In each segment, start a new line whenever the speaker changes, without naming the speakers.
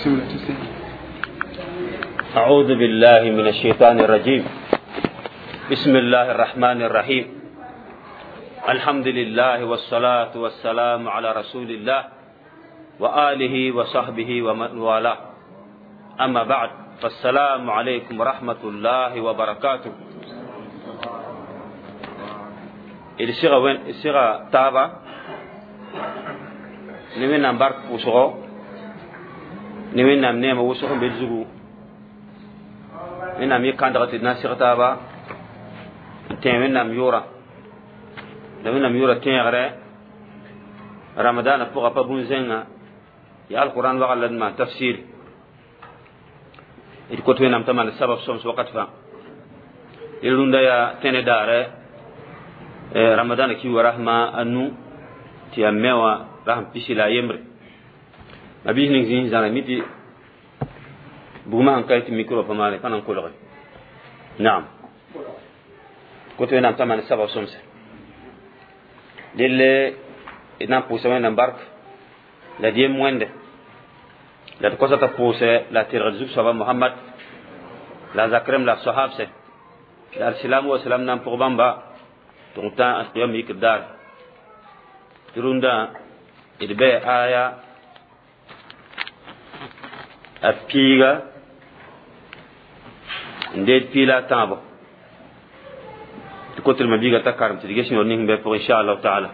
Bismillah tafsir.
أعوذ بالله من الشيطان الرجيم. بسم الله الرحمن الرحيم. الحمد لله والصلاة والسلام على رسول الله وآله وصحبه ومن والاه. أما بعد، فالسلام عليكم ورحمة الله وبركاته. الصيغة وين الصيغة تابا نمين نمبر وشغو نمين نم نيم وشغو بالزغو wẽnnaam yɩ kãndg tɩ d na n seg taaba n tẽ wẽnnaam yʋʋrã la wẽnnaam yʋʋrã tẽegre ramadaanã pʋga pa bũn-zẽngã yaa alquran wagl la d maan tafsir d kot wẽnnaam t'a maan sabab sõms wakat fãa d rũndã yaa tẽne daare ramadaanã kiuga rasma a nu tɩ yaa me wã rasm pisi la a yembre mabiis ning zĩis zãra mi tɩ bugmã sẽn ka tɩ micro pa maane pa na n kolge naam kot wẽnnaam t'a maan sabab sõmse delle d na n pʋʋsa wẽnnaam bark la d yem wẽnde la d kosa t'a pʋʋsɛ la tɩrgd zug-soaba Mohamad la zakrem la sahabse la alsilamu wa salam na n pʋg bãmba tɩ tã alqiyam yikr daar tɩ rũndã d bɩ aya a piiga n deed piila a tãabo tɩ kotremã biiga t'a karem tɩ d ges yõor ning bɩ pʋgẽ inchallahu taala.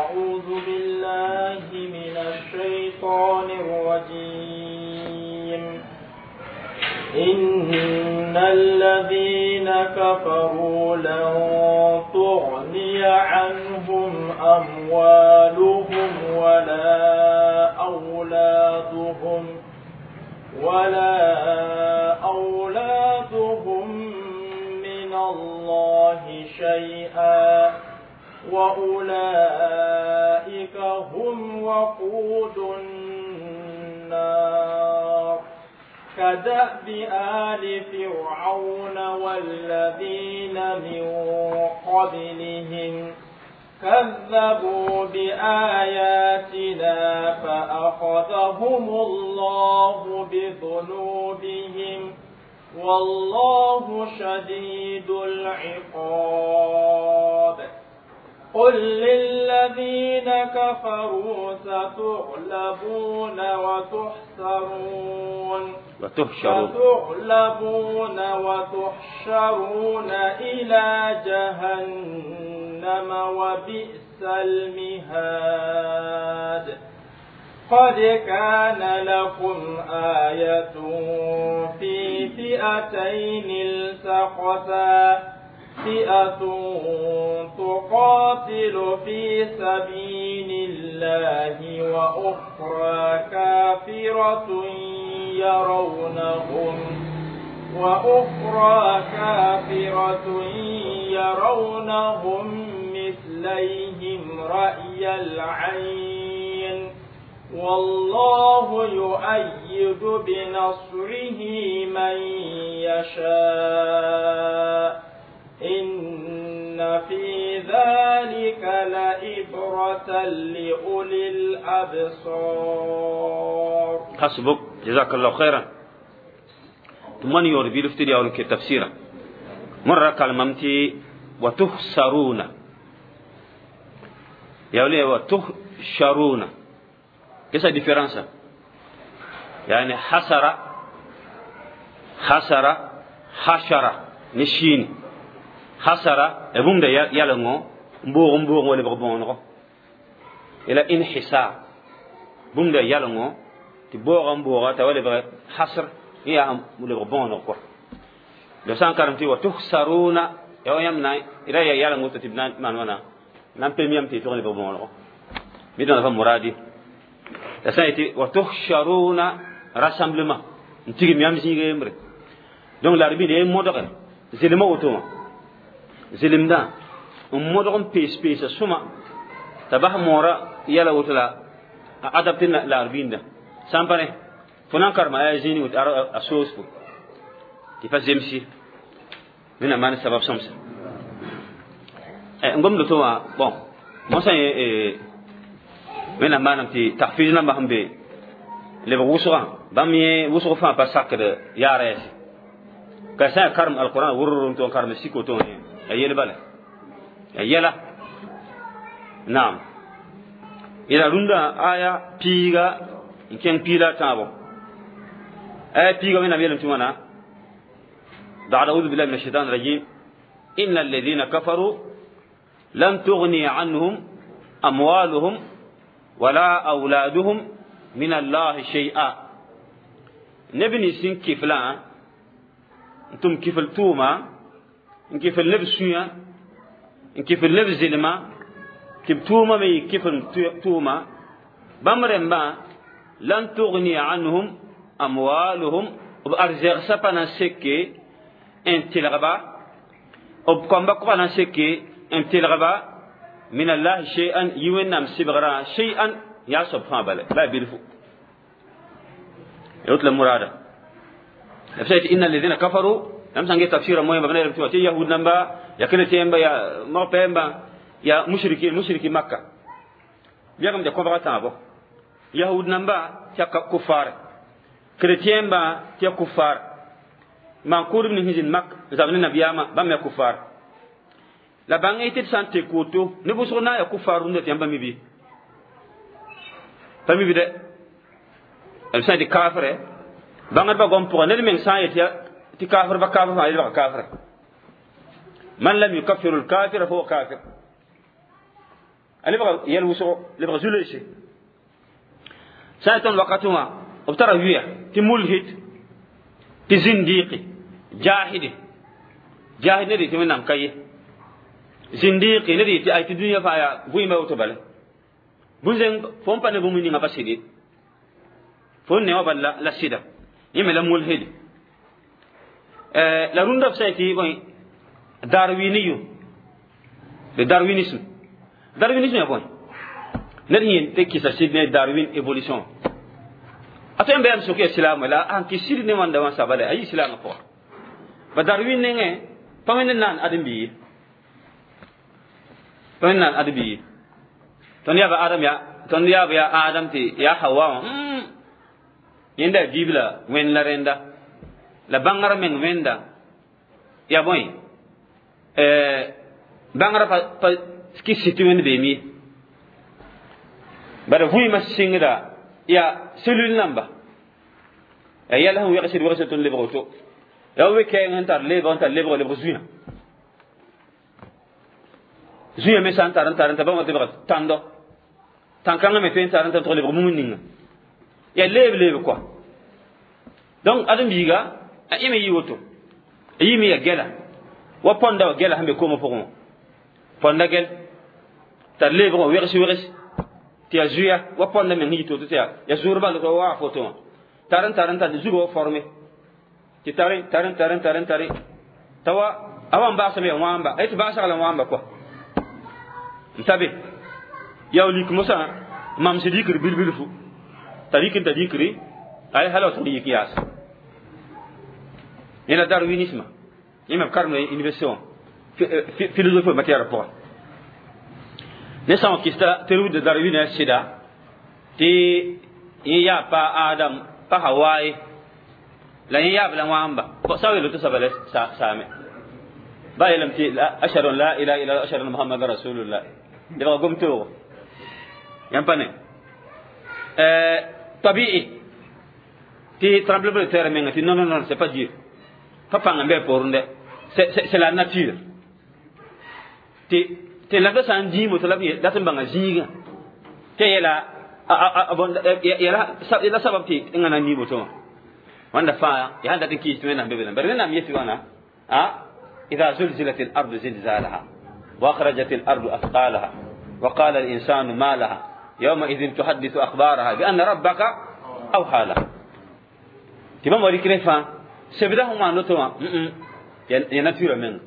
أعوذ بالله من الشيطان الرجيم. إن الذين كفروا لن تغني عنهم أموالهم ولا أولادهم من الله شيئا وأولئك هم وقود النار. كدأب آل فرعون والذين من قبلهم كذبوا بآياتنا فأخذهم الله بذنوبهم والله شديد العقاب. قل للذين كفروا ستغلبون وتحشرون
وتحشرون
ستغلبون وتحشرون إلى جهنم وبئس المهاد. قد كان لكم آية في فئتين التقتا، فئة تقاتل في سبيل الله وأخرى كافرة يرونهم مثليهم رأي العين والله يؤيد بنصره من يشاء إن في ذلك لعبرة لأولي الأبصار.
حسبك جزاك الله خيرا. ثم يور بيلفتري أو تفسيرا مرة كلمتي وتخسرون يا ولي وتحشرون كيف différence؟ يعني حسر حسر حشر نشين حسر بوم ده يالنغو مبوغ مبوغ ولا بغبونغو الى انحسار بوم ده يالنغو تبوغ مبوغ تا ولا حصر يا ولا بغبونغو لو سان كارمتي وتخسرون يا يمنا الى يالنغو تبنا مان وانا نام بيميام تي تغني بغبونغو ميدون فا مرادي تسايتي وتحشرون rassemblement ntigi miam zinge mbre donc l'arbi de modore zelema auto zelimda modore pes pes suma tabah mora yala wotla adapter l'arbinda sampane funan karma ay zini wot asos fu ti fa zemsi mina man sabab somsa ngom do to wa bon mo sa mina manam ti tahfiz na mahambe Lebg wʋsgã bãmb yẽ wʋsg fãa pa sakd yaara yɛse ka sã n karem alquran wʋrr n tɩ n karem sik woto wã ya yel bala ya yɛla naam ila rũndã aya piiga n kẽng piila a tãabo aya piiga wẽnnaam yeelame tɩ wãna بعد أعوذ بالله من الشيطان الرجيم إن الذين كفروا لن تغني عنهم أموالهم ولا أولادهم من الله شيئا نبني سن كفلا انتم كفل توما ان كفل نبسيا ان كفل نبزلما كيف توما مي كفل توما بامرن با لن تغني عنهم أموالهم بأرزاق سبنا سكي ان تلغبا وبكم بقبنا سكي ان تلغبا من الله شيئا يوينام سبغرا شيئا يا سبحان بله لا بيلفو يوتل المرادة نفسيت إن الذين كفروا لم سنجي تفسير موين ببنى رمتوا يهود نمبا يا كنتين با يا مغبين با يا مشركين مشركي مكة بيغم دي كفر تابو يهود نمبا تيا كفار كريتين با تيا كفار man kurum ni hizin mak zabni nabiyama bam ya kufar la bang ite sante koto ne buso na ya kufaru ne tiyamba mibi pa mibi de el sa di kafre bangar ba gom pour ne men sa yeti ti kafir ba kafir fa ba kafir man lam yukaffiru al kafir fa huwa kafir ali ba yel wuso le ba zulese sa ton wakatuma obtara wiya ti mulhid ti zindiqi jahidi jahid ne di ti nam kaye zindiqi ne di ti ay ti dunya fa ya buima woto bale bunzen fon pa ne bu ninga pa sidi fon ne wa balla la sida yime la mulhid la runda fa ti bon darwiniyu le darwinisme darwinisme ya bon ne yin te kisa sidne darwin évolution ato mbe am soke islam la an ki sidi ne wanda wan sabale ayi islam ko ba darwin ne nge pa men nan adam bi pa men nan adam bi ton ya ba adam ya ton ya ba ya adam ti ya hawa yenda bibla wen la renda la bangara men wenda ya boy bangara pa pa ski situ wen be mi bara vui ma singra ya cellule namba ya yalla hu yagsir wagsatun le broto ya we keng tar le bon tar le bro le zuya zuya me san tar tar tar ba ba tando tankanga me fen tar tar le bro muninga ya leb leb quoi donc adam biga a ime yi woto yimi ya gela wa ponda wa gela hambe ko mo fogon ponda gel tar le bro wegsi wegsi ti ya zuya wa ponda men hito to ya ya zurba lo wa foto taran taran tar zugo wa forme ti tarin tarin tarin tarin tarin tawa awan ba sabe wamba ay ti ba sa la wamba quoi ntabe ya lik musa mam sidikir bilbil fu tarikin tadikri ay halo to yik yas ila darwinisme imam karno université philosophie matière pour ne sã kista tɩ de darwin a sɩda tɩ yẽ yaa pa adam pa hawaye la yẽ yaab la wãmba sa welo tɩ saba la saame ba yeelame tɩ ashhadu an la ilaha illa ashhadu anna muhammadan rasulullah lebga gom toogo yãmb pa ne tabi'i tɩ tremblement de terre menga tɩ non non non c'est pas Dieu pa pãng n bɩ poorẽ c'est la nature tɩ tɩ la sã n dĩimo tɩ la dat n bãnga zĩigã tɩ yɛla la sabab tɩ ẽŋa na n nii woto wã wãnda fãa yaa sãn dat n kiis tɩ wẽnnaam be be bara wẽnnaam yetɩ wãna a إذا زلزلت الأرض زلزالها وأخرجت الأرض أثقالها وقال الإنسان ما لها يومئذ تحدث أخبارها بأن ربك أوحى لها تمام ولكن فا سبدا هما نتوا يا ناتورا من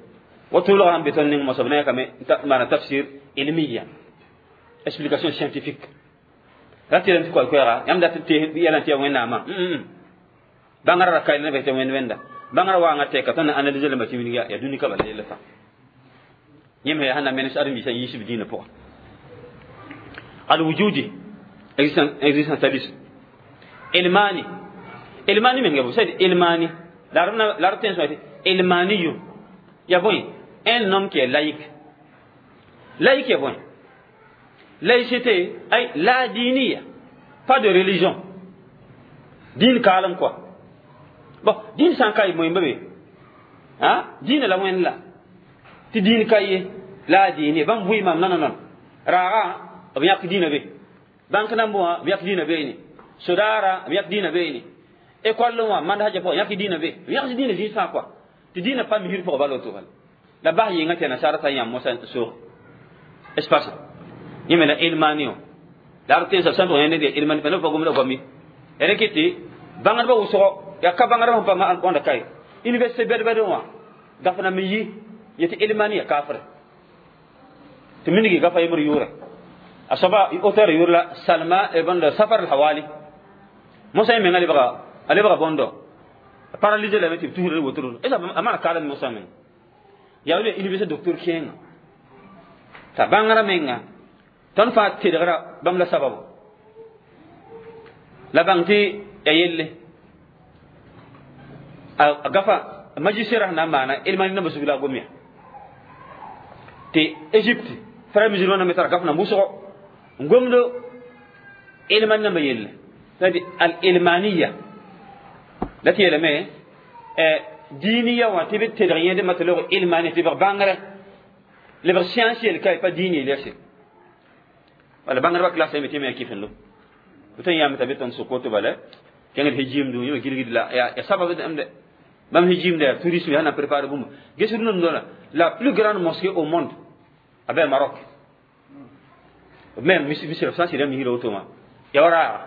وطول عم بتنين مصبنا كم معنى تفسير علميا explication scientifique rati ran ko ko yam da te yalan te wen nama bangara rakay ne be te wen wenda bangara wa ngate ka ton analyser le machine ya ya duni ka bala le fa yem he hana men adam bisa yisib dina po al wujudi existentialisme Ilmani ilmani menga bo c'est ilmani la la la tension ilmani ya bon un homme qui est laïque. Laïque est bon. Laïcité ay la diniya, pas de religion. Din kalam quoi. Bon, din san kay moy mbabe. Ha? Din la wen la. Ti din kay la dini bam bui mam non non non. Raga b yãk dĩinã be. Bãnk na n bõ wã b yãk dĩinã beene. Sodaara b yãk dĩinã beene. École wã mand haja pʋgã yãk dĩinã be. B yãks dĩinã zĩis fãa quoi. Tɩ dĩinã pa misir pʋgã bala woto bala. La bas yɩnga tɩ nasaara t'a yãmb mosã soog. Espace. Yẽ me la ilmani wã. La r tẽnsã sã n tʋg yã ned yaa ilmani pa neb pa gomda goam ye. Ya rẽ tɩ bãngdbã wʋsgo yaa ka bãngdbã sẽn pa wãnda kaye. Université bɛd-bɛd wã gaf na me yi yetɩ ilmani ya kafre. Tɩ minigi gafa yembr yʋʋrɛ. A soaba auteur yʋʋr la Salma bõnd Safar al-Hawali. Mosã yẽ menga lebga a lebga bõndo paralysé lame tɩ b tusr wotro. Est a maan kaalem mosã menga. Yaa wala université docteur kẽenga. T'a bãngrã menga tõnd fãa tedgra bãmb la sababu. La bãng tɩ ya yelle. A gafa magistrat na n maana ilmani namba sug la a gom ya. Tɩ Égypte frère musulman me tara gaf na wʋsgo n gomdo ilmani namba yelle. C'est-à-dire al-ilmaniya. La tɩ yeelame diniya wã tɩ b tedg yẽdmã tɩ log ilmani tɩ b bãngre lebg science yel ka pa diin yel yase. Wala bãngdbã classe me tɩ me ya kɩfendo. Tõe n yãame t'a be tõnd sokoto bala kẽngd hijimdu yẽ gilgd la ya sabab de bãmb hijimda ya tourisme ya na préparer bũmb. Ges rũndã la plus grande mosquée au monde a bɛ Maroc. Même misra sã n sɩda misra woto wã ya wa raaga.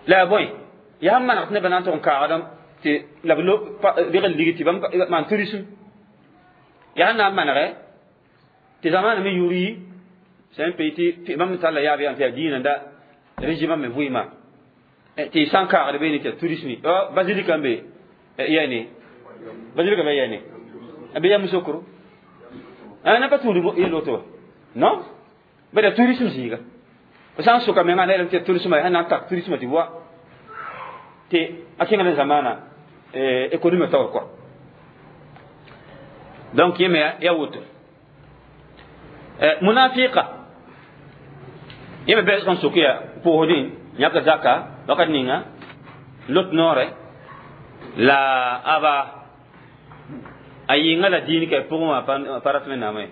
La ya bõe yaa sẽn maneg tɩ nebã na n tʋg n kaagdame tɩ la b reg n lig tɩ bãmb maan tourisme. Yaa sẽn na n manege tɩ zamaana me yʋʋr yi c'est un pays tɩ bãmb talla yaab yaa tɩ yaa diinã da régime me vɩɩmã tɩ sã n kaagd beene tɩ yaa tourisme basilique n be yɛne basilique be yɛne be yam sokro na pa tũud yel woto non ba da tourisme zĩiga f sã n soka menga na yeelame tɩ tourisme sã na n tak tourisme tɩ wa tɩ a kẽnga ne zamaana économie taoor quoi. Donc yẽ me ya woto. Munafiqa yẽ me bɩ sẽn sok ya pʋʋsdẽ yãk zaka wakat ninga lot noore la aba a yɩnga la diin ka pʋgẽ wã pa rat wẽnnaamã ye.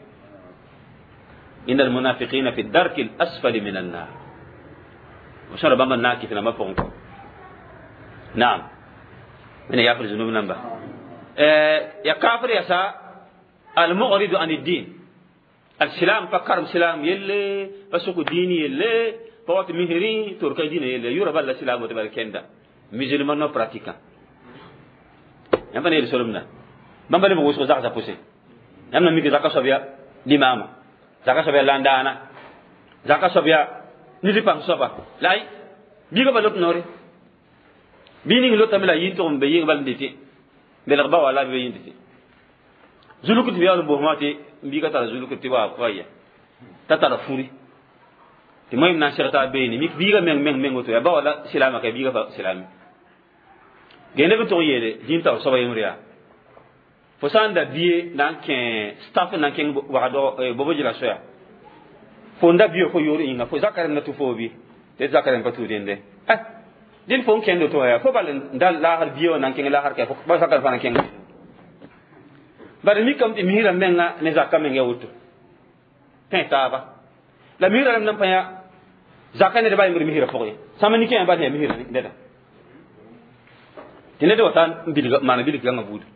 إن المنافقين في الدرك الأسفل من النار. وشنو بamba na kɩf nambã pʋgẽ kɔ. Naam. من يغفر ذنوب نمبا. يا كافر يا سا المعرض عن الدين. السلام فكرم سلام يلي فسوق ديني يلي فوات مهري تركي ديني يلي يورا بلا سلام وتبارك كندا. Musulman non pratiquant. Yãmb pa ne yel solem bãmb leb wʋsg zagsa pʋsẽ. Yãmb na mik zaka soab ya limama, zaka soab ya landana, zaka soab ya ned pãng soaba la ay biiga pa lot noore bii ning lotame la yĩn tʋg n be yɩng bal n dɩtɩ belg ba wala be yĩn dɩtɩ zuluk tɩ yaool n bosmã tɩ n biiga tara zuluk tɩ wa ya t'a tara furi tɩ moẽm na n seg t'a beene mik biiga meng meng meng woto ya ba wala silama ka biiga pa silame ge neb n tʋg n yeele dĩn taoor soaba yembre yaa fo sã n da bie na n kẽ staff na n kẽng wagdg bobo jila soya fo n da bio fo yoor yĩnga fo zaka rẽmda tʋ fo bi tɩ zaka rẽm pa tʋ dẽnde dẽnd fo n kẽnd to ya fo bal n da laasr bia wã na n kẽng laasr ka fo ba zaka fa na kẽng bari mikame tɩ misrã menga ne zaka meng ya woto pẽ taaba la misrã rẽmd n pa yã zaka ned ba yembr misrã pʋgẽ sãmb nin-kẽã bal ya misrã neda tɩ ned wa ta n bilg maana bilg gãngã buudu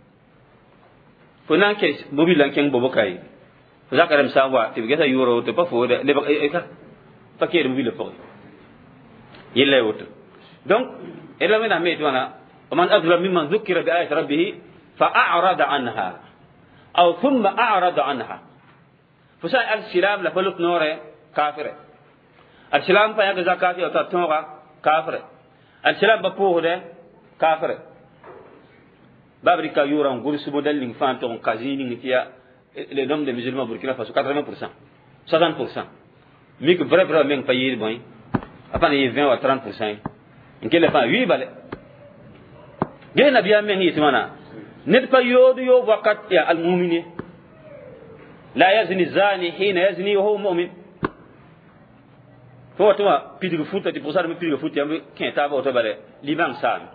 fo na n kẽ mobil la n kẽng bobo kaye fo zaka rẽmb sã n wa tɩ b gesa yʋʋra woto pa fo lebg pa keed mobilã pʋgẽ yella ya woto. Donc ila wẽnnaam me tɩ wãna ومن أظلم ممن ذكر بآية ربه فأعرض عنها أو ثم أعرض عنها. فسا السلام لفلوت نور كافر. السلام فيا زكاة وتاتوغا كافر. السلام بقوه ده كافر. Babrika yura gursu model ning fan to kazini ning tiya le nombre de musulmans Burkina Faso 80%, 60%. Mik vrai vrai meng pa yir boy. Apa ni 20 ou 30%. N kell fãa wii bale ges nabiyaam meng yetɩ wãna ned pa yood yoob wakat yaa almumin ye la yazni zani hina yazni wa huwa mu'min. Fo wat wã pidg futa tɩ pʋgsa pidga fut yãmb kẽ taaba woto bale limang saame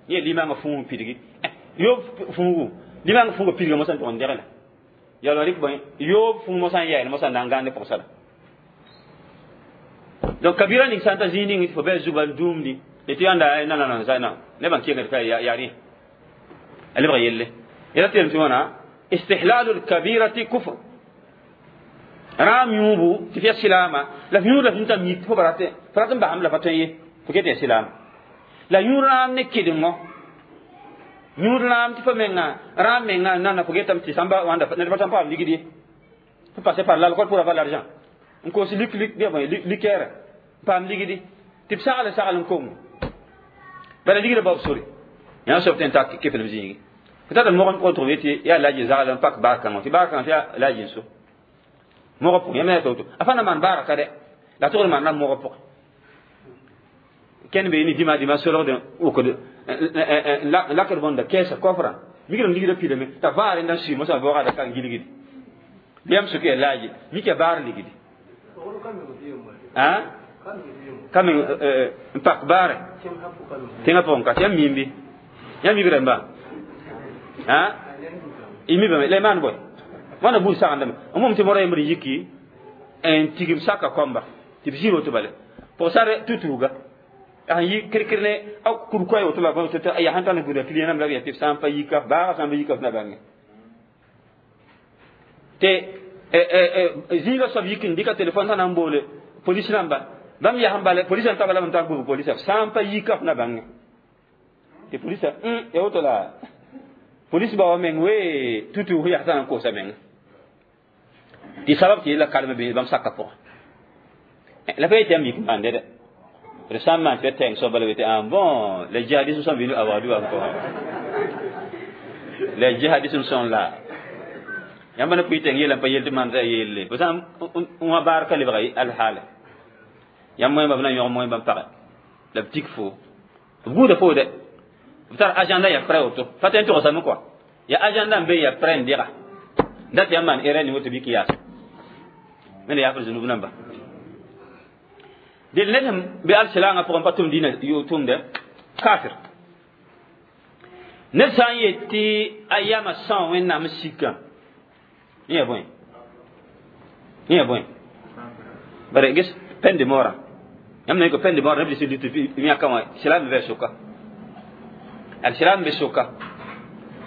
yẽ limangã fũug pidgi yoob fũugu limang fũuga pidga mosã n tʋg n degla yala rɩk bõe yoob fũug mosã n yael mosã n na n gãande pʋgsa la. Donc kabira ning sã n ta zĩig ning fo bɩ a zugã n dũumdi tɩ yãnda nanana sa na nebã n kengd ka yaa rẽ a lebga yelle yɛla tɩ yelem tɩ wãna istihlalu lkabirati kufr rãam yũubu tɩ f ya silaama la f yũud la f yũud t'a mi fo ba rat f rat n basam la pa tõe ye fo ket ya silaama la yũud rãam ne kɩdengo yũud rãam tɩ fo menga rãam menga nana fo getame tɩ sãmba wãnda ned pa tãn paam ligd ye fo passer par l'alcool pour avoir l'argent n koos lik lik liqueur paam ligdi tɩ b sagl sagl n kongo bala ligda baob sore yã soab tɩ n ta keflem zĩigi fo tata mog n pʋgẽ tʋgm yetɩ yaa laji zagl n pak baar kãngã tɩ baar kãngã tɩ yaa laji n so mogã pʋgẽ yãmb yaa to a fa na maan baaraka dɛ la tʋgd maana mogã pʋgẽ kẽnd be ne dĩma dĩma solgd wʋkd n lakd bõnda kɛɛsa kɔfrã mikdame ligda pidame t'a vaar n sʋɩ mosã baoogada ka n gilgdi bɩ yãmb sʋk yaa laaji mik yaa baar ligdi ka meng n pak baare tẽngã pʋgẽ ka tɩ yãmb miim bɩ yãmb mib rãmba y mibame la y maan bõe wãna buud sagendame n mom tɩ mora yembr n yiki n tigim saka kõmba tɩ b zĩ woto bale pʋgsar tutuuga n yi kirkir ne a kur koɛ woto la tɩ ya sẽn tall n gũuda client rãmb la b yaa tɩ b sã n pa yika baaga sã n pa yika f na bãnge tɩ zĩiga soab yik n dɩka telefon sã na n boole polis rãmba bãmb yaa sẽn bala polisã n tabala n tar gbg polisa sã n pa yika f na bãnge tɩ polisa ya woto la polis ba wa meng we tutu yaa sã n kosa menga tɩ sabab tɩ la kalem bɩ bãmb saka pʋgã la pa yetɩ yãmb yik n maande dɛ d sã n maan tɩ tɛng soab bala tɩ ah bon, les djihadistes sont venus à Ouagadougou encore, les djihadistes sont là. Yãmb na pʋɩ tɛng yeela n pa yel tɩ maan t'a yelle fo sã n wã baar ka lebga alhaala yãmb moẽmba b na yõg moẽmba n pagɛ la b tik fo b guuda fo dɛ b tar agenda ya prêt woto pa tõe n togsame kɔa ya agenda n be ya prêt n dega dat yãmb maan erreur ning woto bɩ k yaas wẽnda yaafr zunub namba del ned sẽn be alsilangã pʋgẽ pa tʋm dĩnã tʋmdɛ kafir ned sã n yet tɩ a yama são wẽnnaam sikã yẽ bõe yẽ bõe bare ges peine de mort yãmb na ko peine de mort neb lis lit yãka wã silam be soka al silam be soka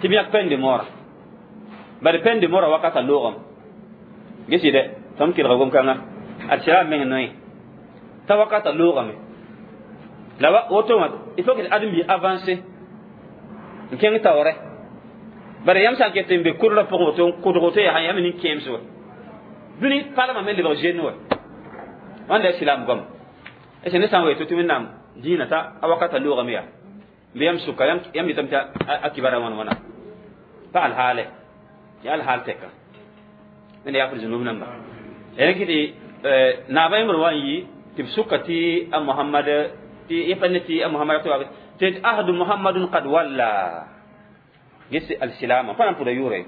tɩ b yãk peine de mort bare peine de mort wakata loogame gesi dɛ tõnd kelga gom-kãnga al silam meng noe t'a wakata loogame la woto wã il faut que ãdem-bi avancer n kẽng taoorɛ bare yãmb sã n ket n be kʋdrã pʋgẽ woto n kʋdg woto yaa yãmb nin-kẽems wa dũni palmã me lebg zoend wa wãnda silam goam est ne sã n wa tɩ wẽnnaam dĩinã t'a a wakata loogame yaa bɩ yãmb sʋka yãmb yetame tɩ a kibara wãn wãna pa alhaale yaa alhaal tɛka wẽnda yaafr zunub namba rẽk tɩ naabã yẽmbr wa n yi tɩ b sʋka tɩ a Mohamad tɩ yẽ pa ne tɩ a Mohamad tɩ ahdu Mohamadun qad walla ges alsilama pa na n pʋda yʋʋre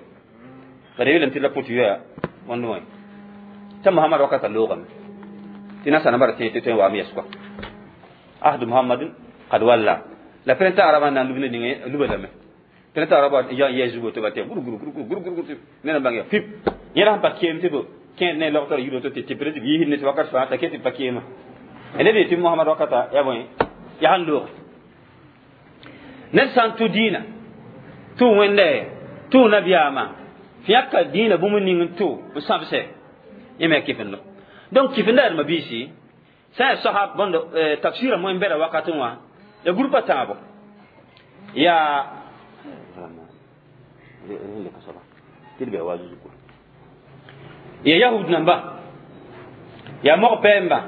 bara yeelame tɩ la pʋt yoya wãnd wã t'a Mohamad wakata loogame tɩ nasara bara tẽ tɩ tõe n waam yɛs kɔa ahdu Mohamadun qad walla la printemps arabe na n lub ne ninge luba lame printemps arabe ya yɛ zugo tɩ ba tɩ gur gur gur gur gur gur ne na bãng ya pip yẽra sẽn pa keem tɩ b kẽed ne logtr yiro tɩ tɩ tɩ b yiisd ne tɩ wakat fãa t'a ket tɩ pa keema neb yetɩ Mohamad wakata ya bõe yaa sẽn looge ned sã n tʋ dĩinã tʋ wẽnda tʋ nabiyaamã fɩ yãka dĩinã bũmb ning n tʋ n sãbsɛ yẽ me kɩfendo donc kɩfenda yaa mabiisi sã yaa sosab bõnd tafsɩrã moẽ bɛda wakatẽ wã ya groupe a tãabo yaa ya yahud namba ya mog pɛɛmba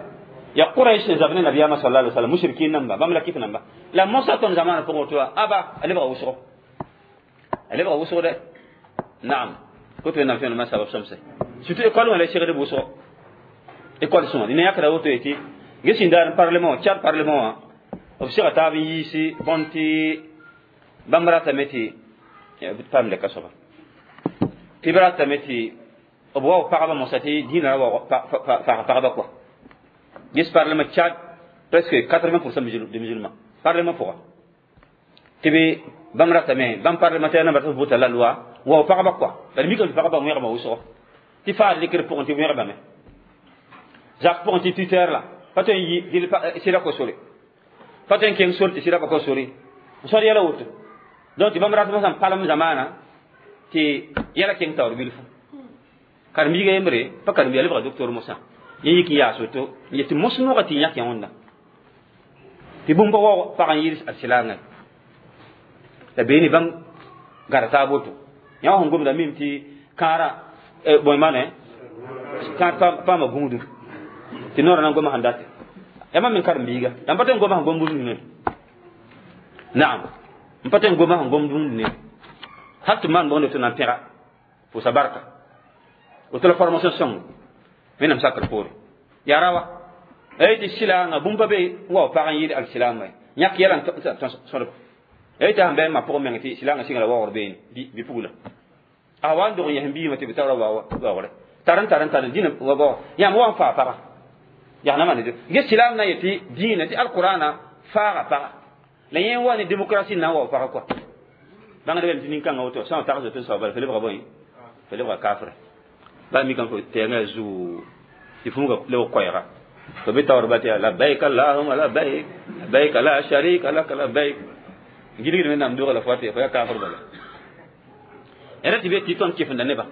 ya Quraish zab ne nabiyama sallallahu alaihi wasallam mushrikin namba bãmb la kɩf namba la mosa tõnd zamaana pʋgẽ woto wa aba a lebga wʋsgo a lebga wʋsg dɛ naam ko tɩ wẽnnaam tõe sabab sõmse surtout école wã la segd wʋsgo école sõma ne yãkra woto yetɩ ges sẽn daar parlement Tchad parlement wã B sega taab n yiisi bõn tɩ bãmb ratame tɩ paam lɛka soaba tɩ b ratame tɩ b wao pagba mosa tɩ dĩinã ra faag pagba kɔa. Ges parlement Tchad, presque 80% de musulmans parlement pʋga tɩ b bãmb ratame bãmb parlementaire namba tɩ b vota la loi wao pagba kɔa. La d mikame tɩ pagba wẽgma wʋsgo tɩ faad rɩkr pʋgẽ tɩ wẽgbame zak pʋgẽ tɩ tuteur la pa tõe n yi sɩda ko sore, pa tõe n keng sor tɩ sɩda pa ko sore n sõd yɛla woto. Donc tɩ bãmb ratmã sãn palem zamaana tɩ yɛla keng taoor bilfu karen-biiga yembre pa karen-biiga lebga docteur mosã yẽ yik n yaas woto n yet tɩ mos noogã tɩ yãk yã wẽnda tɩ bũmb pa wa pag n yɩɩd a silaangã la beene bãmb gara taab woto. Yã wã sẽn gomda mim tɩ kãara bõe maane kãar paama gũudum tɩ noorã na n goma sẽn date ya mam me karen-biiga la n pa tõe n goma sẽn gom bũmb ne naam n pa tõe n goma sẽn gom bũmb ne hal tɩ maan bõonde tɩ na n pẽga pʋʋsa barka woto la formation sõng wẽnnaam sakr poore yaa rawa ay tɩ silaangã bũmb pa be n wa pag n yɩɩd alsilaamã yãk yɛla n sõdb ay tɩ sãn bɩ n ma pʋgẽ meng tɩ silaangã sɩnga la waoogr beene bi-pugla a wa n dog n yɛs n biimã tɩ b taoora waoogre tar n tar n tar dĩnã wa bao yãmb wa n faa paga yaa na maan ges silaam na n yetɩ dĩinã tɩ alqurana faaga paga la yẽ wa ne démocratie n na n wa paga kɔa bãngd bame tɩ nin-kãngã woto sã n tags woto soaba bala fo lebga bõe fo lebga kafre baa mikame fo tɛɛngã zuu tɩ fũuga lebg koɛɛga fo be taoor ba tɩ yaa labbaik allahuma labbaik labbaik la sharika laka labbaik gilgd wẽnnaam doga la fo tɩ fo yaa kafr bala ra tɩ be tɩ tõnd kɩfenda neba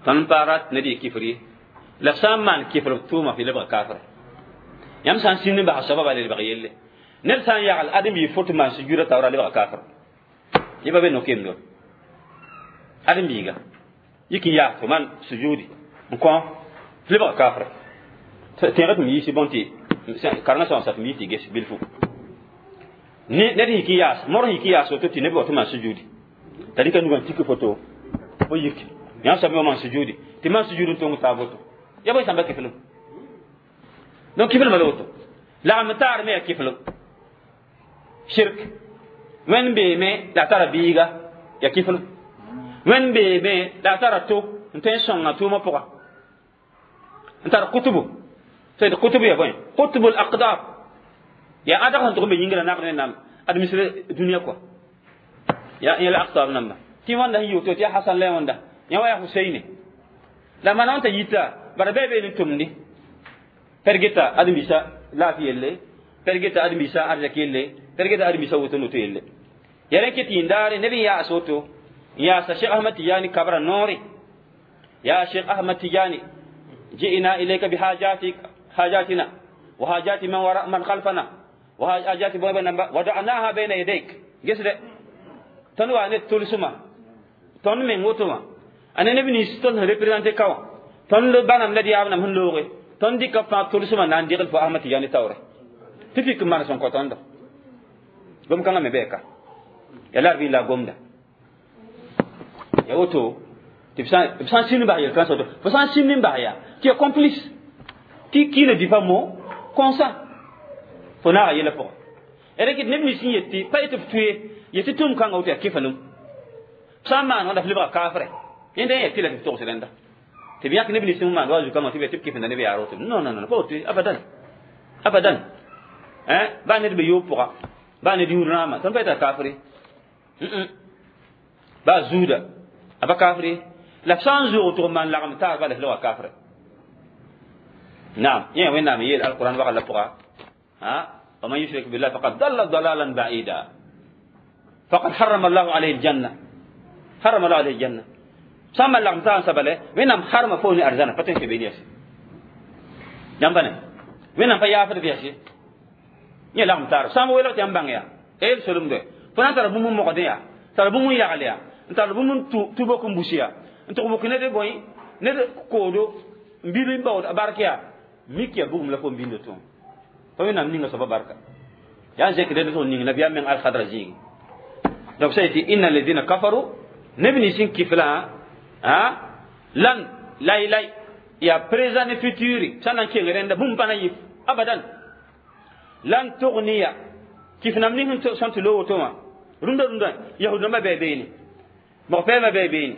tõnd pa rat ned yɩ kifr ye la sã n maan kifr b tʋʋma fɩ lebga kafre yãmb sã n sĩnd n basa soaba bala lebg yelle ned sã n yagl adem yɩ fot maan sujuda taoora lebga kafr yẽ pa be no-keemdo adem biiga yik n yaas fo maan sujudi n kõ f lebga kafre tẽega tɩ m yiisi bõn tɩ karengã sã n sa tɩ m yi tɩ ges bilfu ned yik n yaas mor yik n yaas woto tɩ neb wa tɩ maan sujudi t'a rɩka nugã tik foto fo yik yãmb soab me wa maan sujudi tɩ maan sujud n tong taab woto ya bõe sãmba kiflem donc kiflmã la woto lagm taar me ya kiflem shirk wẽnd beeme la a tara biiga ya kiflem wẽnd beeme la a tara to n tõe n sõnga tʋʋmã pʋga n tar kutubu tɩ kutubu ya bõe kutubu aqdar ya ãdg sẽn tʋg n be yĩngrã nagd wẽnnaam administré dũniyã kɔa ya yẽla aqtab namba tɩ wãnda sẽn yɩ tɩ ya hasan la wãnda yã wa yaa huseine la mana wãn t'a yita bara bɩ be ne tʋmdi per geta ãdem-biisã laafɩ yelle per geta ãdem-biisã arzɛk yelle per geta ãdem-biisã woto noto yelle ya rẽ ket yĩndaare neb n yaas woto n yaasa Cheikh Ahmad Tijani kabra noore ya Cheikh Ahmad Tijani ji'na ilayka bihajatik hajatina wa hajati man wara man khalfana wa hajati wada'naha bayna yadayk gesde tõnd wa ne tʋlsmã tõnd meng woto wã a ne neb nins tõnd sẽn représente ka wã tõnd bãnam la d yaabnam sẽn looge tõnd dɩka fãa tʋlsmã na n degl fo Ahmad Tijani taoore tɩ fik n maan sẽn kõ tõndo gom kãngã me bɛɛka ya la r la gomda ya woto tɩ b sã n sĩnd bas yel-kãnsã woto fo sã n sĩnd n bas yaa tɩ ya complice tɩ qui ne dit pas mot consent fo naaga yɛla pʋgã rẽk neb nins n yet tɩ pa yetɩ f tʋe yetɩ tʋʋm kãngã woto yaa kɩfalem sã n maan wãnda f lebga kafrɛ yẽnda yã tɩ la tɩ f togs rẽnda tɩ b yãk neb nins n maan wa zu-kãngã tɩ b tɩ b kɩfenda neb yaar woto non non non pa woto abadan abadan baa ned be yoob pʋga baa ned yũud rãama tõnd pa yeta kafre baa zuuda a pa kafre la f sã n zoog tʋg n maan lagem taar bala f lebga kafre naam yẽ wẽnnaam yeel alquran wagl la pʋga ومن يشرك بالله فقد ضل ضلالا بعيدا فقد حرم الله عليه الجنة حرم الله عليه الجنة سما لغم تان سبله وينام حرم فوني أرزانا فتن في بينيس جنبنا وينام فيا بياسي يا لغم تار سما ويلو تيام يا el solum de fo na n tar bũmb n mogdẽ yaa tar bũmb n yagl yaa n tar bũmb n tʋ bok n bus yaa n tʋg bok ned bõe ned koodo n bil n baood a bark yaa mik yaa bugum la fo n bindo tʋ pa wẽnnaam ninga soaba barka yaa n zẽk rẽnd tʋg ning nabiyaam meng alkhadra zĩigi. Donc ça yetɩ inna alladina kafaru neb nins n kiflã lan lay lay yaa présent ne futur sã n na n keng rẽnda bũmb pa na yɩ abadan. Lan tughniya kif nam ning sẽn tɩ loog woto wã rũndã rũndã yahud rãmbã bɩ beene mog-pɛɛmã bɩ beene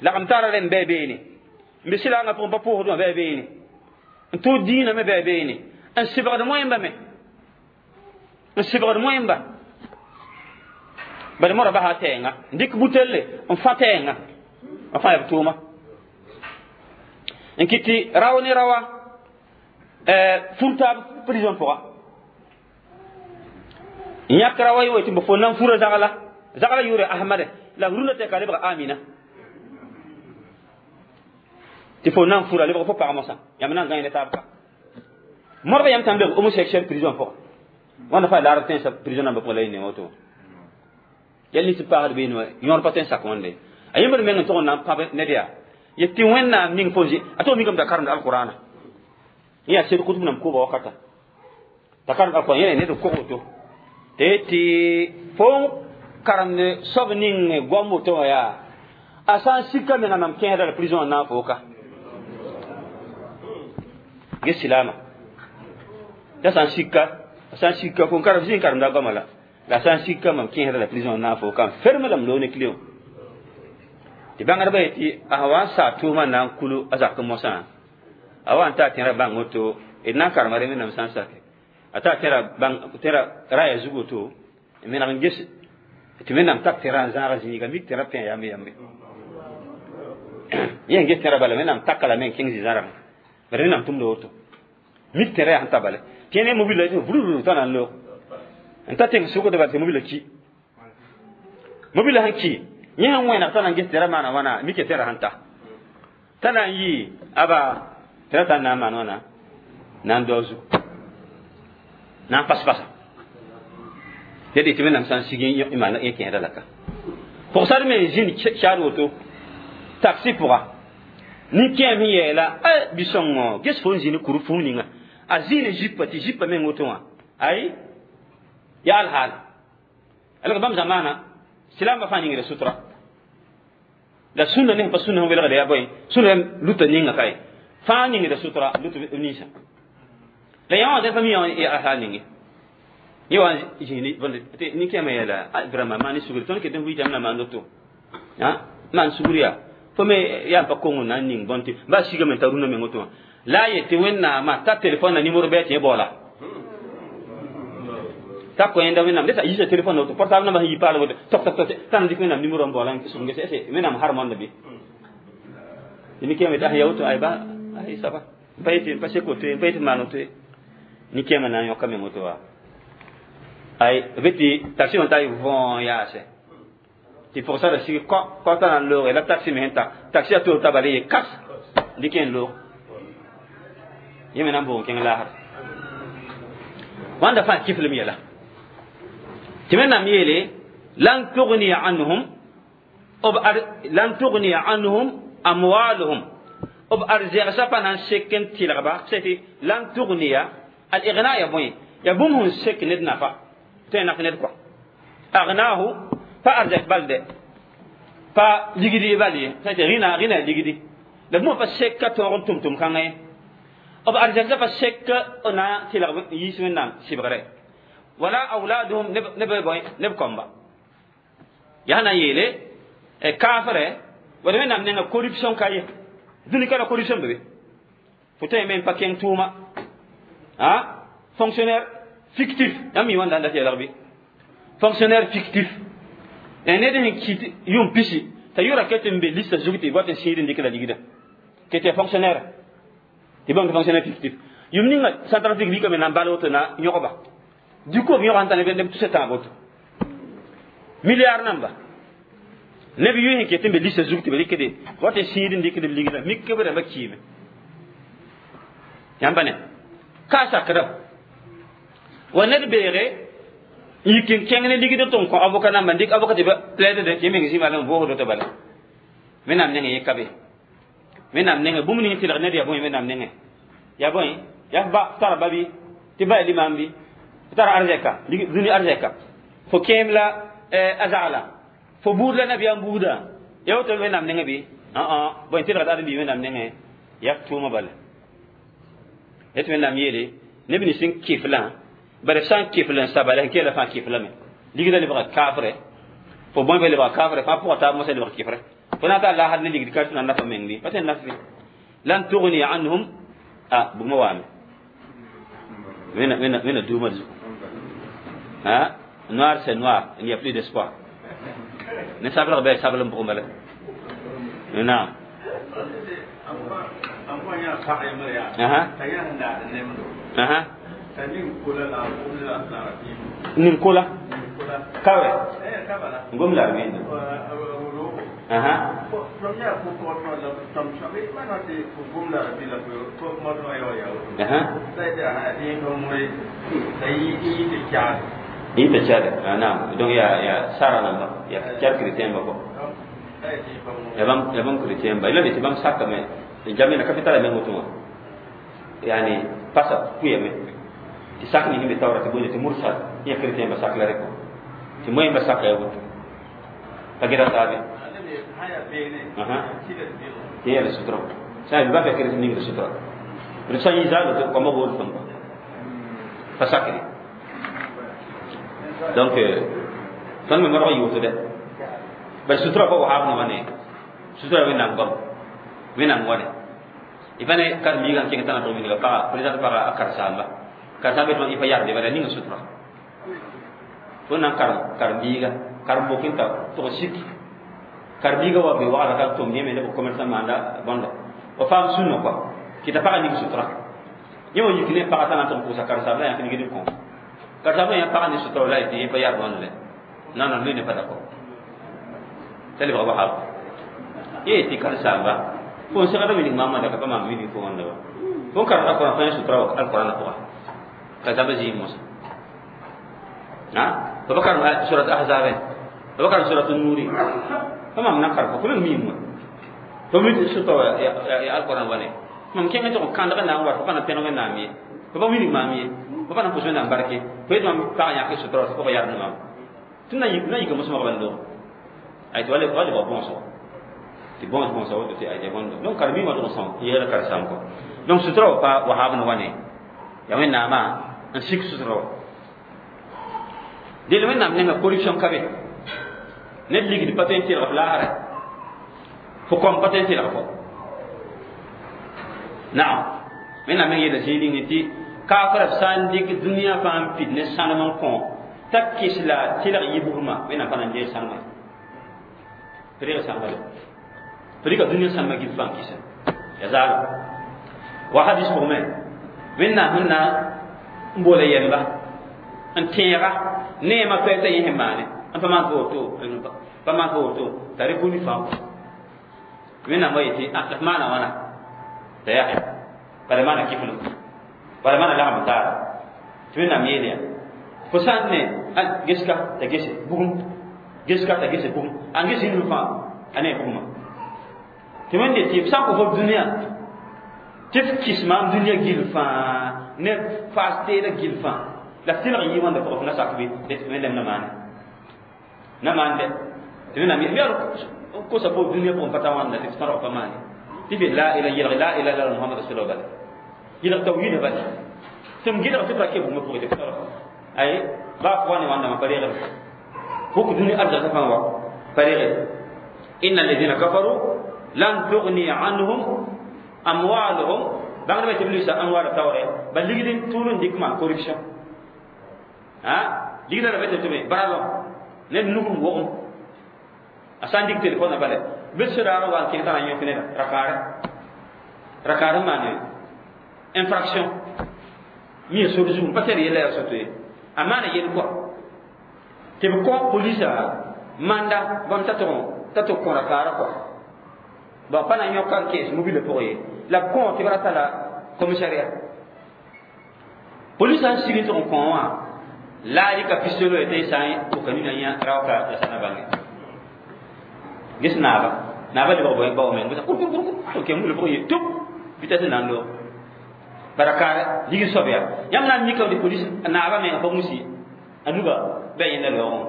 lagm tara rẽmb bɩ beene n be sɩlaangã pʋgẽ pa pʋʋsd wã bɩ beene n tʋʋd dĩinã me bɩ beene n sɩbgd moẽmba me n sɩbgd moẽmba bad modã basa tɛɛnga n dɩk butelle n fã tɛɛnga n fã yaa b tʋʋma n kɩt tɩ rao ne raoa fur taab prison pʋga n yãk raoa ye tɩ b fo nan fura zagla zagla yʋʋre ahmade la rũndã tɛka lebg amina tɩ fo nan fura lebg fo pag mosã yãmb na n gãe ne taab ka modba yãmb tãn lebg homosexuel prison pʋga wãnda fa laarb tẽnsã prison nambã pʋgã la y ne woto yɛl nins paasd beene wã yõor pa tõe n sak wãnde a yẽmbr meng n tʋg n na n pãb ned yaa yet tɩ wẽnnaam ning fo zĩ a tog mikame t'a karemd alqurana yẽ yaa sed kʋtb nam koba wakata t'a karemd alquran yẽ ned n kog woto tɩ tɩ fo karemd soab ning goam woto wã yaa a sã n sika menga mam kẽesda la prison n na n fo ka ges silama t'a sã n sika a sã n sika fo n karem zĩ n karemda goama la la sã n sika mam kẽesda la prison n na n fo ka n ferme lame loog ne clio tɩ bãngdbã yetɩ a wa n saa tʋʋmã na n kulu a zak mosã a wa n taa tẽra bãng woto d na n karema re wẽnnaam sã n sake a taa tẽra bãng tẽra raya zug woto n meneg n ges tɩ wẽnnaam tak tẽra n zãag zĩiga mik tẽra pẽ yambe yambe yẽ n ges tẽra bala wẽnnaam taka lame n kẽng zĩ-zãrgẽ bala wẽnnaam tʋmda woto mik tẽra yaa sẽn ta bala tɩ ne mobila vururu t'a na n loog n ta tẽng sʋkd bala tɩ mobila ki mobila sẽn ki yẽ sẽn wẽneg t'a na n ges tẽra maana wãna mike tẽra sẽn ta t'a na n yɩ aba tẽra t'a na n maan wãna na n dao zug na n pas-pasa tɩ d tɩ wẽnnaam sã n sig y maan yẽ kẽeda la ka pʋgsar me n zĩnd chaad woto taxi pʋga nin-kẽem sẽn yɛɛla a bi-sõngo ges fo n zĩni kur fũu ninga a zĩine zipa tɩ zipa meng woto wã ay yaa alhaal alg bãmb zamaana silamba fãa ningda sutra la sũnda ne pa sũnda sẽn welgda yaa bõe sũnda luta ninga kae fãa ningda sutra lut ninsã la yã wã fa mi yã alhaal ninge yẽ wa zĩni nin-kẽemã yeela vraiment maan sugri tõnd ket n vɩɩtame na maan woto maan sugr yaa fo me yaa pa kongo na n ning bõn tɩ ba sigame t'a rũndã meng woto wã la a yetɩ wẽnnaamã t'a telefon na nimero bɩ tɩ yẽ baoola ta ko yẽnda wẽnnaam deta yisa telefon woto portable nambã sẽn yi paal woto tok tok tok t'a na dɩk wẽnnaam nimero n baoola n sʋg gese ese wẽnnaam harmõnda bɩ tɩ nin-kẽemã yetɩ ya woto ay ba ay saba n pa yetɩ n pa sek woto ye n pa yetɩ maan woto ye nin-kẽemã na n yõka meng woto wa ay b tɩ taxi wã t'a yɩ võo yaase tɩ pʋgsara sig kõ kõ t'a na n looge la taxi me sẽn ta taxi a toor t'a bala ye kas dɩk n loog yẽ me na n boog n kẽng laasr wãnda fãa kiflem yɛla tɩ wẽnnaam yeele lan tugniya anhum lan tugniya anhum amwaluhum b arzɛgsã pa na n sek n tɩlgba tɩ lan tugniya al igna ya bõe ya bũmb sẽn sek ned nafa tõe n nak ned kɔa agnahu pa arzɛk bal dɛ pa ligd bal ye tɩ rĩna rĩna ligdi la bũmb pa sek ka tõog n tʋm-tʋm kãngã ye b arzɛksã pa sek n na n tɩlg yiis wẽnnaam sɩbgre wala auladuhum neb bõe neb kɔmba yaa na n yeele kaafrɛ wala wẽnnaam nenga corruption ka ye dũni ka la corruption be be fo tõe me n pa kẽng tʋʋma a fonctionnaire fictif yãmb mi wãnda n dat yɛlg bɩ fonctionnaire fictif ned sẽn kɩt yʋm pisi t'a yʋra ket n be lista zug tɩ wat n sĩid n dɩk la ligda ket ya fonctionnaire tɩ bãmb tɩ fonctionnaire fictif yʋm ninga Centrafrique rikame na n bal woto na yõgba du coup b yõg sẽn ta neb tusa tãab woto milliard namba neb yʋ sẽn ket n be lista zug tɩ b rɩkde wat n sĩid n dɩkd b ligda mik b rãmbã kiime yãmba ne ka sakda wa ned beege yik n kẽng ne ligd tɩ n kõ avocat namba n dɩk avocat tɩ ba plaide de tɩ meng zĩma n voosd tɩ bala wẽnnaam nengẽ yẽ ka be wẽnnaam nengẽ bũmb ning tɩlg ned yaa bõe wẽnnaam nengẽ yaa bõe yaa ba tara ba bɩ tɩ ba ya limam bɩ fo tara arzɛka dũni arzɛka fo kẽem la a zagla fo buud la nabiyaam buuda ya woto wẽnnaam nengẽ bɩ bõe tɩlgd ãdem-biig wẽnnaam nengẽ yaa tʋʋmã bala tɩ wẽnnaam yeele neb nins sẽn kɩflã Bare sã n kɩfl n saba la sẽn keela fãa kɩflame ligda lebga kaafre fo bõe be lebga kaafre fãa pʋga taab mosã lebg kɩfre fo na n taa laasd ne ligd ka tɩ na n nafa meng bɩ pa tõe n naf bɩ lan tugni anhum a bugmã waame wẽnna duumã zugu. Hein? Noir, c'est noir, il n'y a plus d'espoir. Ne sabla bɛ sabla n pʋgẽ bala naam. Aha aha, nin kola kawe ngom la rabin. Aha, aha, ita chade naam. Donc ya sara namba ya char chrétien ba ko ya bam, ya bam chrétien ba ila de bam saka me jamina capital me ngotuma yani pasa kuyame ti sak ni himbe tawra ti bonde ti mursal ya chrétien ba sak la reko ti moy ba sak ya wut tagira tabe. Aha, ti ya sutra sa bi ba fe chrétien ni sutra rusa yi zalo to ko mo bol fam fa sakri. Donc tõnd me modg n yʋʋsdɛ bal sutura pa wahaab ne wane sutura wẽnnaam goam wẽnnaam wane y pa ne karen-biigã n kẽng tãna tɩg wilga paga président paga a karen-saamba karen-saamba yetɩ y pa yarde bala ninga sutura fo na n karem karen-biiga karen-bok n ta tʋg sik karen-biiga wa be wagda ka tʋm yẽme ne b commerçant maanda bõnda f faam sũnã kɔa tɩ t'a paga ning sutura yẽ wa yik ne paga tã na n tɩg n pʋʋsa karen-saamba la yãk nigd n kõ karen-saamba yã paga ne sutura la tɩ yẽ pa yard wãnd le. Non, non, lui n'est pas d'accord. T'a lebga wahab ye tɩ karen-saamba fo n segda wilg maamã daka pa maam wilg fo wãnda wa fo n karemda Koran fo yã sutura wa alkorãna pʋga ka zaba zĩig mosa fo pa karem surat ahzabe fo pa karem surat nuri fa mam na karem fo meng miim wa fo mi sutura wa ya alkoran wane mam kẽngã tɩg n kãndg n na n wat fo pa na pẽneg wẽnnaam ye fo pa wilg maam ye fo pa na pʋs wẽnnaam barke fo yet mam pag yãk sutura wa fo pa yard maam tɩ na yika mosmg ban loog ay tɩ wa lebg bõosgo tɩ bõos bõosa woto tɩ ay bõndo. Donc karen-biigã tɩg n sõng yeela karen-saam kɔ. Donc sutura wa pa wahaab ne wane ya wẽnnaamã n sik sutura wa del wẽnnaam nenga corruption ka be ned ligd pa tõe n tɩlg f laasrɛ fo kõm pa tõe n tɩlg fo naam. Wẽnnaam meng yeela zĩig ning tɩ kaafra b sã n dɩk dũniyã fãa n pid ne sãnem n kõ t'a kɩs la tɩlg yibsmã wẽnnaam pa na n deeg sãnemã tɩ reg sãnema le tɩ rɩka dũniyã sãnemã gil fãa n kɩsa ya zaalo wa hadis pʋgme wẽnnaam sẽn na n boola yɛmba n tẽega neema toɛɛ t'a yẽ sẽn maane n pa maan tɩ woto pa maan tɩ woto t'a reconnu fãa wẽnnaam wa yetɩ la f maana wãna t'a yaa bala maana kiflem bala maana lagm taara tɩ wẽnnaam yeel yaa fo sã n ne geska t'a gese bugum geska t'a gese bugum a ges yĩnf fãa a ne bugumã tɩ wẽnde tɩ f sã n kõ fo dũniyã tɩ f kɩs maam dũniyã gill fãa ne faas teeda gill fãa la f tɩlg n yɩ wãnda pʋgã f na sak bɩ wẽnnaam na maane na maan dɛ tɩ wẽnnaam yaa kosa fo dũniyã pʋgẽ pa ta wãnda tɩ f tõrg pa maane tɩ f la ila yelg la ila illa Muhammad rasulullah bala yelg tawhid bala tɩ m gɩdg tɩ b ra ke bũmb pʋgẽ tɩ f tõrg ay ba f wa ne wãndame pa reegre fok dũni arzaka fãa wa pa reegre inna alladhina kafaru lan tughni anhum amwaluhum bãngdbã tɩ b lusa amwaala taoore ba ligd n tʋʋl n dɩk maan corruption a ligda ra be tɩ tɩ baralõ ned nug n wogem a sã n dɩk telefõnã bala bɩ sodaag n wa n kẽng t'a na n yõk neda rakaare rakaar n maan infraction mi sor zugu pa tɛr yɛla yaa soto ye a maana yel kɔa tɩ b kõ polisa manda bãmb t'a tɩ kõ rakaara kɔa bon pa na n yõka n kees mobile pʋgẽ ye la b kõ tɩ b ra tala commissariat polisa n sig n tɩg n kõ wã la a rɩka pistolet tɩ sã n pʋka nina yã raoka la sã na bãnge ges naaba naaba lebg bao meng kur kur kur kur ke mule pʋgẽ ye tʋp vitesse n na n loog barakaare ligd soab yaa yãmb na n mika tɩ polis naaba menga pa musi a nuga bɩ a yẽnda loogẽ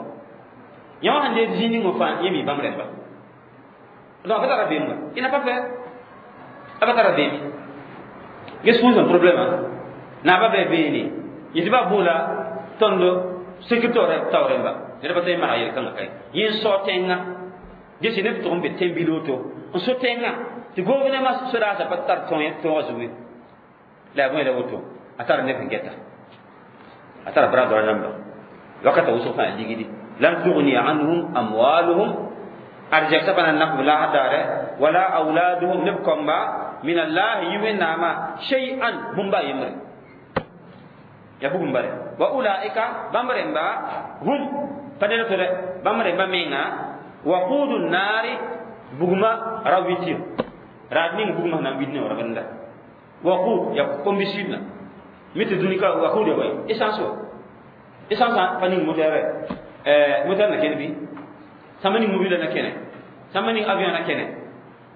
yã wã sẽn deed zĩig ning fãa yẽ mi bãmb rẽmba. Donc a pa tara beem wa il n'a pas fait a pa tara beem ges fũusã problème naaba bɩ beene yetɩ ba boola. Tõnd sécurité taoor rẽmba ned pa tõe n maneg yel-kãngã kae yẽ n sao tẽngã gese neb tʋg n be tẽn-bil woto n so tẽngã tɩ gouvernement sodaasã pa tar tõogã zugu ye la yaa bõe la woto a tar neb sẽn gɛta a tara bras droit namba wakata wʋsg fãa ligdi lan tughni anhum amwaluhum arzɛksa pa na n nak b laasr daare wala auladuhum neb kɔmba min allahi yi wẽnnaamã shay'an bũmba a yembre ya bugum bare wa ulaika bãmb rẽmba hum pa ned to dɛ bãmb rẽmba menga waqudu nnaari bugma ra witɩ raad ning bugmã sẽn na n wid ne rabenda waqud ya combustible mi tɩ dũni ka waqud ya bõe essence wa essence pa ning moteur moteur na kẽne bɩ sãmba ning mobile na kẽne sãmba ning avion na kẽne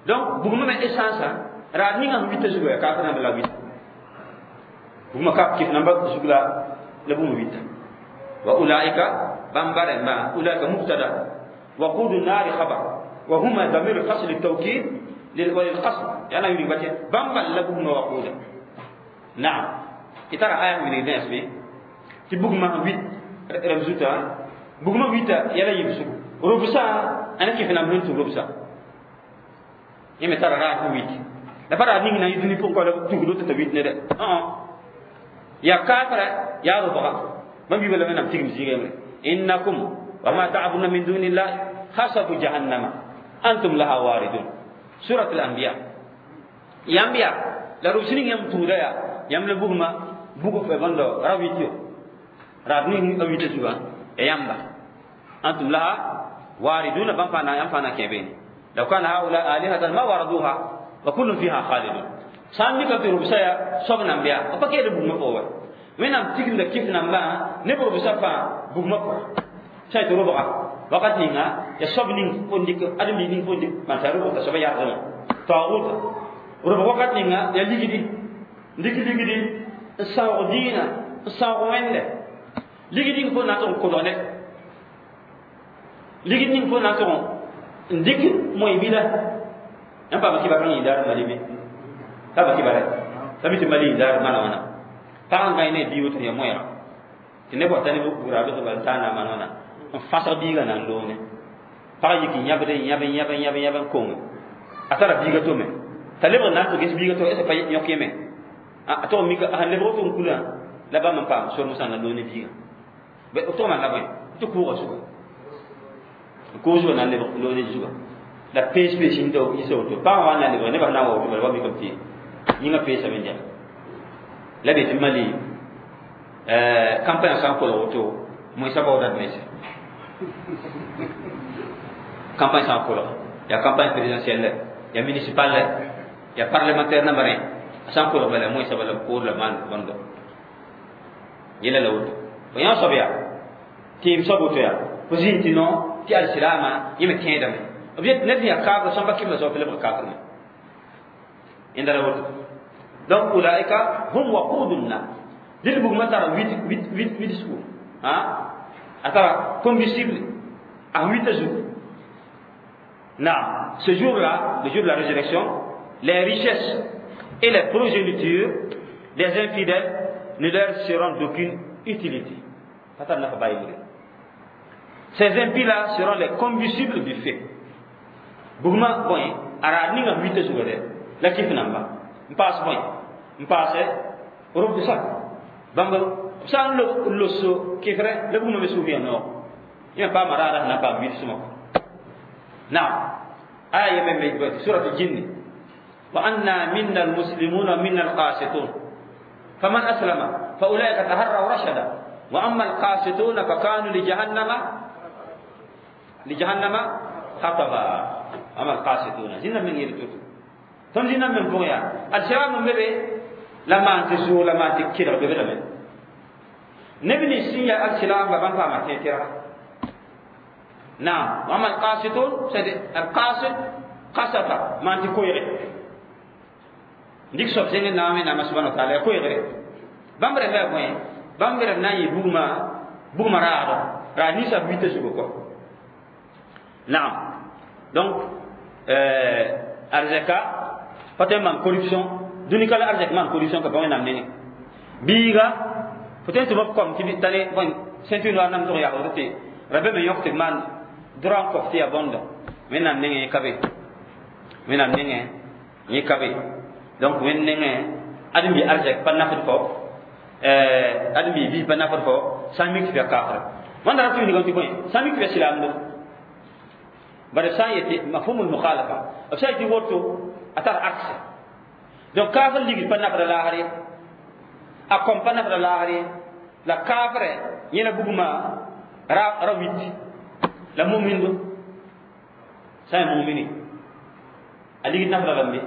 donc bugmã me essence raad ninga sẽn wita zugu ya kaafr namba la wita bugmã ka kɩf namba zug la la bugmã wita wa ulaika bãmba rẽmba ulaika mubtada وقود النار خبر وهما ضمير الفصل للتوكيد وللقصد يعني يريد باتي بامبا لبugma وقودا نعم itara aya mi ne be ti bugma wit ramzuta bugma wita yala yibsu rubsa ana kif na mun tu rubsa yeme tara ra ko wit la fara ning na yiduni ko la tugdo ta wit ne de ya kafara ya ruba man bi bala nam tigim zige innakum وما تعبدون من دون الله حسب جهنم أنتم لها واردون سورة الأنبياء يا أنبياء لا رسلين يم تودا يم لبوغما بوغ في بندو راويتيو رادني أويتي سوغا يamba أنتم لها واردون بامفانا ينفانا كيبين لو كان هؤلاء آلهة ما وردوها وكل فيها خالدون سامي كتير ربسايا سبنا أنبياء أبا كيد بوغما فوق وين أم تيجي كيف نamba نبرو بسافا بوغما فوق sai tɩ robga wakat ninga ya soab ning fo dɩk ãdem-biig ning fo dɩk maan t'a robg t'a soaba yardmã taoogʋta robg wakat ninga ya ligdi n dɩk ligdi n sãoog dĩinã n sãoog wẽnde ligd ning fo na n tʋg n kolg ned ligd ning fo na n tʋg n dɩk moe-bila yãmb paama kɩba kãng yĩndaar mali be paama kɩba rɛ t'a mi tɩ mali yĩndaar mana wãna pag n gãe ne a bii woto ya moɛɛga tɩ neb wata ne bugra bɩ bal taa na maan wãna n fãsg biigã na n loone pag yik n yãbd n yãb n yãb n yãb n yãb n koŋe a tara biiga tome t'a lebg n na n tɩ ges biiga to pa yõk yeme a tog mika sẽn lebg tɩ n kulã la bãmb n paam sor mosã na loone biiga b tog maan la bõe tɩ kʋʋga zuga n kʋʋg zuga na n lebg loone zuga la pees pees yĩnda yisa woto pagã wa n na n lebg nebã sẽn na n wa woto bala wa mikame tɩ yĩngã peesame n dɛg la be tɩ mali campagne sã n kolg woto moẽsã baooda d mense campagne sã n kolg ya campagne présidentielle ya municipal ya parlementaire namba rẽ a sã n kolg bala moẽsã bala b koor la maan bõndo yẽla la woto fo yã soab yaa tɩɩm soab woto yaa fo zĩnd tɩ no tɩ alsilaamã yẽ me tẽedame b yet ned sẽn yaa kaafr sõmba kɩmda soab tɩ lebg kaafr me yẽnda la woto donc ulaika hum waqudu nnar dɩl bugmã tara wit sugu a tara combustible a wita zugu. Na ce jour-là, le jour de la résurrection, les richesses et les progénitures des infidèles ne leur seront d'aucune utilité. Ces impies-là seront les combustibles du feu. Bugma bõe a raad ninga wita zuga dɛ la kɩf namba n paas bõe n paase robsa bãmb b sã n loso kɩfrɛ la bugma me sʋʋf ya noog yẽ paama raada sẽn na n paam wil sõma kɔ. Naam, aya yeme me surat jinni wa anna minna almuslimuna wa minna alqasitun faman aslama fa ulaika taharraw rashada wa amma alqasituna fa kanu li jahannama hataba. Amma alqasituna zĩnda meng yel toto tõnd zĩnda meng pʋgẽ yaa alsiraam n be be la maan tɩ zʋʋg la maan tɩ kelg be be lame neb nins sẽn yaa alsilaamba bãmb paama tẽ tɩrga. Naam, wa amma alqasitun, c'est alqasit qasata maan tɩ koeege dik soab zẽng n na n wẽnnaamã subhana wa taala ya koeegre bãmb rẽmba yaa bõe bãmb rẽmb na n yɩ bugmã bugmã raado raad ninsã b wita zugu kɔ. Naam, donc arzɛka pa tõe n maan corruption dũni ka la arzɛk maan corruption ka pa wẽnnaam nengẽ biiga Fo tõe n tɩ b kom tɩ tale bõe ceinture noir nam tʋg yaa woto tɩ ra be me yõk tɩ b maan droit n kõf tɩ yaa bõnda Wẽnnaam nengẽ ka be, Wẽnnaam nengẽ yẽ ka be. Donc Wẽnd nengẽ ãdem-bi arzɛk pa nafd fo, ãdem-bi biis pa nafd fo sã n mik tɩ f yaa kaafra. Wãnda ra tɩ wilgame tɩ bõe sã n mik tɩ f yaa silaamdo. Bara sã n yetɩ mafhumul mukhalafa, b sã n yetɩ woto a tar akse. Donc kaafr ligd pa nafda laasr ye, a kõm pa nafda laasr ye, la kaafrɛ yẽla bugmã ra wit la mumindo sã n mumini a ligd nafda lame,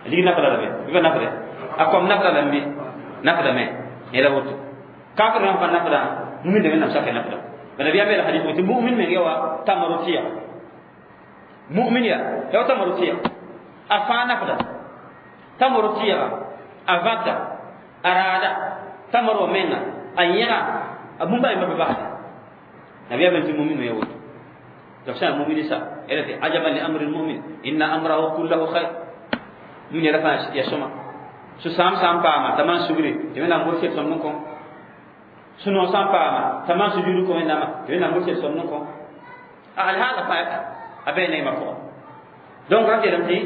a ligd nafda lame bɩ pa nafde, a kõm nafda lame, nafdame yẽla woto. Kaafr rãmb pa nafda, mumin da Wẽnnaam sake nafda. Nabiya me la hadith tɩ mumin meng yawa tamaro tɩya, mumin ya yawa tamaro tɩya, a fãa nafda tamaro tɩyga, a vãta, a raada tamaro menga, a yẽga a bũmb a yembã pa basda. Nabiya me tɩ mumin me ya woto. Donc sã mumin sa ela tɩ ajaban li amri lmumin inna amrahu kullahu khair. Mumin yɛla fãa ya sõma. Sũ-sãam sã n paama t'a maan sugri tɩ Wẽnnaam bʋd sel sõmd n kõ, sũ-noog sã n paama t'a maan sujuud kõ Wẽnnaamã tɩ Wẽnnaam bʋd sel sõmd n kõ. Alhaala fãa a bɩ neemã pʋgã. Donc ra yeelame tɩ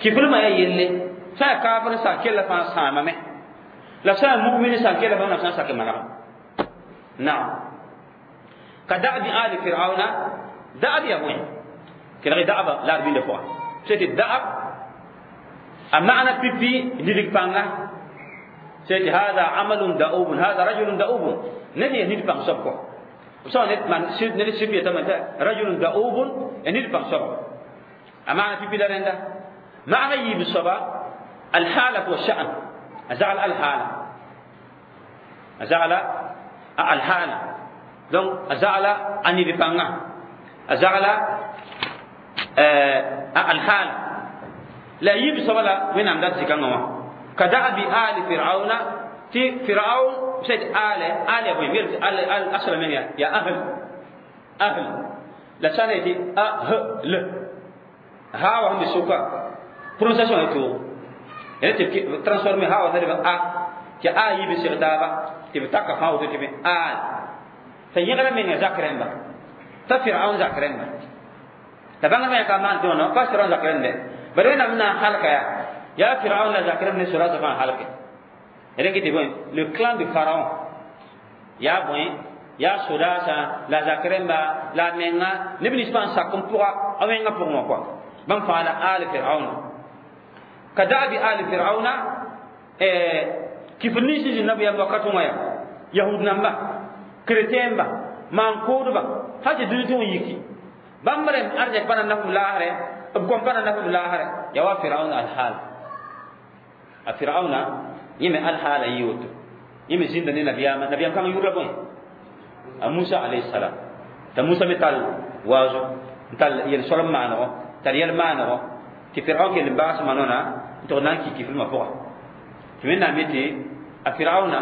kiflmã yaa yelle sã yaa kaafr n sã kella fãa sãamame, la sã yaa mumin sã kella fãa Wẽnnaam sã n sak manegã. Naam, ka da'bi ali fir'auna. Da'ab yaa bõe? Kelg da'aba la d bĩnda pʋga tɩ da'ab a maana pipi nidg pãnga. Tɩ hada amalun da'ubun, hada rajulun da'ubun, ned yaa nid pãng soab kɔ. B sã ned sɩf yetame tɩ rajulun da'ubun ya nid pãng soaba, a maana pipi la rẽnda. Maana yiib soaba alhalat wa sha'an, a zagl alhaala, a zagla a alhaala. Donc a zagla a nid pãnga, a zagla a alhaala la yiib soaba la Wẽnnaam dat zikãngã wã. Ka da'bi ali fir'auna, tɩ firaun sed ale ale ya bõe mel al al asla men ya ahl ahl la sã ne tɩ a h l ha wa sẽn be sʋka prononciation ya toog ya tɩ transformer ha wa t'a a tɩ a yiib n seg taaba tɩ b taka fãa woto tɩ be al t'a yẽgra menga zak rẽmba, t'a firaun zak rẽmba la bãngd me ka maan tɩ wã pa firaun zak rẽmbe. Bari Wẽnnaam na n halka yaa ya firaun la zak rẽmb ne sodaasã fãa halke. Rẽn tɩ bõe le clan de pharaon yaa bõe yaa sodaasã la zak rẽmba la a menga neb nins fãa n sak n pʋga a wẽngã pʋgẽ wã kɔa bãmb fãa la al firauna. Ka da'bi al firauna kifr nins sẽn zĩnd nabiyaam wakat wã yaa yahud namba, chrétien ba, maan-kʋʋdba hal tɩ dũni tɩ wã yiki bãmb rẽmb arzɛk pa na naf b laasrɛ, b gom pa na naf b laasrɛ yaa wa firauna alhaal. A firauna yẽ me alhaala yɩ woto, yẽ me zĩnda ne nabiyaamã. Nabiyaam kãng yʋʋr la bõe? A Musa alayhi salam. T'a Musa me tall waazo n tall yel-soalem maanego, tar yɛl maanego tɩ firaun kell n baas manona n tʋg na n ki kiflmã pʋga. Tɩ Wẽnnaam yetɩ a firauna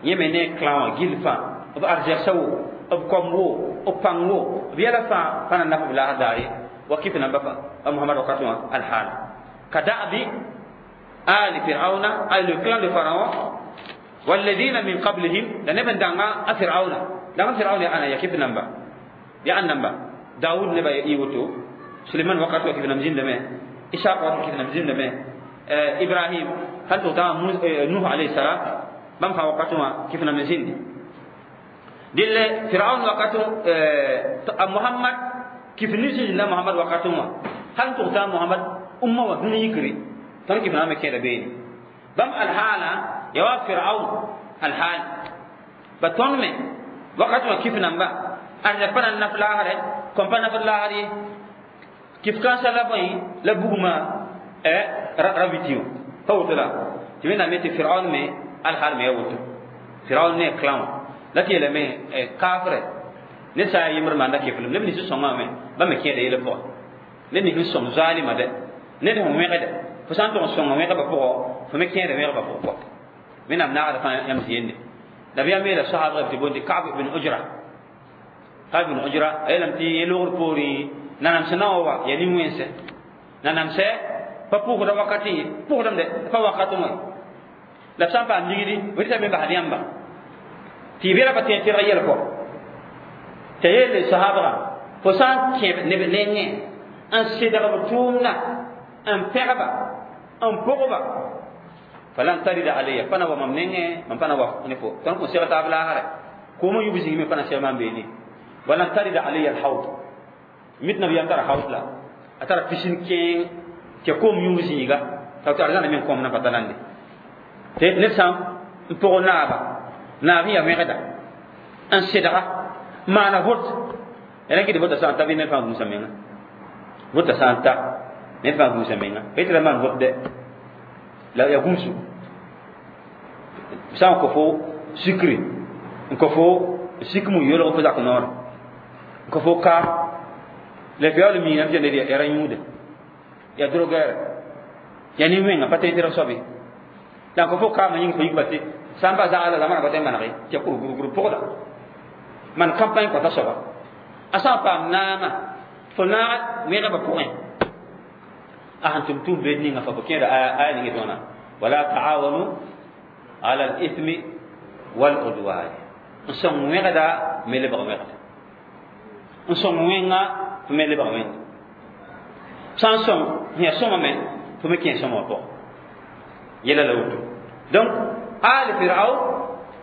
yẽ me ne clan wã gill fãa, b arzɛgsã wo, b kom wo, b pãng wo, b yɛla fãa pa na naf b laas daar ye wa kif namba a Mohamad wakat wã alhaala. Ka da'bi آل فرعون أي le clan de Pharaon والذين من قبلهم لنبن دعنا فرعون دعنا فرعون يا أنا يا كيف نمبا يا أن نمبا داود نبا يوتو سليمان وقت كيف نمزين لما إسحاق وقت كيف نمزين لما إبراهيم هل تطاع نوح عليه السلام بام فا وقت كيف نمزين دل فرعون وقت محمد كيف نزل محمد وقت هل تطاع محمد أمة ودنيا يكري tõnd kɩf na me kẽeda beene bãmb alhaala ya wa firaun alhaal ba tõnd me wakat wã kif namba arzɛk pa na n naf laasrɛ, kõm pa nafd laasr ye, kif kãnsã la bõe la bugmã ra witi wã pa woto la tɩ Wẽnnaam yetɩ firaun me alhaal me ya woto firaun ne clan wã la tɩ yeelame kaafrɛ ned sã n yaa yembr maanda kiflem neb nins sõngã me bãmb me kẽeda yɛla pʋga ned nins sẽn sõng zaalima dɛ ned sẽn wẽgda fo sã n tʋg n sõnga wẽgba pʋgɔ fo me kẽeda wẽgba pʋgɔ kɔ Wẽnnaam naagda fãa yãmb zĩende. Nabiyaam yeela soaabg tɩ bondi Kab ibn Ujra, Kab ibn Ujra a yeelame tɩ yẽ logr poorẽ nanam sẽn na wa wa yaa nin-wẽnse nanamsɛ pa pʋgda wakatẽ ye pʋgdame dɛ pa wakatẽ wã. La sã n paam ligdi rɩta me basd yãmba tɩ y bela pa tẽ tɩrg yɛl kɔ t'a yeele sahabgã fo sã n kẽeb neb nengẽ n sedg b tʋʋmdã n pẽgba n pʋgba falan tarida alayya pa na wa mam nengẽ mam pa na wa ne fo tõnd kõn seg taab laasrɛ koomã yub zĩig me pa na seg maam beene walan tarida alayya alhaud mit nabiyam tara haud la a tara pisin kẽeng tɩ koom yũub zĩiga t'a tɩ arzãna me n kõm na pa talande tɩ ned sã n pʋg naaba naab ya wẽgda n sedga maana vot rẽ kɩ tɩ vota sã n ta bɩ ned fãa gũusa menga vota sã n ta ned fãa gũusa menga pa yetɩ la maan vot dɛ la ya gũusu sã n kõ fo sukri n kõ fo sik mu yolg fo zak noor n kõ fo kaam la f yaool miiname tɩ ned ya ra yũuda ya drogueur ya nin-wẽnga pa tẽ tɩrg soabe la n kõ fo kaamã yĩng fo yik ba tɩ sã n pa zagla la zamana pa tõe n manege tɩ ya kurgurgur pʋgda man campagne kõta soaba a sã n paam naamã fo naag wẽgba pʋgẽ a sẽn tʋm tʋʋm beed ninga fa fo kẽeda aya ning tõona wala taawanu ala al-ithmi wal-udwan n sõng wẽgda me lebg wẽgda n sõng wẽnga fo me lebg wẽnga sã n sõng sẽn yaa sõma me fo me kẽ sõma wã pʋgẽ yɛla la woto donc ali firaun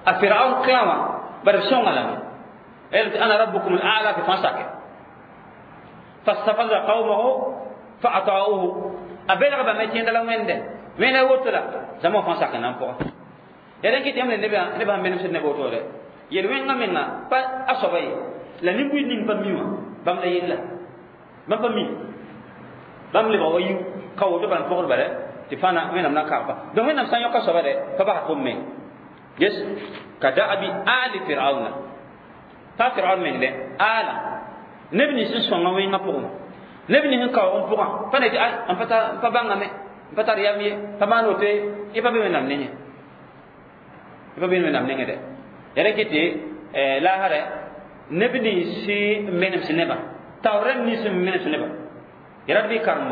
a firaun clan wã bara b sõnga lame ana rabbukum al-a'la fi fãa sake fastafaza qawmahu fa ata'uhu a belgba me tẽeda la wẽnde wẽnda woto la zãma wã fãa sak n na n pʋga ya rẽn kɩ tɩ yãmb ne nebã sẽn menemsd neb wotode yel wẽngã menga pa a soaba ye la nin-buiid ning pa mi wã bãmb la yella bãmb pa mi bãmb lebga wa yiu ka woto bala n pʋgd bala tɩ fãa wẽnnaam na n kaagba donc wẽnnaam sã n yõka soaba dɛ pa bas fo me yes ka da'abi ali firauna pa firaun meng dɛ ala neb nins n sõnga wẽngã pʋgẽ neb nins n kaoog n pʋgã pa ne tɩ ay n pa bãngame n pa tar yam ye pa maan woto ye y pa be wẽnnaam nengẽ y pa be wẽnnaam nengẽ dɛ ya rẽ kɩ tɩ laasrɛ neb nins n menems nebã taoor rẽmb nins n menems nebã ya rat bɩ karem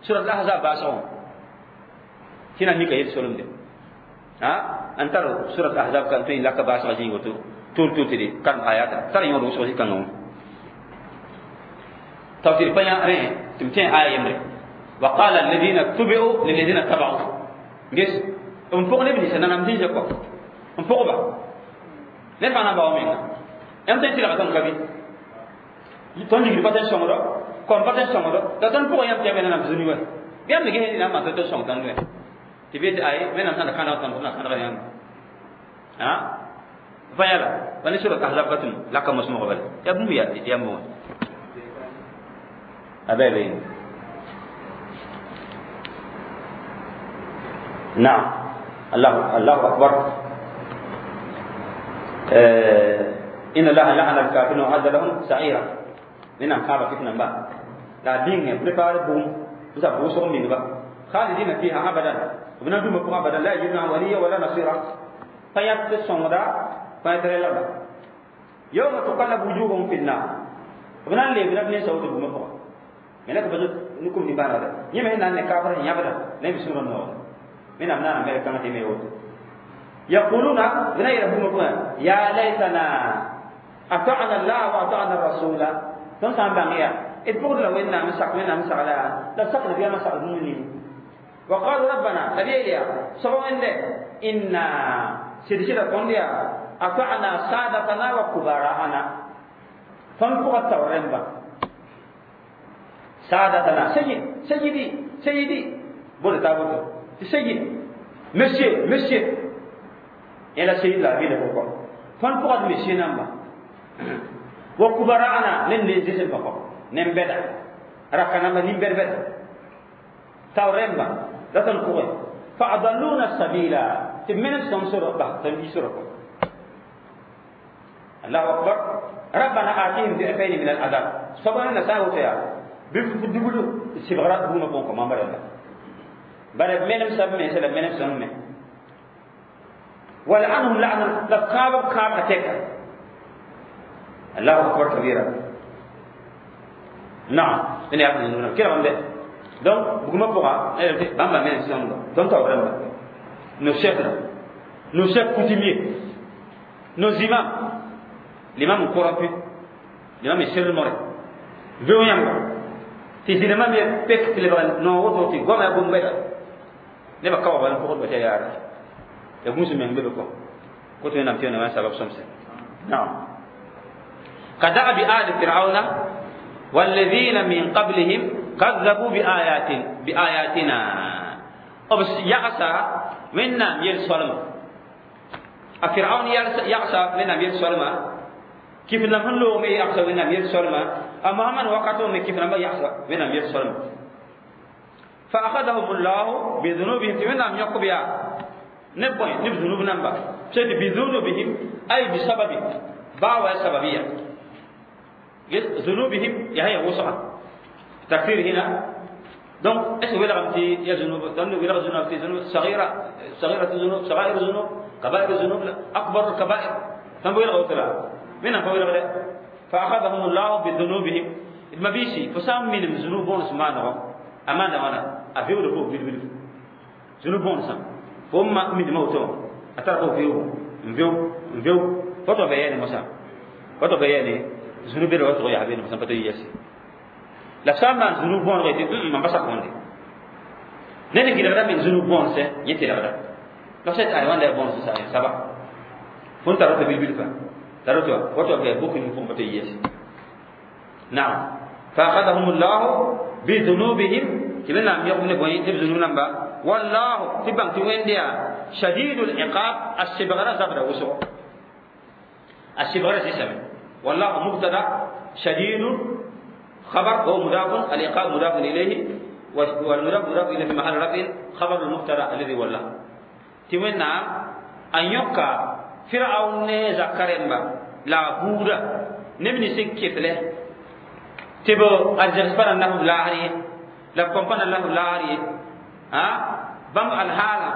surat al-ahzab baasgõ tɩ na mika yel solemde n tar surat al-ahzab kan tõe n laka baasgã zĩig woto tol tol tɩ d karem ayata tar yõod wʋsg zĩ-kãngã wã tawtɩ pa yã rẽ tɩ m tẽ aya yembre وقال الذين اتبعوا للذين اتبعوا ges n pʋg neb ninsã nanam zĩnsã kɔ n pʋgba ned fãa na n bao menga yãmb tõe n tɩlga tõnd ka bɩ tõnd ligd pa tõe n sõngdo kom pa tõe n sõngdo la tõnd pʋgã yãmb tɩ yã me nanam zũni wɛ bɩ yãmb me ges na n maan tõe sõng tõnd wɛ tɩ bɩ tɩ ay wẽnnaam sãn da kãneg tõnd na kãnegd yãmb fa yãla pa ne surat ahzab ka tʋm laka mosmg bala yaa bũmb yãmb wã a bɩ نعم الله الله أكبر إن الله لعن الكافرين وأعد لهم سعيرا لأن كعبة فتنة با لا دين بريبار بوم بس بوسهم من با خالدين فيها أبدا وبنا دوم بقى أبدا لا يجدون وليا ولا نصيرا فيات الصمرا فيات الأرض يوم تقلب وجوههم في النار وبنا اللي بنا بني سوت بوم بقى ملك بزت نكم نبانا ده يمهن أن كافر يبدا لا يبصرون النور من أبناء أمريكا ما تيميوت يقولون بنا يربون يا ليتنا أطعنا الله وأطعنا الرسول تنسى بانيا إذ لو إن مسك وإن مسك لا لا سقنا فيها مسك المؤمنين وقالوا ربنا أبي سبحان الله إنا سيدنا قنديا أطعنا سادتنا وكبراءنا فانفق التورين سادتنا سيد سيدي سيدي بول تابوتو سيد monsieur monsieur et la سيد la ville pourquoi فانفق monsieur نamba وكبراءنا لن نزل بقى نمبدا ركنا ما نمبر تورين لا تنقوي فأضلونا السبيل تمن سمسر بحث يسرق الله أكبر ربنا آتيهم ضعفين من العذاب سبحان الله ساوت يا بيفدبلو سبغرات بوما بونكو ما برلا بل منم سب من سلم منم سم ولعنهم لعنا لقاب قاب أتيك الله أكبر كبيرا نعم إني أعرف إنه كده عم donc buguma pʋga bãmba me sẽn donc ta rãmba no chef la Nos chefs coutumiers, nos imams, l'imam corrompu, l'imam est seulement veo yãmba tɩ zĩlmã me pek tɩ lebg noog woto tɩ goama yaa bũmb nebã ka wa bala n pʋgdba tɩ yaa yaara ya gũus meng be be kɔ koto wẽnnaam tɩ wẽnnaam sabab sõmse. Naam, كدأب آل فرعون والذين من قبلهم كذبوا بآياتنا. بس يعصى وينام يل سلم فرعون يعصى وينام يل سلم كيف لم هلو مي يعصى وينام يل سلم أما من وقتهم كيف لم يعصى وينام يل سلم فأخذهم الله بذنوبهم وينام يقبيا نبوي نب ذنوب نمبا بذنوبهم أي بسبب باوى سببية ذنوبهم يا هي وسعة تكفير هنا. Donc est-ce que ولا يا ذنوب ولا ذنوب في ذنوب صغيرة صغيرة ذنوب صغائر ذنوب كبائر ذنوب أكبر الكبائر فهم ولا غوتلا من هم ولا فأخذهم الله بذنوبهم المبيسي فسام من ذنوب بونس ما نو أمان وانا أفيو لفوق بيل بيل ذنوب بونس فهم من موتهم أتركوا فيو فيو فيو فتو بياني مسا فتو بياني ذنوب الوتر يا حبيبي مثلا فتو يسي لا سام ذنوب بون غيتي ما بس كوندي نene kila min ذنوب بون سه يتي لا لا سيت اي وان بون سه سبا فون تارو بيل بيل فا تارو فتو بي بوكو ني فون فتو يسي. نعم فأخذهم الله بذنوبهم كلنا لم يقم نبوي ذنوب نمبا والله تبان توينديا شديد العقاب السبغرة زبرة وسو السبغرة سيسمي والله مبتدا شديد خبر هو مضاف العقاب مضاف إليه والمضاف مضاف إليه في محل رفع خبر المبتدا الذي والله تمنى أن يقع فرعون زكرمبا لا بودا نبني سكفله تبو أرجع له لاهري لا كمبان له لاهري ها بام الحالة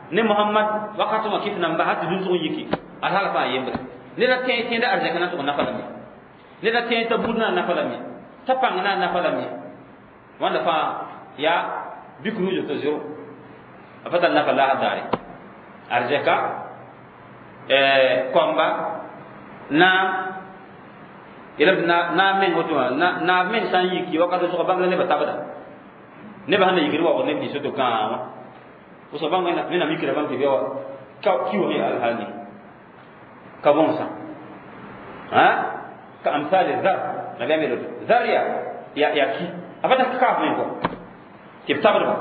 ne Muhammad wakati ma kif namba hat dun to yiki alhala fa yembre ne la ten ten da arjaka na to na falami ne la ten ta budna na falami ta pangna na falami wanda fa ya bikru jo to zero afata na fala hadare arjaka komba na ila na men woto na men san yiki wakati so bangla ne batabada ne ba hana yiki wa ne bi so to kan وصبان من أميكرا بان تبيوا كيو هي الحالي كبونسا ها كأمثال الذر نبي أمير ذر يا يا يا كي أبدا كاف منكم تبتغرب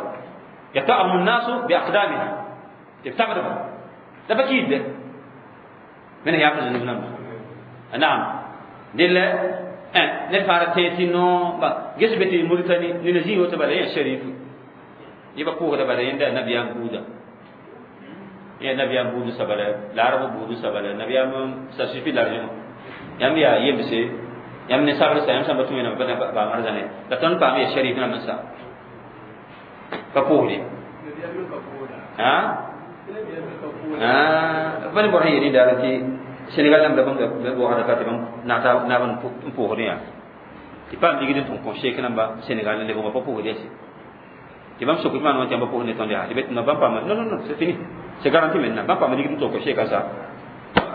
يطعم الناس بأقدامها تبتغرب ده بكيد من هي أفضل نبنا نعم دل نفارتي نو جسبتي موريتاني ننزيه وتبلي شريف يبقى كوه ده بعدين ده نبي أم بودا يا نبي أم بودا سبلا العرب بودا سبلا نبي أم ساسفي لارجم يام يا يمسي يام نسابر سيام سامبتو ينام بنا بامرزانه لكن بامي الشريف نام سا كوه دي ها ها بني برهي يدي دارتي سنغال نام دبم بوهر كاتبم ناتا نابن بوه دي تبام ديجي تون كونشي كنام با سنغال نبغى بوه دي Tu vas me secouer, non, tu vas pas pour nettoyer. Tu vas non, pas non, non, non, c'est fini. C'est garanti maintenant. Va pas me dire que tu as comme ça.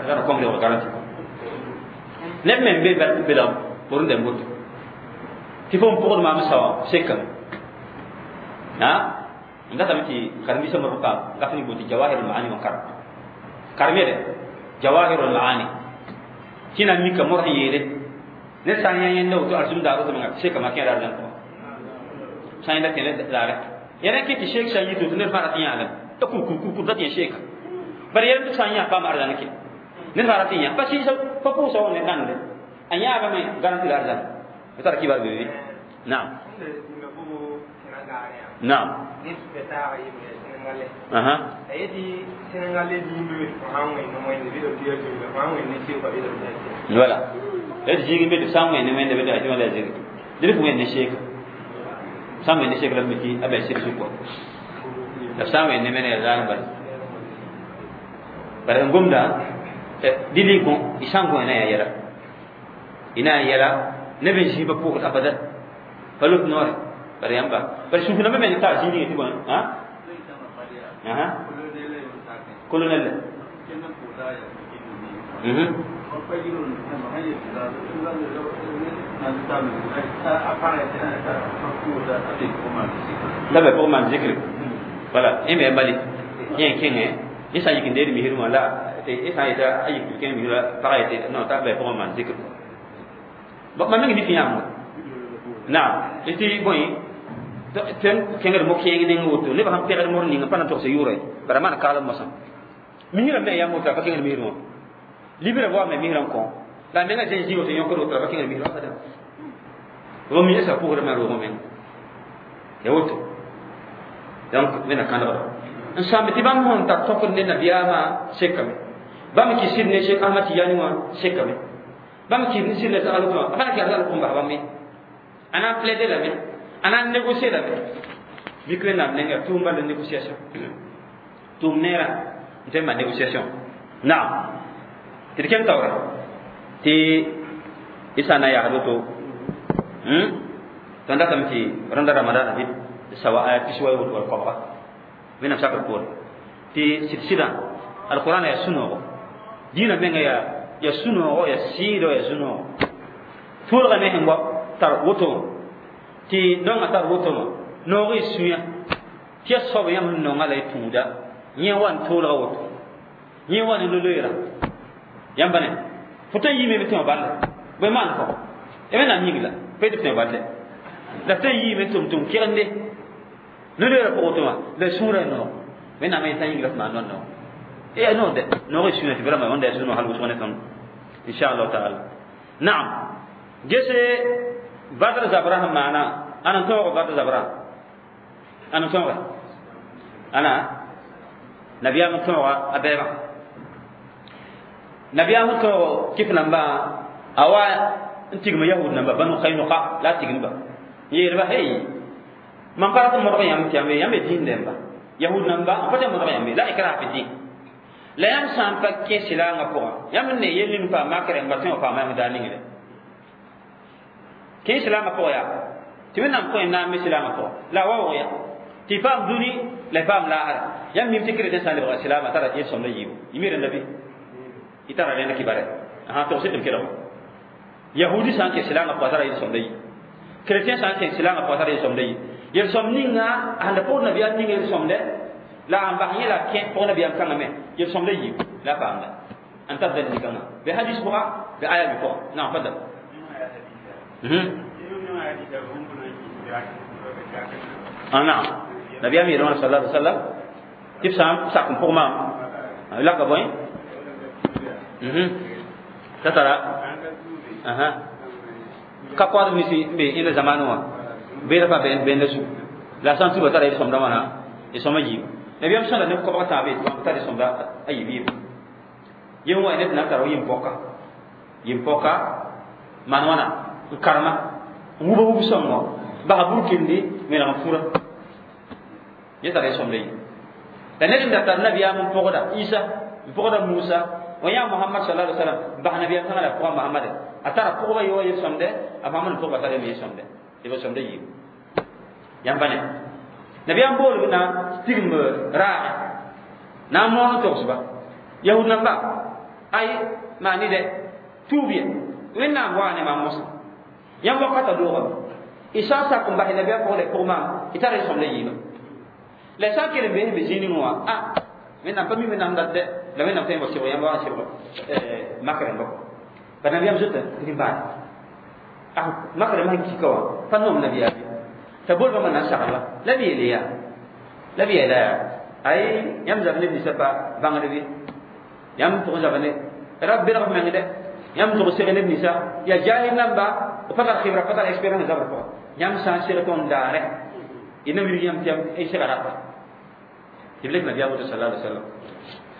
Alors, comme le garanti. Même même bébé bébé pour une démboute. Tu faut pour le maman ça, c'est comme. Hein? Nda tamiti karmi sama ruka, gafni boti jawahirul maani wa kar. Karmi de jawahirul maani. Kina mika morhi yele. Ne sanya yende to arsum daru to nga c'est comme akira arjan ko. Sanya da kele dare. Yɛrɛ ke tɩ sheek sã n yi tɩ ned fãa rat n yãagame t'a kur ra tɩ yẽ sheeka bala yɛrɛ tɩ sã n yã paam arzãn ke ned fãa rat n yã pa sɩɩsa pa pʋʋsa wa ne nande a yãagame garanti la arzãn b tara kibar bebe naam naam aha voilà d zĩig n be tɩ b sã n wẽnd wẽnda be tɩ wẽnda zĩig dɩ f wẽnd ne sheeka sam ne shekla miki abe sir su ko la sam ne mene zan bal bare ngumda dili ko isango ina ya yala ina yala ne be jiba pour abada falut noor bare yamba bare su na men ta jini ti bon ha aha colonel La pour man zikr voilà e me bali yen kenge isa yikin de mi hirma la te isa ita ayi ken mi la para ite non ta be pour man zikr ba ma ngi ni fi yam na iti boy ten kengr mo keng ne ngoto ne ba ham pere mo ni pa na to se yure bara man kala mo sa mi hirma me yam mo ta ba kengr mi hirma libere wa me mi hiram ko la menga jen jiwo te yonkoro ta ba kengr mi hirma kada ro mi esa pour ma ro men ya woto donc mena kandra ensemble ti bam hon ta tokor ne nabiyama sekame bam ki sirne Cheikh Ahmad Tijani wa sekame bam ki sirne sa aluto afana ki azal kumba bam ana plaider la me ana négocier la me mikre na nenga tumba de négociation tum nera tema négociation na ti kem tawra ti isana ya hadoto tanda tamti randa ramadan bi sawa ayat piswa woto wal qabra wẽnnaam sakr poore tɩ sɩd-sɩdã alqurana yaa sũ-noogo dĩinã menga yaa sũ-noogo yaa sɩɩdo yaa sũ-noogo tõodgã me sẽn wa tar woto wã tɩ naongã tar woto wã noog y sũyã tɩ yaa soab yãmb sẽn nonga la y tũuda yẽ wa n toolga woto yẽ wa ne no-loeerã yãmba ne fo tõe n yiime tɩ wã balla bõe maan kɔ ya wẽnnaam yĩng la pa yetɩ tɩ wã balle la tõe n yiime tʋm-tʋm kegende no-loeerã pʋgẽ tɩ wã la sũurã noog wẽnnaam yetã yĩng la f maan noog e noog de noog y sũyã tɩ vraiment wẽnda yaa sũ-noog hal wʋsg ne tõnd inchallahu taala naam gese badr zabra sẽn maana ãn n tõog badr zabra ãn n tõoge ãna nabiyaam n tõoga a bɛɛbã nabiyaam n tõog kɩf nambã a wa n tigma yahud namba banu kainuka la a tigimba n yeelba hey mam pa rat n modg yãmb tɩ yãmb yãmb dĩin dẽmba yahud namba n pa tɩ modg yãmb la ikraha fi din la yãmb sã n pa kẽ silaangã pʋgã yãmb n ne yel ning paam makr n ba tõe wã paama yãmb daar ningle kẽ silaangã pʋgã yaa tɩ wẽnnaam kõ y naam me silaangã pʋgã la a waoog ya tɩ y paam dũni la y paam laasra yãmb mim tɩ chrétien sã n lebga silaamã tara yel-sõmda yiibu y mi rẽnda bɩ y tara rẽnd kibare tog sɩd m kelg yahudi sã n kẽ silaangã pʋgã tara yel-sõmda yiib chrétien sã n kẽ silaangã pʋgã tara yel-sõmda yiib yel-sõm ninga sẽn da pʋgd nabiyaam ning yel-sõmdɛ la n bas yẽ la kẽ pʋg nabiyaam kãngã me yel-sõmda yiib la paamda n tar dalil kãngã bɩ hadis pʋga bɩ aya bɩ pʋga naam fadal naam nabiyaam yeelwã sala alai wasallam tɩ b sã n sak n pʋg maam laka bõe t'a tara ka koadb nins n be ẽnda zamaan wã beeda pa bẽnda zu la sã n tuba tara yel-sõmda wãna y sõma yiib nabiyaam sõda neb koabg tãab yetɩ bãmb tar y-sõmda a yiib yiib yem wa ned na n tara yĩm-pɔka maan wãna n karema n wuba wub sõngo basa burkindi meneg n fura yẽ tara y-sõmda yiib la ned n da tar nabiyaam n pʋgda Isa n pʋgda Musa wã yaa Muhammad sallallahu alaihi wasallam bas nabiyaam kãngã la pʋga Muhammad a tara pʋgba yʋa yel-sõmde a Muhammad n pʋgba tara me yel-sõmde tɩ b sõmda yiib yãmba ne nabiyaam boolb na tigm raage na n moon n togsba yahud namba ay maani de tuub ye wẽnnaam waa ne maam mosã yãmb wakata doogame y sã n sak n bas nabiyaam pʋgda pʋg maam y tara y sõmda yiiba la sã n kell n bees be zĩig ning wã a wẽnnaam pa mi wẽnnaam dat dɛ la wẽnnaam tõe n wa sɩbg yãmb wa n sɩbg mak rẽmba pa nabiyaam zota rĩmbaane a mak rẽmba sẽn kika wã pa noom nabiyaam ye t'a bool bãmba na n saglba la b yeele yaa la b yeela yaa ay yãmb zab neb ninsã pa bãngd bɩ yãmb tʋg n zab ne ra belg f meng dɛ yãmb tʋg seg neb ninsã yaa jahil namba pa tar xibra pa tar expérience zabr pʋga yãmb sã n seg tõnd daare y na wilg yãmb tɩ yãmb y sega rapa tɩ b lek nabiyaam woto sala alai wasallam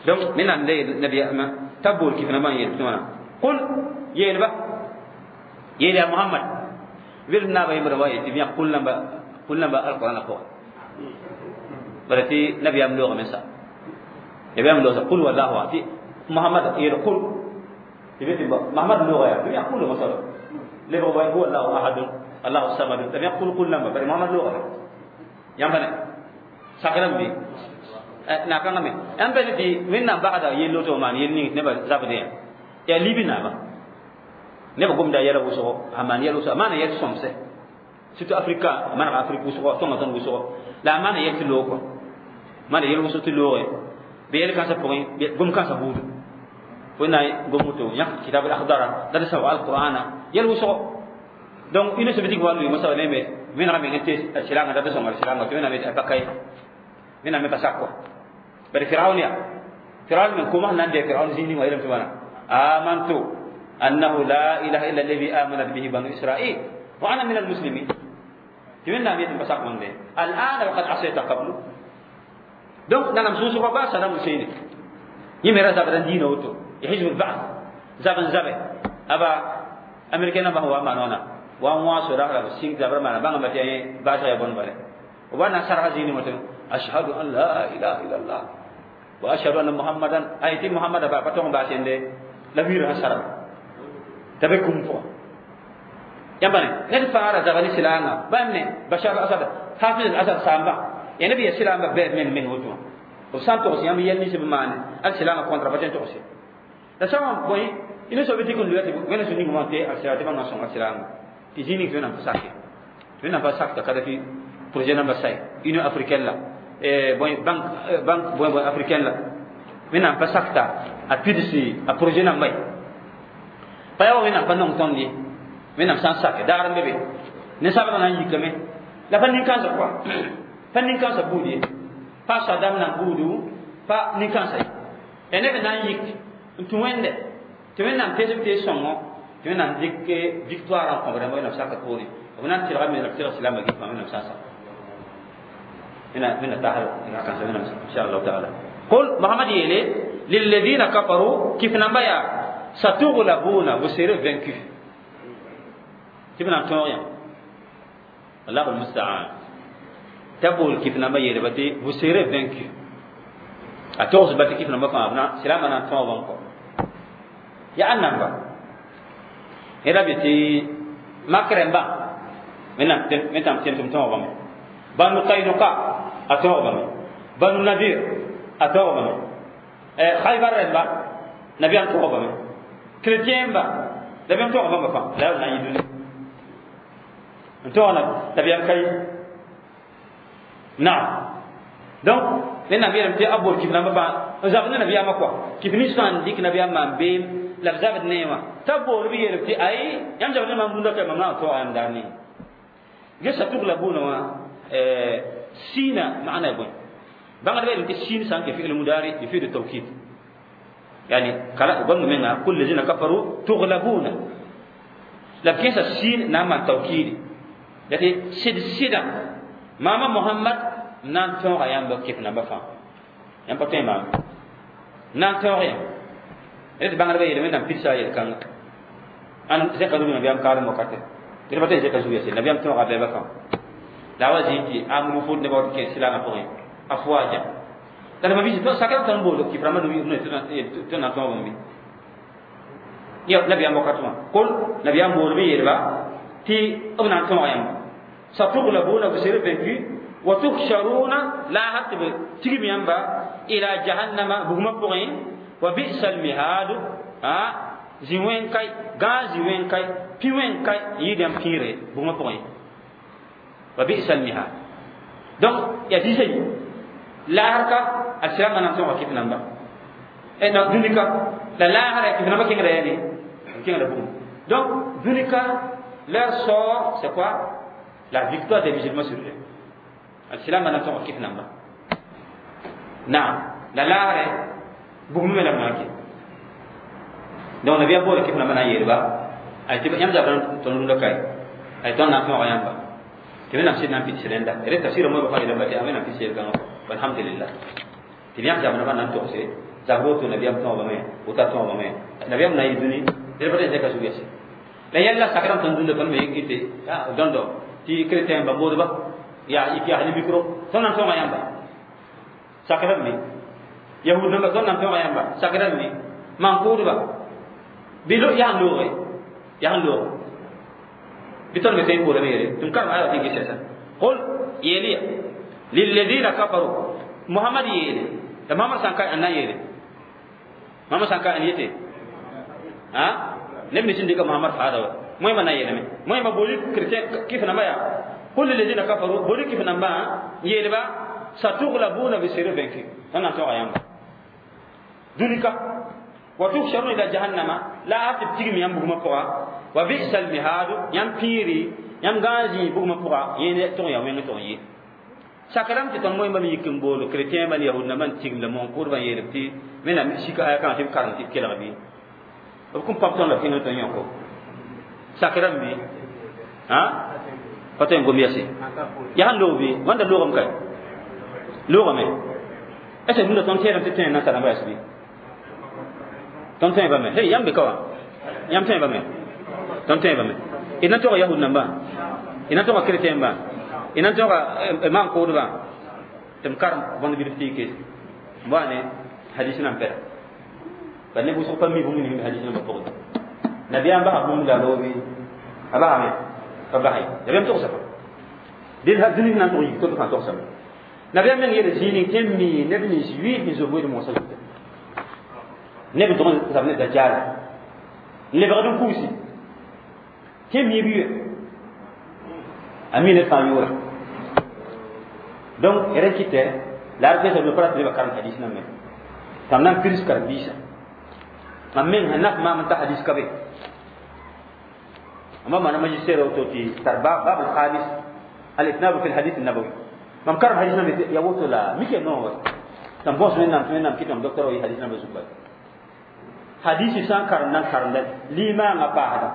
donc wẽnnaam la yeel nabiyaamã t'a bool kɩf nambã n yeel tɩ wãna qul yeelba yeel yaa Muhammad welf naaba yembra wa yetɩ b yã qul namba alqurana pʋga bara tɩ nabiyaam loogame sa nabiyaam loogsa qul wallahu tɩ Muhammad yeel qul tɩ be tɩ Muhammad looga yaa b yã qul masala lebg wa huwa allahu ahadun allahu samad la b yã qul namba bara Muhammad loogame yãmba ne sakrame be Na kãngã me yãmb be tɩ Wẽnnaam bagda yell woto maan yell ning nebã zabdẽ yaa libi naaba neba gomda yɛla wʋsgo a maan yɛl wʋsgo a maana yɛl sõmse surtout Afrika a manega Afrik wʋsgo tõnga tõnd wʋsgo la a maana yɛl tɩ loog kɔ maana yɛl wʋsg tɩ looge bɩ yɛl kãnsã pʋgẽ gom kãnsã buudu fo na gom woto yãk kitab al akhdara la d sao alqur'ana yɛl wʋsgo. Donc Union soviétique wa lʋɩ mosã ne me wẽnega meng tɩ silanga dat sõnga silanga tɩ wẽnnaam pa ka ye wẽnnaam me pa sak kɔ bari Firaun ya Firaun men kuma nan de Firaun zini wa yelam tɩ wãna amantu annahu la ilaha illa alladhi amanat bihi banu Israil wa ana min almuslimin tɩ wẽnnaam yetɩ pa sak wãnde al'ana wa qad asayta qablu. Donc nanam sũsgã ba Saddam Hussein yẽ me ra zabd n diina woto ya hizb al-ba'th zab n zabe aba américain namba wa maan wãna wa n wã sora la b sĩng zabr maana bãnga tɩ yẽ baasg ya bõn bale b wa na n sarga zĩini wã tɩ ashhadu an la ilaha illallah wa ashhadu anna Muhammadan ay tɩ Muhammada ba pa tog n baas yẽnde la wiir sẽn sarga t'a be kũm pʋgã yãmba ne ned fãa ra zaba ne silaangã bãmb ne Bashar al-Asad Hafiz al-Asad saamba ya neb ya silaamba bɛɛb meng meng woto wã b sã n togs yãmb yɛl nins b maane al silaangã contra pa tõe n togse la sã n bõe Union soviétique n luya tɩ wẽna sũ ning wã tɩ al sila tɩ bãmb na sõng al silaangã tɩ zĩig ning tɩ Wẽnnaam pa sake Wẽnnaam pa sak t'a Kadafi projet namba say Union africaine la bõe banque bõe bõe africaine la Wẽnnaam pa sakta a pidsi a projet namba ye pa yaa wa Wẽnnaam pa nong tõnd ye Wẽnnaam sã n sake daar n be be ninsaabdã na n yikame la pa nin-kãensã pʋga pa nin-kãensã buud ye pa Sadam nan buudu pa nin-kãensã ye ya neb na n yik n tũ Wẽnde tɩ Wẽnnaam teesb tee sõngo tɩ Wẽnnaam dɩk victoire n kõb rãmba Wẽnnaam saka poorẽ b na n tɩlgame la b tɩlg silaambã gɩ Wẽnnaam sã n sak wẽnna tasr kãnsã Wẽnnaam inshallah taala. Qul Mohamad yeele lilladina kafaru kif namba yaa satughlabuna, vous serez vaincu tɩ b na n tõog yã allahu almustaan t'a bool kif namba yeelba tɩ vous serez vaincu a togsba tɩ kif namba fãa na silaambã na n tõog n kɔ yaa a namba yẽda be tɩ mak rẽmbã wẽnnaam tẽm tɩ m tõogame Banu Kainuka a tõogame Banu Nadir a tõogame Khaybar rẽmba nabiyaam tõogame chrétien ba nabiyaam tõoga bãmba fãa la yaa b na n yɩ dũni n tõog nabiyaam ka ye naam. Donc wẽnnaam yeelame tɩ a bool kif namba fãa n zabd ne nabiyaamã kɔa kif nins fãa n dɩk nabiyaam maan beem la b zabd ne wã t'a bool b yeelb tɩ ay yãmb zabd ne maam rũndã ka mam na n tõoga yãmb daar ning ge satughlabuna wã siina maana ya bõe bãngdbã yeelame tɩ siin sã n ke fi'l mudari yufidu tawkid yani kala bãmb menga kul lazina kafaru tughlabuna la b kẽesa siin na n maan tawkidi la tɩ sɩd sɩdã maama Mohamad n na n tõoga yãmb kɩf namba fãa yãmb pa tõe maam n na n tõog yã tɩ bãngdbã yeelame wẽnnaam pidsa a yel-kãnga ãn zẽka zug nabiyaam kaalem wakate tɩ pa tõe zẽka zug ya nabiyaam tõoga bɛɛbã fãa la a wa zĩ tɩ amru fʋd nebã wat kẽ silaangã pʋgẽ afwaja la d mabisi sakr tõnd bool kif rãmbã tɩ na tõog bãmb ya nabiyaam wakat wã kol nabiyaam bool b yeelba tɩ b na n tõog yãmba satughlabuna, vous serez vaincu, wa tuhsharuna la hat b tigm yãmba ila jahannama bugmã pʋgẽ wa bi'sa almihadu a zĩ wẽn kai gãag zĩ wẽn kai pĩ wẽn kai yɩɩd yãmb pĩire bugmã pʋgẽ wa bi'sa almihad. Donc ya dĩsã yi laasr ka a sɩrãmbã na n tõoga kɩf namba non dũni ka la laasra kɩf namba kẽngda yaa ne kẽngda bugum. Donc dũni ka leur sort, c'est quoi? La victoire des musulmans sur eux. Al-silama na tõoga kɩf namba naam la laasrɛ bugum me la maake. Donc nabiya boole kɩf namba na n yeelba ay tɩ yãmb zabr tõnd rũndã kae ay tõnd na n tõoga yãmba tɩ wẽnnaam sɩd na n pids rẽnda d tafsɩra moɩ fãa yeelame tɩ wẽnnaam pids yel-kãngã alhamdulillah tɩ yãmb zabr na n togse zabr woto nabiyaam tõogame wota tõogame nabiyaam na n yɩ dũni d pa tɩ zẽka zug yɛse la yɛlla sakrã tõnd dũnda tõnd me ɩte dõndo tɩ chrétien ba moodba yaa yik yaa ne micro tõnd na n tõoga yãmba sakra b me yahud namba tõnd na n tõoga yãmba sakra b me maan-kʋʋdba bɩ yaa n looge yaa n loog bɩ tõnd me tõe n boolame yeele tɩ m karem aya tɩ n ges yɛsa qul yeeliya lilladina kafaru Muhammad yeele la Muhammad sã n ka ãnna yeele Muhammad sã n ka ãn yete a neb nins n dɩka Muhammad faada wa moẽmã na yeelame moẽmã booli chrétien kɩf nambã yaa qul lilladina kafaru booli kɩf nambã n yeelba satuglabuna bisiri vaincus tõnd na n tõga yãmba dũni ka wa tuhsharuna ila jahannama la a tɩ b tigm yãmb bugmã pʋga wa bisa almihadu yãmb pĩiri yãmb gãag zĩig bugmã pʋga yẽne tʋg yaa wẽng tʋg n yɩ sakrame tɩ tõnd moẽmba me yik n bool chrétien bã ne yahud nambã n tigm la moon-kʋʋdbã n yeelb tɩ wẽnnaam sika aya kãngã tɩ b karem tɩ b kelg bɩ b kõn pãb tõnd la b kẽngr tõnd yõko sakrame bɩ pa tõe n gom yɛse yaa sẽn loog bɩ wãnda loogame ka loogame est ce que rũndã tõnd tẽedame tɩ tõe n nansã rãmbã yɛs bɩ tõnd tõe bame hey yãmb be ka wã yãmb tõe bame tõnd tõe bame d na tog yahud nambã d na toga chrétien bã d na toga maan-kʋʋdbã tɩ m karem bõnd bilf tɩ y kees n wa ne hadis nan pɛda bal ne wʋsg pa mi bũmb ning hadis nambã pʋgẽ nabiyaam basa bũmb la loobi a basame pa basa ye nabiyaam togsa pa dũni sẽn na n tʋg yik to fãa togsame nabiyaam meng yeela zĩig ning tɩ n mi neb nins yʋɩɩs sẽn zob wed moosã zuta neb n tʋg n zab ne dajaala n lebgd n kuusi tɩ n mi b yʋɛ a mi ned fãa yʋʋra donc r kɩtɛ la r pesa pa rat nebã karem hadis nambẽ tãm na n pirs karen-biisã mam meng sẽn naf maam n ta hadis ka be amma mana magistère woto tɩ tar bab al-khamis al-itnab fi al-hadith an-nabawi mam karem hadis nambẽ ya woto la mike no tãm bõs wẽnnaam tɩ wẽnnaam kɩtame docteur wa yɩ hadis nambã zugba hadisi sã n karem na n karemda limaangã paasda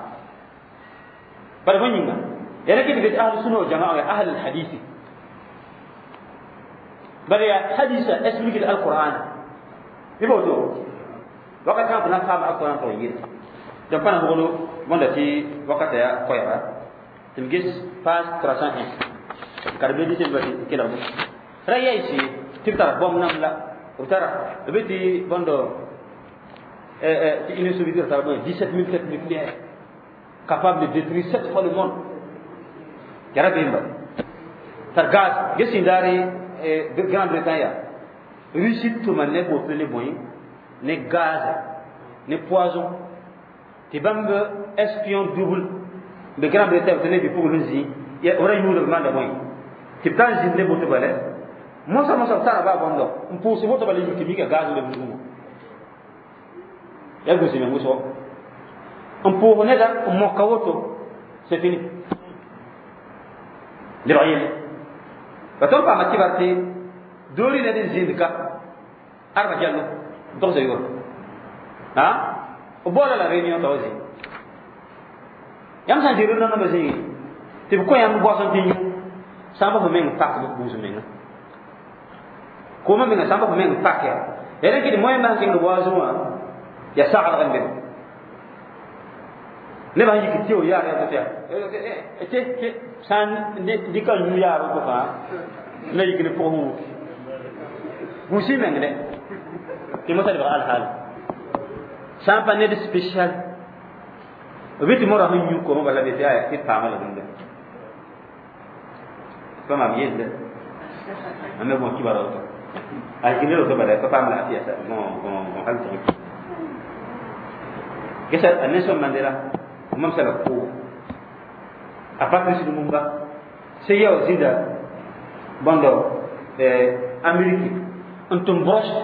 bara bõe yĩnga ya rẽ kɩt tɩ ahlu sunna wal jamaa ya ahl al-hadisi bara ya hadisa explique al-Qur'an bɩ ba woto wakat sã n fo na n paam al-Qur'an tɩ yɩl donc pa na boglo bõnda tɩ wakata ya koɛɛga tɩ m ges page 301 karbe di tɩ ba tɩ kelg bõ ra yaɩse tɩ b tara bõmb nam la b tara b be tɩ bõndo tɩ Union soviétique tara bõe 17 000 têtes nucléaires capable de détruire sept fois le monde yara bemba tar gaz ge sẽn daare Grande-Bretagne yaa Russie tʋma ne woto ne bõe ne gaz ne poison tɩ bãmb espion double be Grande-Bretagne tɩ ne bi-pugl n zĩ ra yũuda b maanda bõe tɩ b ta n zĩnd ne boto bala mosa mosa b tara baa bõndo n pʋʋs woto bala yik tɩ mika gaz leb nugẽ ya gũsi me wʋsgo n pʋʋs neda n moka woto c'est fini lebg yelle ba tõnd paama kɩbar tɩ doori ned n zĩnd ka arba jallo n togsa yʋʋra a b baoola la réunion t'a wa zĩ yãmb sã n zĩ rẽnda nambã zĩigi tɩ b kõ yãmb boasẽ tɩ yũ sã n pa fo meng pak gũus menga koomã menga sã n pa fo meng pak ya ya rẽ kɩ tɩ moẽmbã sẽn kẽngd boasẽ wã ya saglg n bebe nebã sẽn yik tɩ yaar ya tɩ tɩ sã n dɩka n yũ yaar woto fãa na yik ne pʋgẽ wuki gũusi meng dɛ tɩ mosã lebg alhaal sã n pa ned spécial b bɩ tɩ morã sẽn yũ koomã bala be tɩ aya tɩ d paama la dũnda pa maam yelle a me bõe kibara woto a yik ned woto bala pa paam la tɩ yaa gõ hal tɩg gesa a Nelson Mandela mam sala ko a Patrice Lumumba sẽn yao zĩnda bõndo Amérique n tʋm broche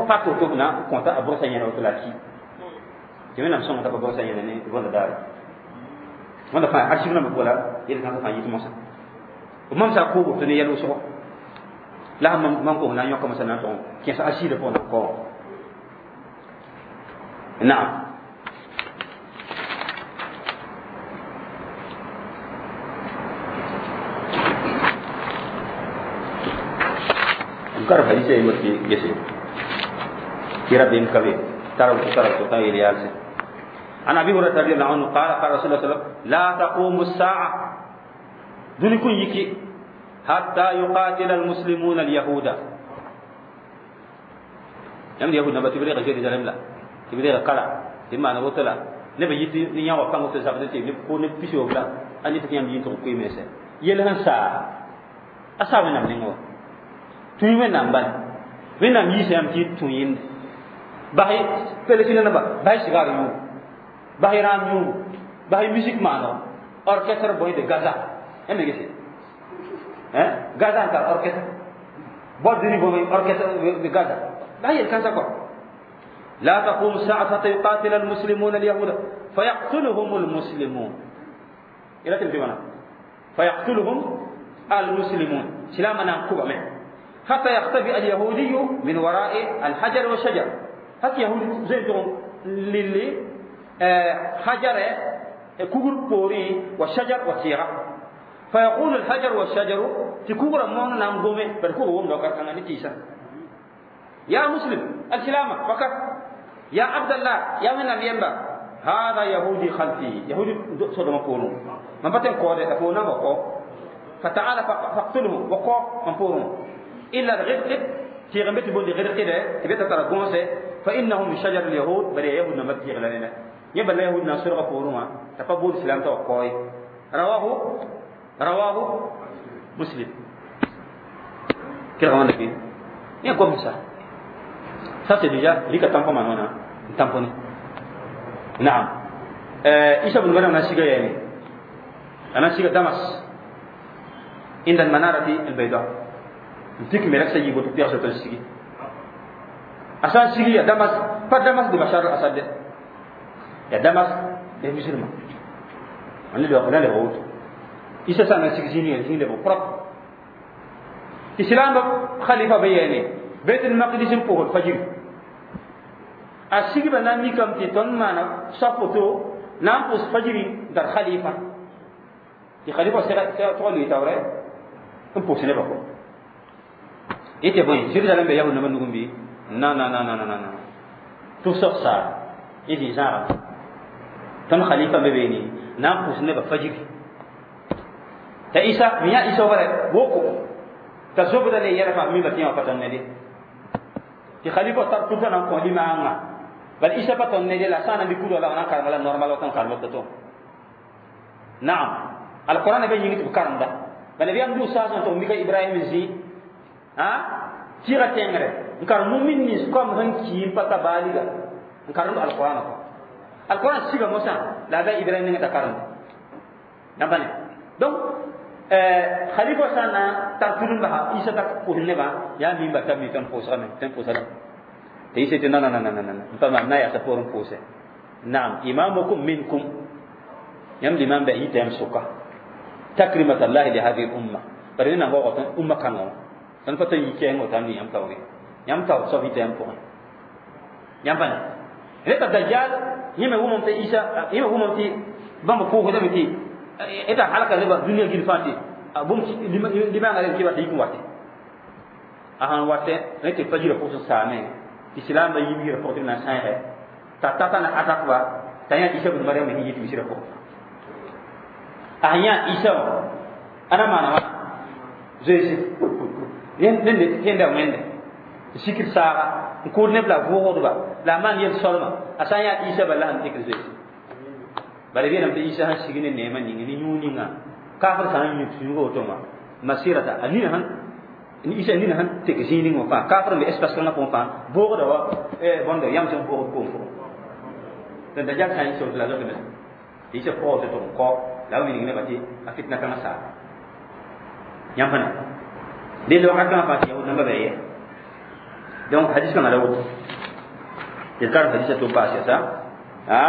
pak woto b na n kõta a brosa yẽna woto la a ki tɩ wẽnnaam sõnga t'a pa brosa yẽna ne bõnda daare wãnda fãa archive nambã pʋga la yel kãngã fãa yit mosã b mam sa a koob woto ne yɛl wʋsgo la sẽn mam kos na n yõka mosã na n tʋg n kẽes archive pʋgẽ na n kao naam karf hadisa yi wati gese kira bin kabe taraw taraw to tan yel عن ابي هريره رضي الله عنه قال قال رسول الله صلى الله عليه وسلم لا تقوم الساعه دون كن يكي حتى يقاتل المسلمون اليهود يم اليهود نبا تبليغ جيري لا تبليغ قرا تما نبوتلا نبا يتي ني ياوا بانغ تو زابد تي ني كو ني بيسو بلا اني تي يام يين تو كوي ميسه يل هن سا اسا ونا نينغو Tũi Wẽnnaam bala. Wẽnnaam yiisa yãmb tɩ y tũ yẽnde. Bas Palestine naba, bas sigar yũugu, bas rãam yũugu, bas musique maanego, orchestre bõe de Gaza. Yãmb me gese Gaza n tar orchestre bord de bõe orchestre de Gaza. Bas yel-kãnsã kɔ. لا تقوم الساعة حتى يقاتل المسلمون اليهود فيقتلهم المسلمون. إلى تلتمنا فيقتلهم المسلمون سلاما نكوبا من حتى يختبئ اليهودي من وراء الحجر والشجر. حتى يهودي زيتهم للي حجر كوغر بوري والشجر وتيغا، فيقول الحجر والشجر تكوغر مون نام غومي بل كوغر وم دوكار كان نتيسا يا مسلم السلامة فقط يا عبد الله يا من ينبا هذا يهودي خلفي يهودي صدم بورو من بتن كودة أفونا بقو فتعال فاقتله وقو من بورو إلا الغرق تيغمت بولي غرق ده تبيت ترى غونسه فإنه من شجر اليهود بل يهود نمت تيغلنا يبل يهود ناصر بورو ما تقبل الإسلام توقعي. رواه مسلم. كده غوانا كده يا كم ça. Ça c'est déjà lika tampon manona tamponné. نعم. إيسا بن مريم ناسيغا يعني أنا سيغا دمس عند المنارة البيضاء نتيك ملك سيجي بوتو بيغسو تنسيغي أسان سيغي يا دمس pas دمس دي بشار الأسد يا دمس دي مسلم أنا اللي أقول له غوت إيسا سانا سيغ زيني لبو propre إسلام خليفة بياني بيت المقدس بوه الفجر أسيغ بنا ميكم تيتون مانا سافوتو نام بوس فجري در خليفة تي خليفة سيغ تقول لي تاوري ام بوس نبا كو إيتي بوين جيروزالم بي يهود نبا نغم بي نا نا نا نا نا نا تو سوق سا إيتي زارا تم خليفة ببيني نام بوس نبا فجري تا إيسا ميا إيسا وبره بوكو تزوبدا لي يرفع مي بتيما فتن ندي تي خليفة تر توتا نام كو لما أنغا بل إيسا فتن ندي لا سانا بيكودو لا أنا كارملا نورمال وكان كارملا تتو. نعم القرآن بين يجي تبكرم ده بل بيام دو ساسون تو ميكا إبراهيم زي ها تيرا تينغري نكار مؤمن نيس كم هن كيم پتا باليغا نكار القرآن كو القرآن سيغا موسى لا دا إبراهيم نيغا تكارم نباني دونك خليفة سانا ترتلون بها إيسا تكوهن با يا مين بتا ميتون فوسا من تن فوسا تيسي نا نا نا نا نا نا فما نا يا سفورن فوسا. نعم إمامكم منكم يم الإمام بأي تيم سوكا تكريمة الله لهذه الأمة برينا هو قطن أمة كانوا تنفتن يكين وتامني يم تاوي يم تاو صفي تيم فوق يم بني إذا الدجال يم هو ممتي إيسا يم هو ممتي بام فوق هذا متي إذا حلقة زي الدنيا جيل فاتي بوم لما أنا كيف تيجي وقتي أهان وقتي نتي فجر فوق سامي الإسلام بيجي رفوق الناس هاي تاتا أنا أتاكوا تاني إيسا بن مريم هي تمشي رفوق أهيا إيسا أنا ما أنا زي ين ين ين ده وين سكر سارة نقول نبلا فوق دبا لا ما نيل سلمة أسانيا إيسا بالله أنت كذي بل بينا متى إيسا هالسجن النعمة نيجي نيونينا كافر سان يتسوق وتوما مسيرة أني هن إيسا أني هن تكزيني وفا كافر من إسباس كنا فوفا فوق دبا إيه بندر يامسون فوق كوم فوق dan dajjal san iso la zote isa ko to ko la mi ngi bati afitna kama sa yam fana de lo ka kama fati yahud namba be donc hadith kan ala wut يذكر حديث توباس يا ها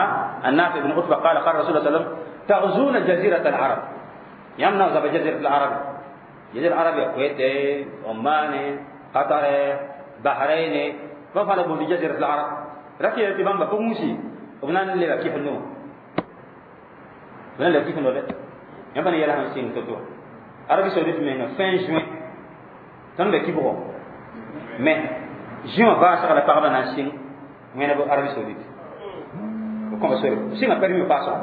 النافع بن عتبة قال قال رسول الله صلى الله عليه وسلم تغزون جزيرة العرب يمنع زب جزيرة العرب جزيرة العرب الكويت عمان قطر بحرين ما فعل بجزيرة العرب ركي تبان بفومسي وبنان اللي كيف النوم بنان اللي كيف النوم يبني يلا هم سين تطو عربي سعودية من fin juin تنبه كيف هو mais juin va sur la parole en Chine mais na Arabie Saoudite comme ça si ma permis pas ça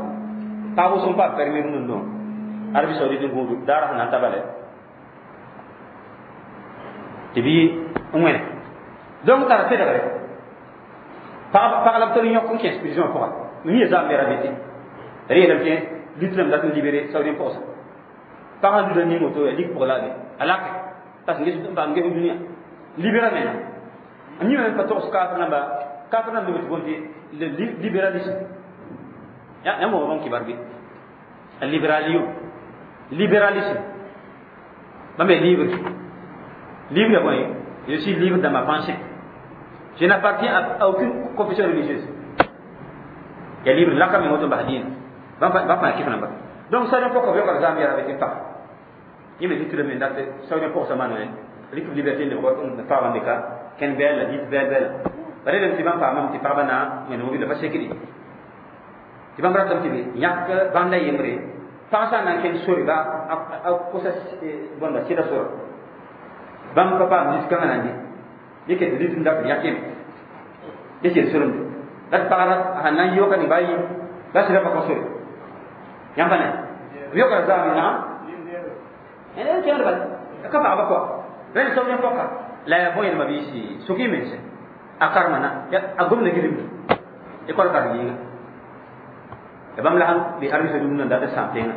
pas vous sont pas permis nous non Arabie Saoudite ngudu dara na tabale tibi ngwene donc tara tedare par la ptoni yokon qui prison pour ni za mera beti rien ne bien l'islam da libéré saoudien pour ça par un de ni moto dik pour la alak parce que ba ngi dunia Libéral mena ni men pa togs kafir namba kafir namba bɩ tɩ bõn tɩ libéralisme ya ya mo bon kibar bi libéralion libéralisme bãmb libre libre bon, je suis libre dans ma pensée, je n'appartiens à aucune confession religieuse. Ya libre laka me woto bas dĩnã bãmb fãa kɩf namba. Donc saudien pɔka b yogr zãam yɛra tɩ pa yẽ me tɩ tɩ me dat saudien pɔgsa maana rɩk liberté lebg paabã dɩka kẽn bɛɛl la dɩt bɛɛl bɛɛla ba relem tɩ bãmb paamame tɩ pagba na wẽneg wila pa sekdi tɩ bãmb ratame tɩ be yãk bãnda yembre pag sã n na n kẽnd sore ba a kosa bõnda sɩda sora bãmb pa paam lis-kãngã na n dɩ yẽ ket lis n dat yãk yẽme yẽ sel soremde la tɩ pagra sãn na n yɩ wakat ning ba yi la sɩda pa kõ sore yãmb pa ne b yokra zaame naam kẽngd bala ka pagba koa rẽnd soab yẽ pɔka la yaa bõe yẽlma biisi sok-y mense a karema na a gomda gilmda école karen yĩnga ya bãmb la sãn be Arabie Saoudite n dat n sãam tẽngã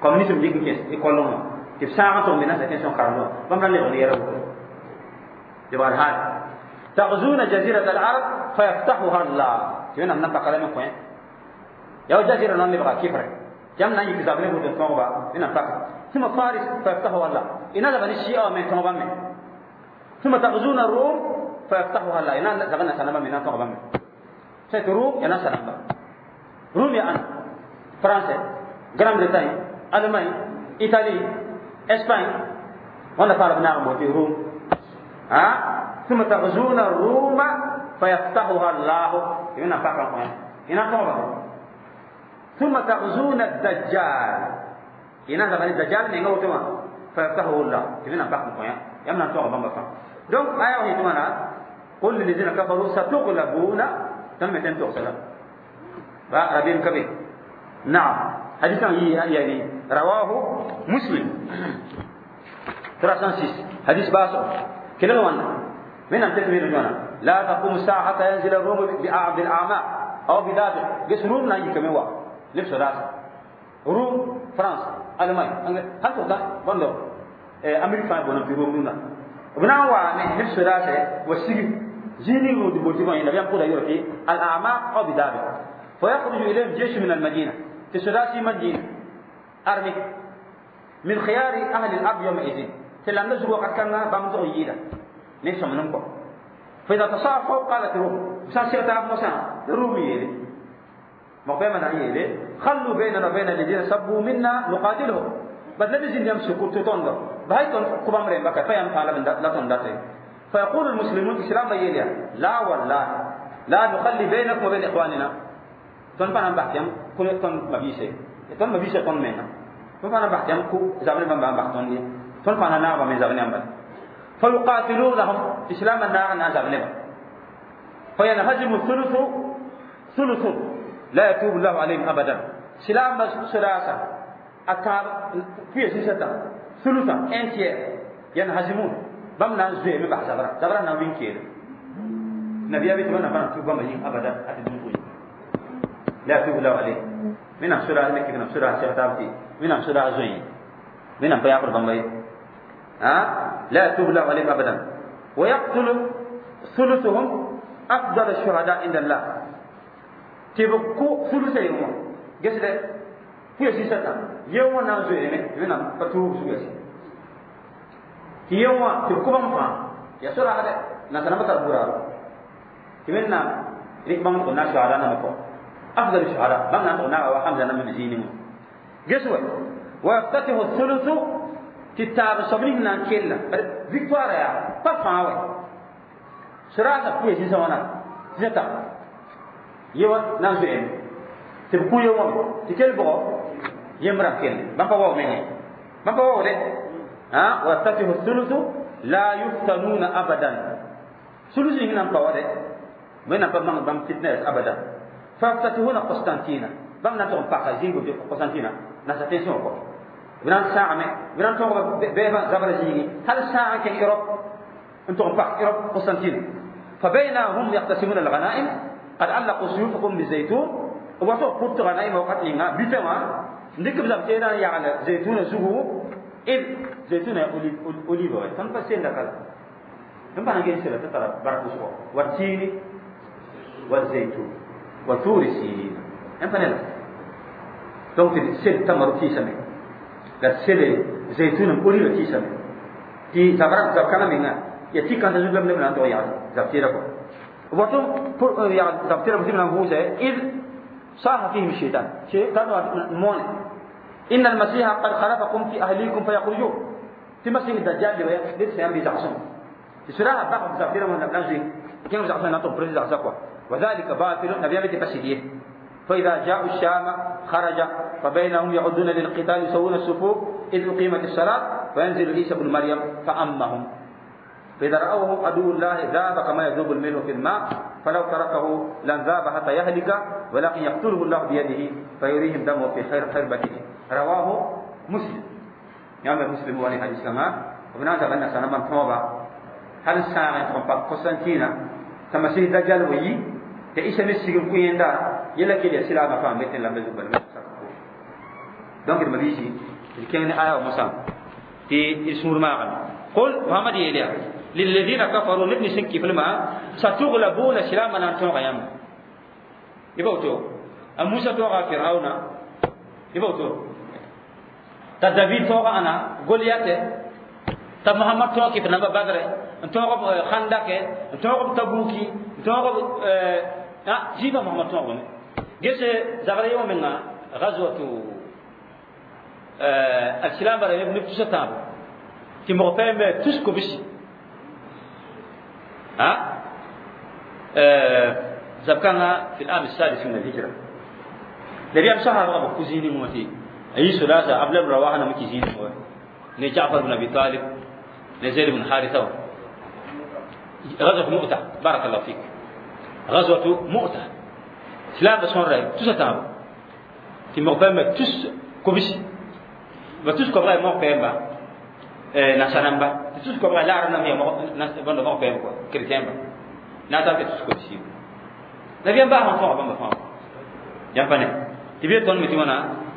communisme dɩk n kẽs école wã tɩ b sãag n tʋg me nasa tẽn sõn karem wã bãmb ra lebg ne yɛla woto lebgd haal تغزون جزيرة العرب فيفتحها الله. تبين أن نبقى لم يكن يا جزيرة نون لبغى كفر جمع نان يكذب له بودن توبا إن نبقى ثم فارس فيفتحها الله. إن هذا بني الشيعة من توبا من ثم تغزون الروم فيفتحها الله. إن زغنا سنبا من توبا من سيت روم ينا سنبا روم يا أنا فرنسا غران بريتانيا ألمانيا إيطاليا إسبانيا وانا فارغ نعم في روم ها. ثم تغزون الروم فيفتحها الله. هنا فقط هنا طبعا. ثم تغزون الدجال هنا زمان الدجال نيغا وتما فيفتحه الله. هنا فقط يمنا طبعا بابا. دونك آية وهي تمانا قل للذين كفروا ستغلبون تم تنتو سلام ربيم كبير. نعم حديثا يعني رواه مسلم 306 حديث باسو كلا وانا من أن تكمل جوانا لا تقوم الساعة حتى ينزل الروم بالأعماء أو بدابق جس روم نايي كم هو لبس راس روم فرنسا ألمانيا هل تقدر بندو أمريكا بنا في روم نونا بنا وا لبس راس وسيج جيني ودي بوتي ما ينبي أقول يورتي الأعماء أو بدابق فيخرج إليهم جيش من المدينة تسداسي مدينة أرمي من خيار أهل الأرض يومئذ تلام نزل وقت كان بامزو ييدا ليس منكم. فإذا تصافوا قالت روم مساسية موسى رومي يلي مقبل من يلي خلوا بيننا وبين الذين سبوا منا نقاتلهم بدل بزين يمسكوا تطندر بهاي تون كبام رين بكا فيام قال من لا تنداتي. فيقول المسلمون إسلام يلي لا والله لا نخلي بينكم وبين إخواننا تون فانا بحثيام كل تون مبيسة تون مبيسة تون منا تون فانا بحثيام كو زابني بام بحثون لي تون فانا نعم من زابني أمبل فيقاتلونهم إسلام النار نازل فينهزم الثلث ثلث لا يتوب الله عليهم أبدا. سلام ثلاثة أكار في سيسة ثلثا انتير ينهزمون بمنا زوي من بحث زبرا زبرا نوين كير نبي أبي تمنى فانا توب بمجين أبدا أتدون لا يتوب الله عليهم من سورة مكة من سورة سيغتابتي من سورة زوي من بيعبر بمبي ها لا يتوب الله عليهم أبدا. ويقتل ثلثهم أفضل الشهداء عند الله. تبقوا ثلث يوم جسد في سيسة يوم نازل يمين فتوب سجسي يوم تبقوا بمفا يا سورة هذا نسنا بتربورا تمنا ريك بام كنا شهداء نمكو أفضل الشهداء بام نتونا وحمزة نم بزينهم جسوا ويفتتح الثلث تتاب صبرين نان كيلا فيكتوار يا بافاوي سرعة كوي سيسوانا زتا يوا نازل تبكو يوم تكل بقى يمرا كيل بابا واو مني بابا واو له ها ويفتتح الثلث لا يفتنون أبدا ثلث هنا بقى من بام بام فتنة أبدا فافتتحون قسطنطينة بام نتوم باكازين قسطنطينة نساتين سوكو بنان ساعة بنان توم بيبا زبرزيني هل ساعة كان إيروب أنتم باك إيروب قسطنطينة فبينهم يقتسمون الغنائم قد علقوا سيوفكم بالزيتون وصو قلت غنائم وقت لنا بيتما نكب زبتينا يعني زيتون زهو إذ زيتون أوليف تنفسين لك N pa na n ges sɩda tɩ tara bark wʋsgo wa tiini wa zaytun wa turi sinina n pa ne la donc tɩ sel tamaro tɩɩsame la sele zaytun n oliva tɩɩsame tɩ zabra zab kãngã menga ya tɩ kãnsã zug la b neb na n tog yagl zab tɩɩra kɔ woto yagl zab tɩɩra tɩ b na n vʋʋsɛ id saha fihim shaitan shaitan moone إن المسيح قد خلفكم في أهليكم فيخرجون في مسيح الدجال اللي ليس ينبي زعسون سراها باخ زعفيرا من نبلانزي كيف زعسون نطب بريز زعسكوا وذلك باطل نبي بيت بسيديه فإذا جاءوا الشام خرج فبينهم يعدون للقتال يسوون الصفوف إذ أقيمت الصلاة فينزل عيسى بن مريم فأمهم فإذا رأوه عدو الله ذاب كما يذوب الملح في الماء فلو تركه لن ذاب حتى يهلك ولكن يقتله الله بيده فيريهم دمه في خير خربته رواه مسلم يا مسلم واني حديث كما وبنا زبنا سنة من توبة هل ساعة تقوم قسطنطينة تمسيح دجال ويي تعيش مسيح كويندا يلا كده سلا ما فهم مثل لما زبل donc ما بيجي كان آية ومسام تي سور ما قل محمد يليا للذين كفروا نبني سنكي في الماء ستغلبون سلاما أنتم غيام يبوتو موسى توغا فرعون يبوتو تا دافيد توغا أنا غوليات تا محمد توغا كيف نبا بدر توغا خندق توغا تبوكي توغا جيبا محمد توغا جيس زغري يوم منا غزوة السلام على ابن تسطاب تي مغفهم تسكو بشي ها زبكانا في العام السادس من الهجرة نبي أم سحر رغب كوزيني موتي أي سلاسة قبل رواحنا مكي زيني ني جعفر بن أبي طالب ني زيد بن حارثة غزوة مؤتة بارك الله فيك غزوة مؤتة سلام بسون رأي تسطاب تي مغفهم تسكو بشي ba tus kobra mo pemba nasanamba tus kobra la arna mi mo bondo mo pemba quoi chrétien ba na ta ke tus ko si la bien ba on fa ba fa yampane tibi ton mi timona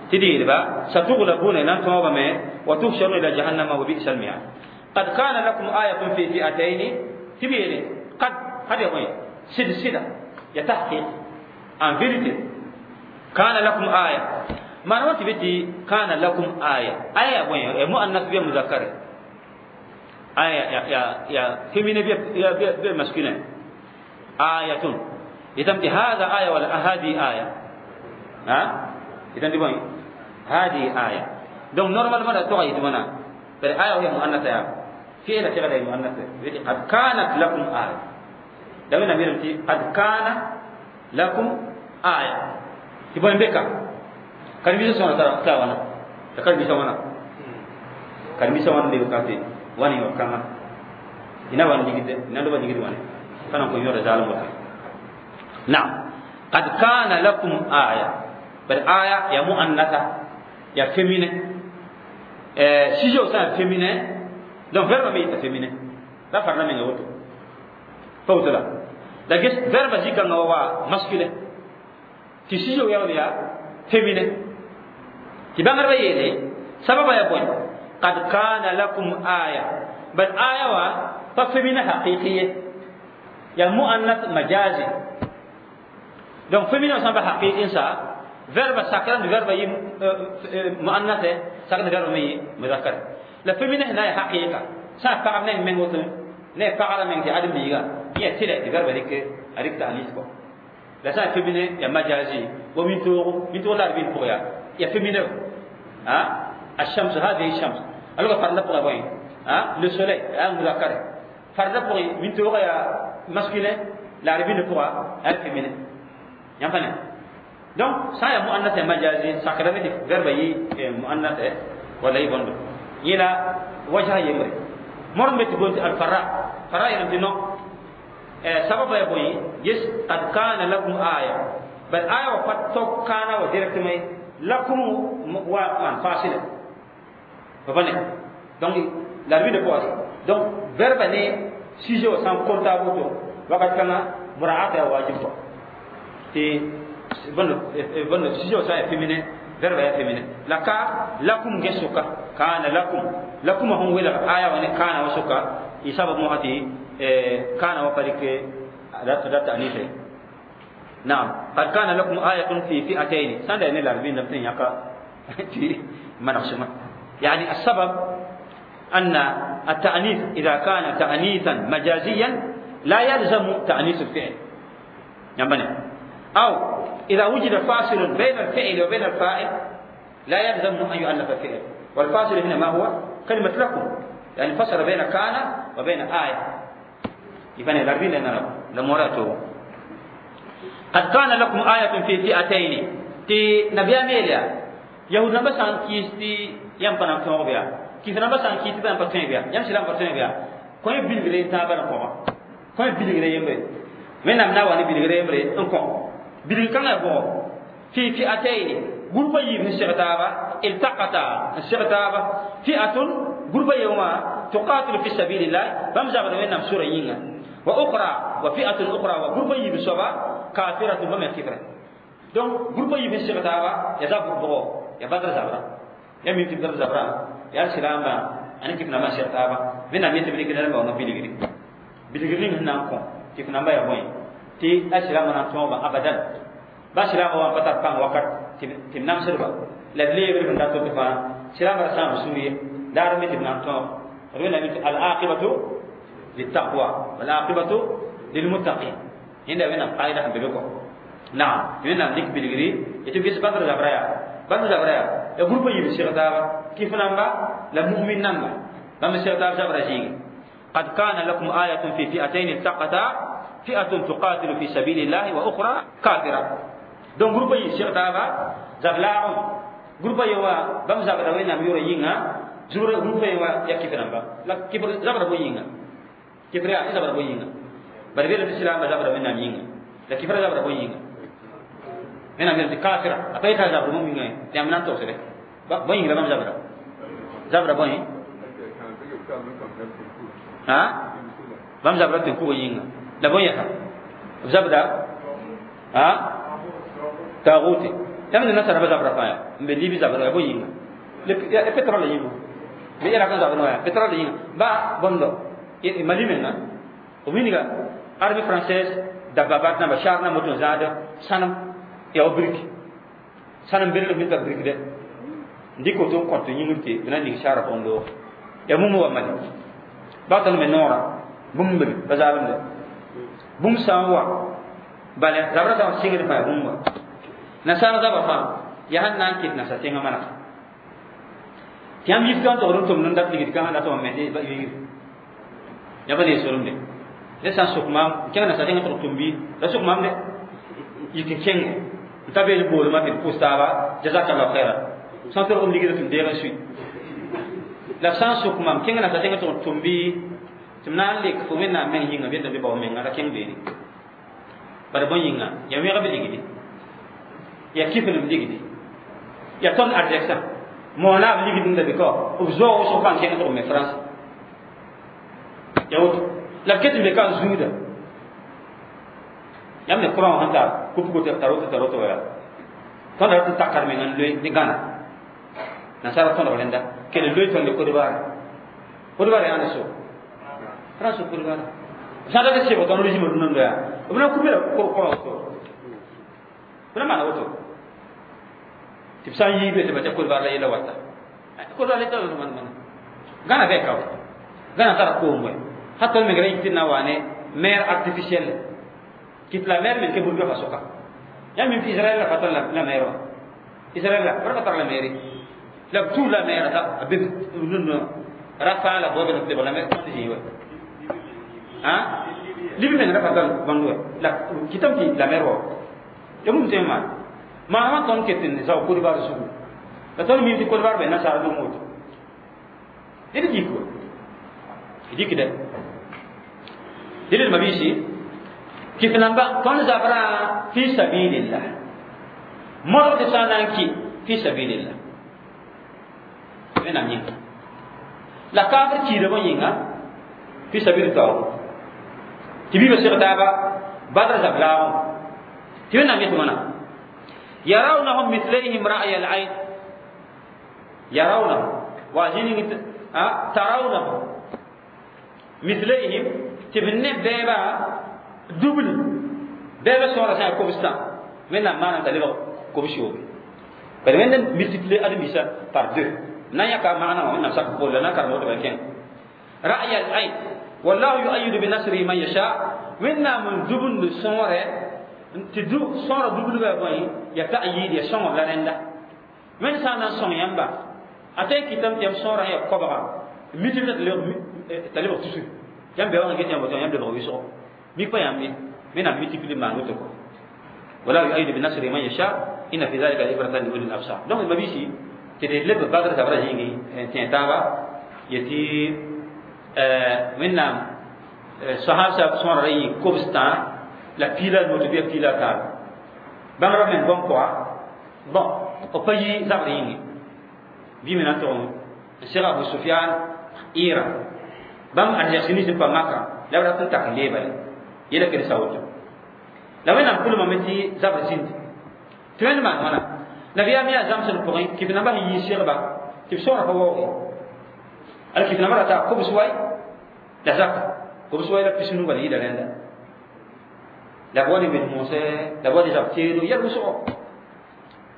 tidi ba satughlabuna nan to ba me wa tuhsharuna ila jahannama wa bi'sal mi'ad qad kana lakum ayatun fi fi'atayn tibi ne qad hadi ko silsila ya tahqiq en vérité kana lakum aya ما نوتي بدي كان لكم آية آية وين مؤنث بها مذكر آية يا يا يا féminin بها يا بها masculin آية إذا هذا آية ولا هذه آية ها إذا دي بوين هذه آية donc normalement لا تغير دمنا بل آية وهي مؤنثة يا فعل فعل مؤنثة قد كانت لكم آية لو نميرتي قد كان لكم آية تبون بك karibisha sana ta wana karibisha wana karibisha wana ndio kati wani wakama ina wana digide ina ndo digide wani kana ko yora zalim wata na'am qad kana lakum aya bal aya ya muannatha ya féminin sujet ça féminin donc verbe mi ta féminin la farna men woto fawtala la ges verbe zika ngawa masculin ti sujet ya ya féminin ti bãngdbã yeele sababa ya bõe qad kana lakum aya bal aya wa pa féminin haqiqi ye ya muannath majazi donc féminin sã n pa haqiqi n sa verbe sakra ni verbe yi muannath sakra ni verbe me yi muzakkar la féminin na ya haqiqa sã pagb ne meng woto ne pagra meng tɩ ãdem biiga yẽ tɩlɛ tɩ verbe rɩk a rɩk ta'anis kɔ la sã féminin ya majazi wa min toogo la r pʋgã ya يا féminin ها الشمس هذه الشمس alors farla pour boy hein le soleil un muzakkar farla pour min to ya masculin la rabine pour un féminin yam fane donc ça ya muannath majazi sakra ne verbe yi muannath wala yi bondo yila wajha yemre mor mbeti gonti al farra farra yam dino sababa ya boy yes qad kana lakum aya bal aya wa fatto kana wa directement lakum wa man fasila babane donc la rue de quoi donc verbe ne sujet au sans comptable to wakat kana muraata ya wajib ko te bon bon sujet au sans féminin verbe ya féminin la ka lakum gesuka kana lakum lakum hon wala aya wa ne kana wasuka isaba mo hati كان وفرك أداة تأنيث. نعم، قد كان لكم آية في فئتين سند أن العربين لم يقع في منقسمة. يعني السبب أن التأنيث إذا كان تأنيثا مجازيا لا يلزم تأنيث الفعل، يعني أو إذا وجد فاصل بين الفعل وبين الفاعل لا يلزم أن يؤنث الفعل. والفاصل هنا ما هو؟ كلمة لكم، يعني فصل بين كان وبين آية. يبني العربين لأننا لمراته قد كان لكم آية في فئتين. تي نبي أميليا يهود نبسان كيستي يمكن أن تنوبيا كيف نبسان كيستي بأن تنوبيا يمشي لهم تنوبيا كوي بيلغري تابنا كوما كوي بيلغري يمري من أمنا واني بيلغري يمري انكم بيلغ كان يبغى في فئتين غربة يبن الشغتابة التقطا الشغتابة فئة غربة يوما تقاتل في سبيل الله بمزا بدوين سورة ينغا وأخرى وفئة أخرى وغربة يبن سبا كافرة بما كفرة. Donc groupe yi fi taaba ya za groupe ya badra zabra ya mi fi badra zabra ya silama ani kif na ma shir taaba bina mi tibri kidal ba no biligiri biligiri ni nan ko kif na ba ya boy ti asilama na to ba abadan ba silama wa patar pang wakat tim nam sirba la lebre bin da to fa silama sa suriye dar mi tim nan to rena mi al aqibatu littaqwa wal aqibatu lil muttaqin. Inda wena qaida han bebe ko naam wena dik biligiri eti bis badra zabraya badra zabraya ya groupe yi bi taaba kif namba la mu'min namba bam shirta zabra jigi. قد كان لكم آية في فئتين التقتا فئة تقاتل في سبيل الله وأخرى كافرة. Donc groupe yi shirta ba zablaa'u groupe yi wa bam zabra wena mi yoro yinga zura groupe yi wa ya kif namba la kif zabra bo yinga kifra ya zabra bo yinga bari bela islam zabra wena yinga la kifra zabra bo yinga mena mena kafira apay ta zabra mo yinga ya mena to sere ba bo yinga bam zabra zabra bo yin ha bam zabra tin ku yinga la bo yaka zabra ha taguti yamna nasara ba zabra fa mbe libi zabra bo yinga le pétrole yinga be era kan zabra ya pétrole yinga ba bondo mali menga o miniga armée française dababat na bashar na moto zada sanam ya brique sanam berle min ta brique de ndiko to ko to yingirte bina ni shara bondo ya mumu wa mali ba tan me nora bumbe bazalam de bum sanwa bale zabra sa singir fa bumba nasara zaba fa ya hannan kit nasa tinga mana tiam yif kan to rum tum nan dak ligit kan la to me de ba yir ya ba de sorum de le san sukma kenga nasa tinga to tumbi la sukma de yikin kenge tabe le bol ma te postaba jazakallahu khairan san to rum ligit tum de ga sui la san sukma kenga nasa tinga to tumbi timna le ko men na men yinga be be ba men ngara keng be ni bar bon yinga ya mi ga be ligidi ya kifin ligidi ya ton arjeksa mo na ligidi ndabi ko obzo so kan keng to me France ya wot la ket be kan zuida yam ne courant hanta kupu ko taroto taroto ya ton da takar men ngan le ni gana na sara ton rolenda kele loy ton de Côte d'Ivoire Côte d'Ivoire ya na so France Côte d'Ivoire sada de sebo ton régime dun ndo ya obna kubira ko ko to bna mana woto tibsan yibe te bata Côte d'Ivoire la yela wata Côte d'Ivoire la man man gana be kaw gana tara ko moy hatta me ngara yitina wane mer artificielle kit la mer men ke burga fasoka ya min fi Israël la fatal la mer Israël la farata la mer la tout la mer ta abib nun rafa la bobe la la mer ko jiwa ha libi men rafa dal bandu la kitam ki la mer wa yamum tema ma ma ton ketin zaw Côte d'Ivoire su la ton mi fi Côte d'Ivoire be na sara do moto didi jiko diki de didi mabisi kif namba ton zabra fi sabilillah moro de sananki fi sabilillah mena nyinga la kafir ki de yinga fi sabilillah tibi be sirtaba badra zablawo tibi na mitmana yarawnahum mithlihim ra'y al-ayn yarawnahum wajini tarawnahum mithlihim Tɩ b ne bɛɛba dubli bɛɛba sõora sã yaa kobstã, Wẽnnaam maanam t'a lebg kobs-yoobe. Bala Wẽnd n multiplier ãdem-biisã par deux na n yãka maana wã Wẽnnaam sak bolla na n karem woto bala kẽng ra'y al-ayn wallahu yu'ayyidu bi nasrihi man yasha. Wẽnnaam n dubnd sõore tɩ sõora dublga bõe ya ta'yid ya sõngb la rẽnda. Wẽnd sã n na n sõng yãmba a tõe n kɩtame tɩ yãmb sõorã yaa koabga multiplier t'a lebg tusr yãmb bɩ wa get yãmb woto yãmb lebg wɩsgo mik pa yãmb ye. Wẽnnaam multiplier maan woto kɔ wallahu yu'ayyidu bi nasrihi man yasha inna fi dhalika la'ibratan li ulil absar. Donc mabisi tɩ d leb Badr zabra zĩigi n tẽ taaba yetɩ Wẽnnaam sahab sõora ra yɩ kobstã la piila noto bɩ piila taaba bãmb ra meng bõn pʋga bon b pa yi zabr yĩnge bɩ me na n tʋg n seg Abu Sufian ɩɩra bãmb arzɛk nins n pa Maka la b rat n tak n leebale yela kelsa woto la Wẽnnaam pʋlmame tɩ zabr zĩnd tɩ Wẽnd maan wãna nabiyaam yaa zãmsd pʋgẽ kɩf nambã sẽn yii segba tɩ b sõora pa waoog ala kɩf nambã rata kobs wai la zaka kobs wai la pisnu bala yɩɩda rẽnda la b wa ne wed moosɛ la b wa ne zab teedo yɛl wʋsgo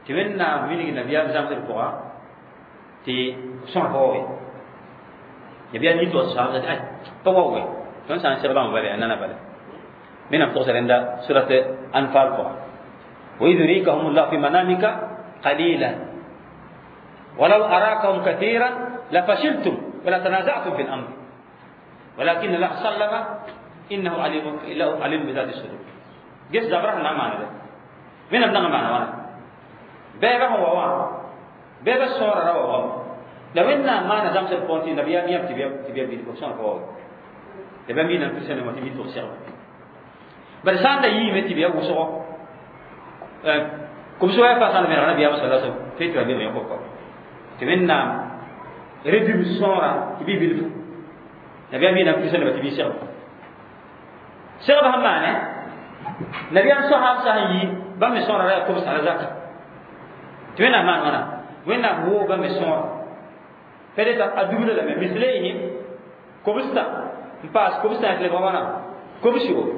tɩ Wẽnnaam wilg nabiyaam zãmsd pʋga tɩ sõor pa waoog nabiyaam yɩ tɩ saabã tɩ ay pa waooge tõnd sã n seg bãmb bala yaa nana bala Wẽnnaam togsa rẽnda surat Anfal pʋga وإذ يريكهم الله في منامك قليلا ولو أراكهم كثيرا لفشلتم ولا تنازعتم في الأمر ولكن الله سلم إنه عليم عليم بذات الصدور. جس زبره نعم معنا ده من أبناء معنا وانا بابا هو وان بابا الصورة روا وان لو إن ما نظام سبونتي نبي أمي تبي تبي بيد بوسان كوا تبي مين أنفسنا ما تبي توصل بس أنا يي تبي وصل comme so ya fa san mera nabiya sallallahu alaihi wasallam fe tɩ ba be kɔ tɩ Wẽnnaam redim sõora tɩ bɩ bilfu nabiyaam yɩ na n piisa nebã tɩ bɩ segba segb sẽn maane nabiyaam soaam sã n yi bãmb me sõora ra yaa kobs la zaka tɩ Wẽnnaam maan wãna Wẽnnaam woog bãmb me sõora peut-être a dubla lame mislayhim kobstã n paas kobstã tɩ lebg wãna kobs yoobe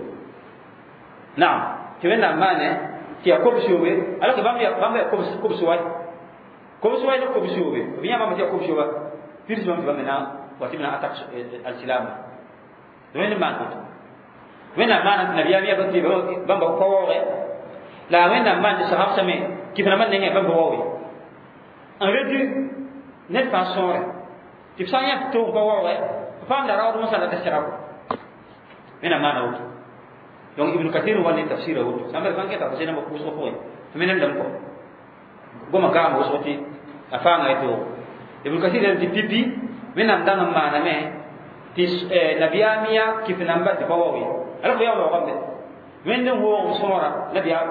naam tɩ Wẽnnaam maane tɩ yaa kobs yoobe alors que bãmb yaa kobs wai kobs wai la kobs yoobe b yã bãmb tɩ yaa kobs yooba pirs bãmb tɩ bãmb na wa tɩ b na attaque alsilama Wẽnd maan woto Wẽnnaam maana tɩ nabiyaam yaa tɩ bãmb pa waooge la Wẽnnaam maan tɩ sahab same kɩf nambã nengẽ bãmb pa waooge n redu ned fãa sõore tɩ b sã n yã tɩ tʋg pa waooge b paamda raood wẽsã la tɩ sega ko Wẽnnaam maana woto. Donc Ibn Kathir wa ne tafsir woto sãn bal fãn kɛta fa namba pʋʋsgã pʋgẽ tɩ me nem dãmb kɔ goma gaam wʋsg tɩ a fãanga y toogo Ibn Kathir tɩ pipi Wẽnnaam dãng n maaname tɩ nabiyaam yaa kɩf namba tɩ pa waoog ye alors que yaa waoogame Wẽnd n woog b sõora nabiyaam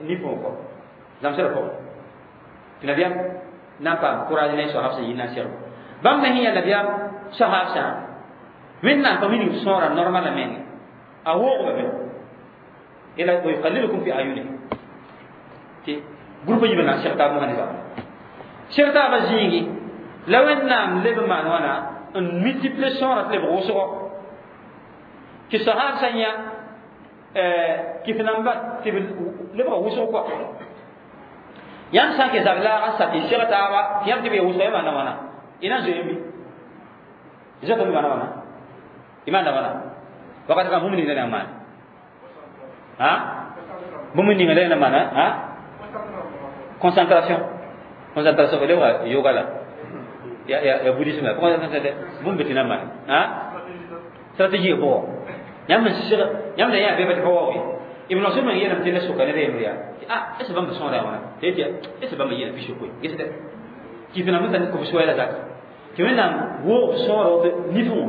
nifẽ kɔ zãmsdã pʋgẽ tɩ nabiyaam na n paam courage ne soab sẽn yɩ na n segb bãmb me sẽn yaa nabiyaam soaab sã Wẽnnaam pa wilg b sõora normal a menge a woogame ila wa yuqallilukum fi ayunihim tɩ groupe yiibã na n seg taab mosã ne zabra seg taabã zĩigi la Wẽnnaam leb n maan wãna n multiplier sõora tɩ lebg wʋsgo tɩ sahab sã n yã kɩf namba tɩ b lebga wʋsg kɔa yãmb sã n ke zab laag n sa tɩ seg taaba tɩ yãmb tɩ b ya wʋsgo ya maanda wãna y na n zoe yãmbi zoetame maanda wãna y maanda wãna wakat kã bũmb ninga na n maane ha bũmb ninga la na maana ha concentration concentration lebga yoga la ya ya ya bouddhisme la concentration bũmb tɩ na n maane ha stratégie bʋgɔ yãmb n seg yãmb la yã bɩ tɩ pa waoog ye. Ibn Mas'ud man yeelame tɩ ne soka ned a yembr yaa ah est ce bãmb sõora yaa wãna tɩ yetɩ est ce bãmb yeela pis-yopoe gesdɛ kɩf nambã t'a kobs wɛɛla zaka tɩ Wẽnnaam woog sõora woto nifẽ wã.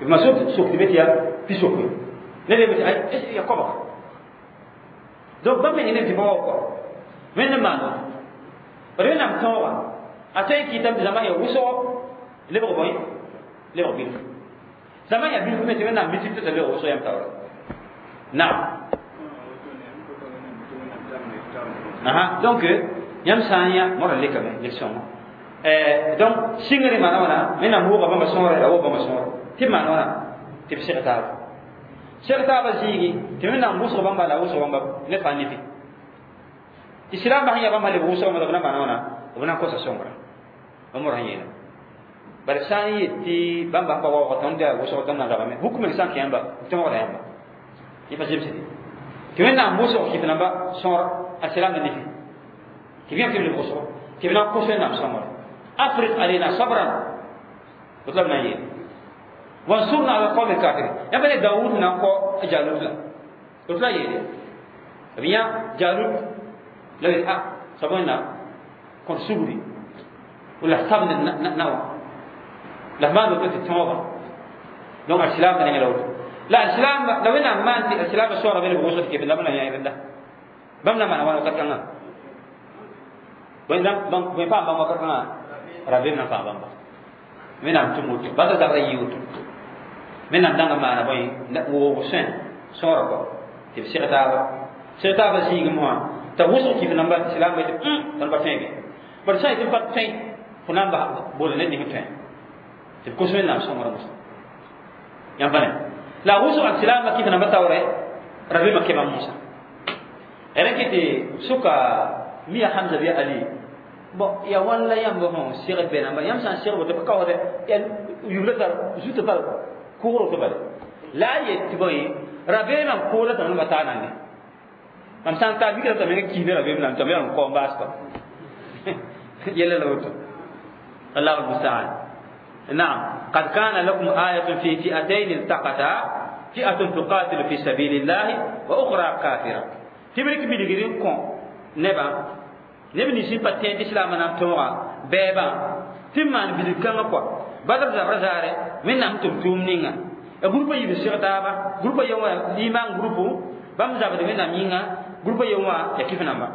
Ibn Mas'ud sok tɩ be tɩ yaa pis-yopoe ned yembe tɩ est ce ya koabga donc bãmb me neb tɩ pa waoog kɔ Wẽnd n maan woto bad Wẽnnaam tõoga a tõe n kɩtame tɩ zãma yaa wʋsgo lebg bõe lebg bilf zãma yaa bilf me tɩ Wẽnnaam multiplie t'a lebg wʋsg yãmb taoora naam. Aha, donc yãmb sã n yã modã lekame lection donc sɩngre maana wãna Wẽnnaam wooga bãmba sõore la woog bãmba sõore tɩ b maan wãna tɩ Tɩ b seg taaba, seg taaba zĩigi tɩ wẽnnaam wʋsg bãmba la wʋsg bãmba ne fãa nefi tɩ silaambã sẽn yaa bãmb sẽn leb wʋsg b na maana wãna b na n kosa sõngra bãmb sẽn yeela bala sã n yet tɩ bãmba sẽn pa waoog tõnd yaa wʋsg tõnd na rabame huk meng sã n kẽ yãmba b tõogda yãmba yẽ pa zemsde tɩ wẽnnaam wʋsg kɩf namba sõor a silaambã nefi tɩ b yã tɩ b leb wʋsgo tɩ b na n kos wẽnnaam sõngre afriq alena sabran woto la b na n yeele wansurna ala alqawmi alkafirin yãmba ne Dawud na n kõ Jalut la woto la yeele b yã Jalut la b a soab wẽnnaam kõt sugri la sabd na wã la f maan woto tɩ tõoga donc alsilaamba nengã la woto la alsilaamba la wẽnnaam maan tɩ alsilaamba soaga be leb wʋsg tɩ kɩf la b na yã rẽnda bãmb na maana wãna wakat kãngã bõe paam bãmb wakat kãngã rabeem na n paam bãmba wẽnnaam tʋm woto basa zabra yɩ woto wẽnnaam dãnga maana bõe woog sõe sõora kɔ tɩ b seg taaba, seg taaba zĩigẽ wã t'a wʋsg kɩf namba silaamba tɩ tõnd pa tõe be bad sã yetɩ pa tõe fo na n bas boole ned ning tõe tɩ b kos wẽnnaam sõngr mosã yãmb pa ne la wʋsg a silaamba kɩf namba taoore rabeemã kẽ bãmb mosã rẽ kɩ tɩ sʋka miya Hamza bɩ Ali bon ya wãn la yãmb sẽn segd bɛ namba yãmb sã n segd woto pa kaoode ya yubla tar zutã pa kʋgr woto bale la a yet tɩ bõe rabeemã koola tɩ namba taa nande mam sã n taa mikra t'a menga kiis ne rabeem nan tɩ m yaa n kao n baas kɔ yɛla la woto الله المستعان. نعم، قد كان لكم آية في فئتين التقتا فئة تقاتل في سبيل الله وأخرى كافرة تبرك بلغرين كون نبا neb nins n pa tẽ tɩ islaamã na n tõoga bɛɛbã tɩ n maan bilg kãngã kɔa Badr zabra zaarɛ wẽnnaam tʋm tʋʋm ninga a groupa yiib seg taaba groupa yen wã limaan groupu bãmb zabd wẽnnaam yĩnga groupa yen wã ya kɩf namba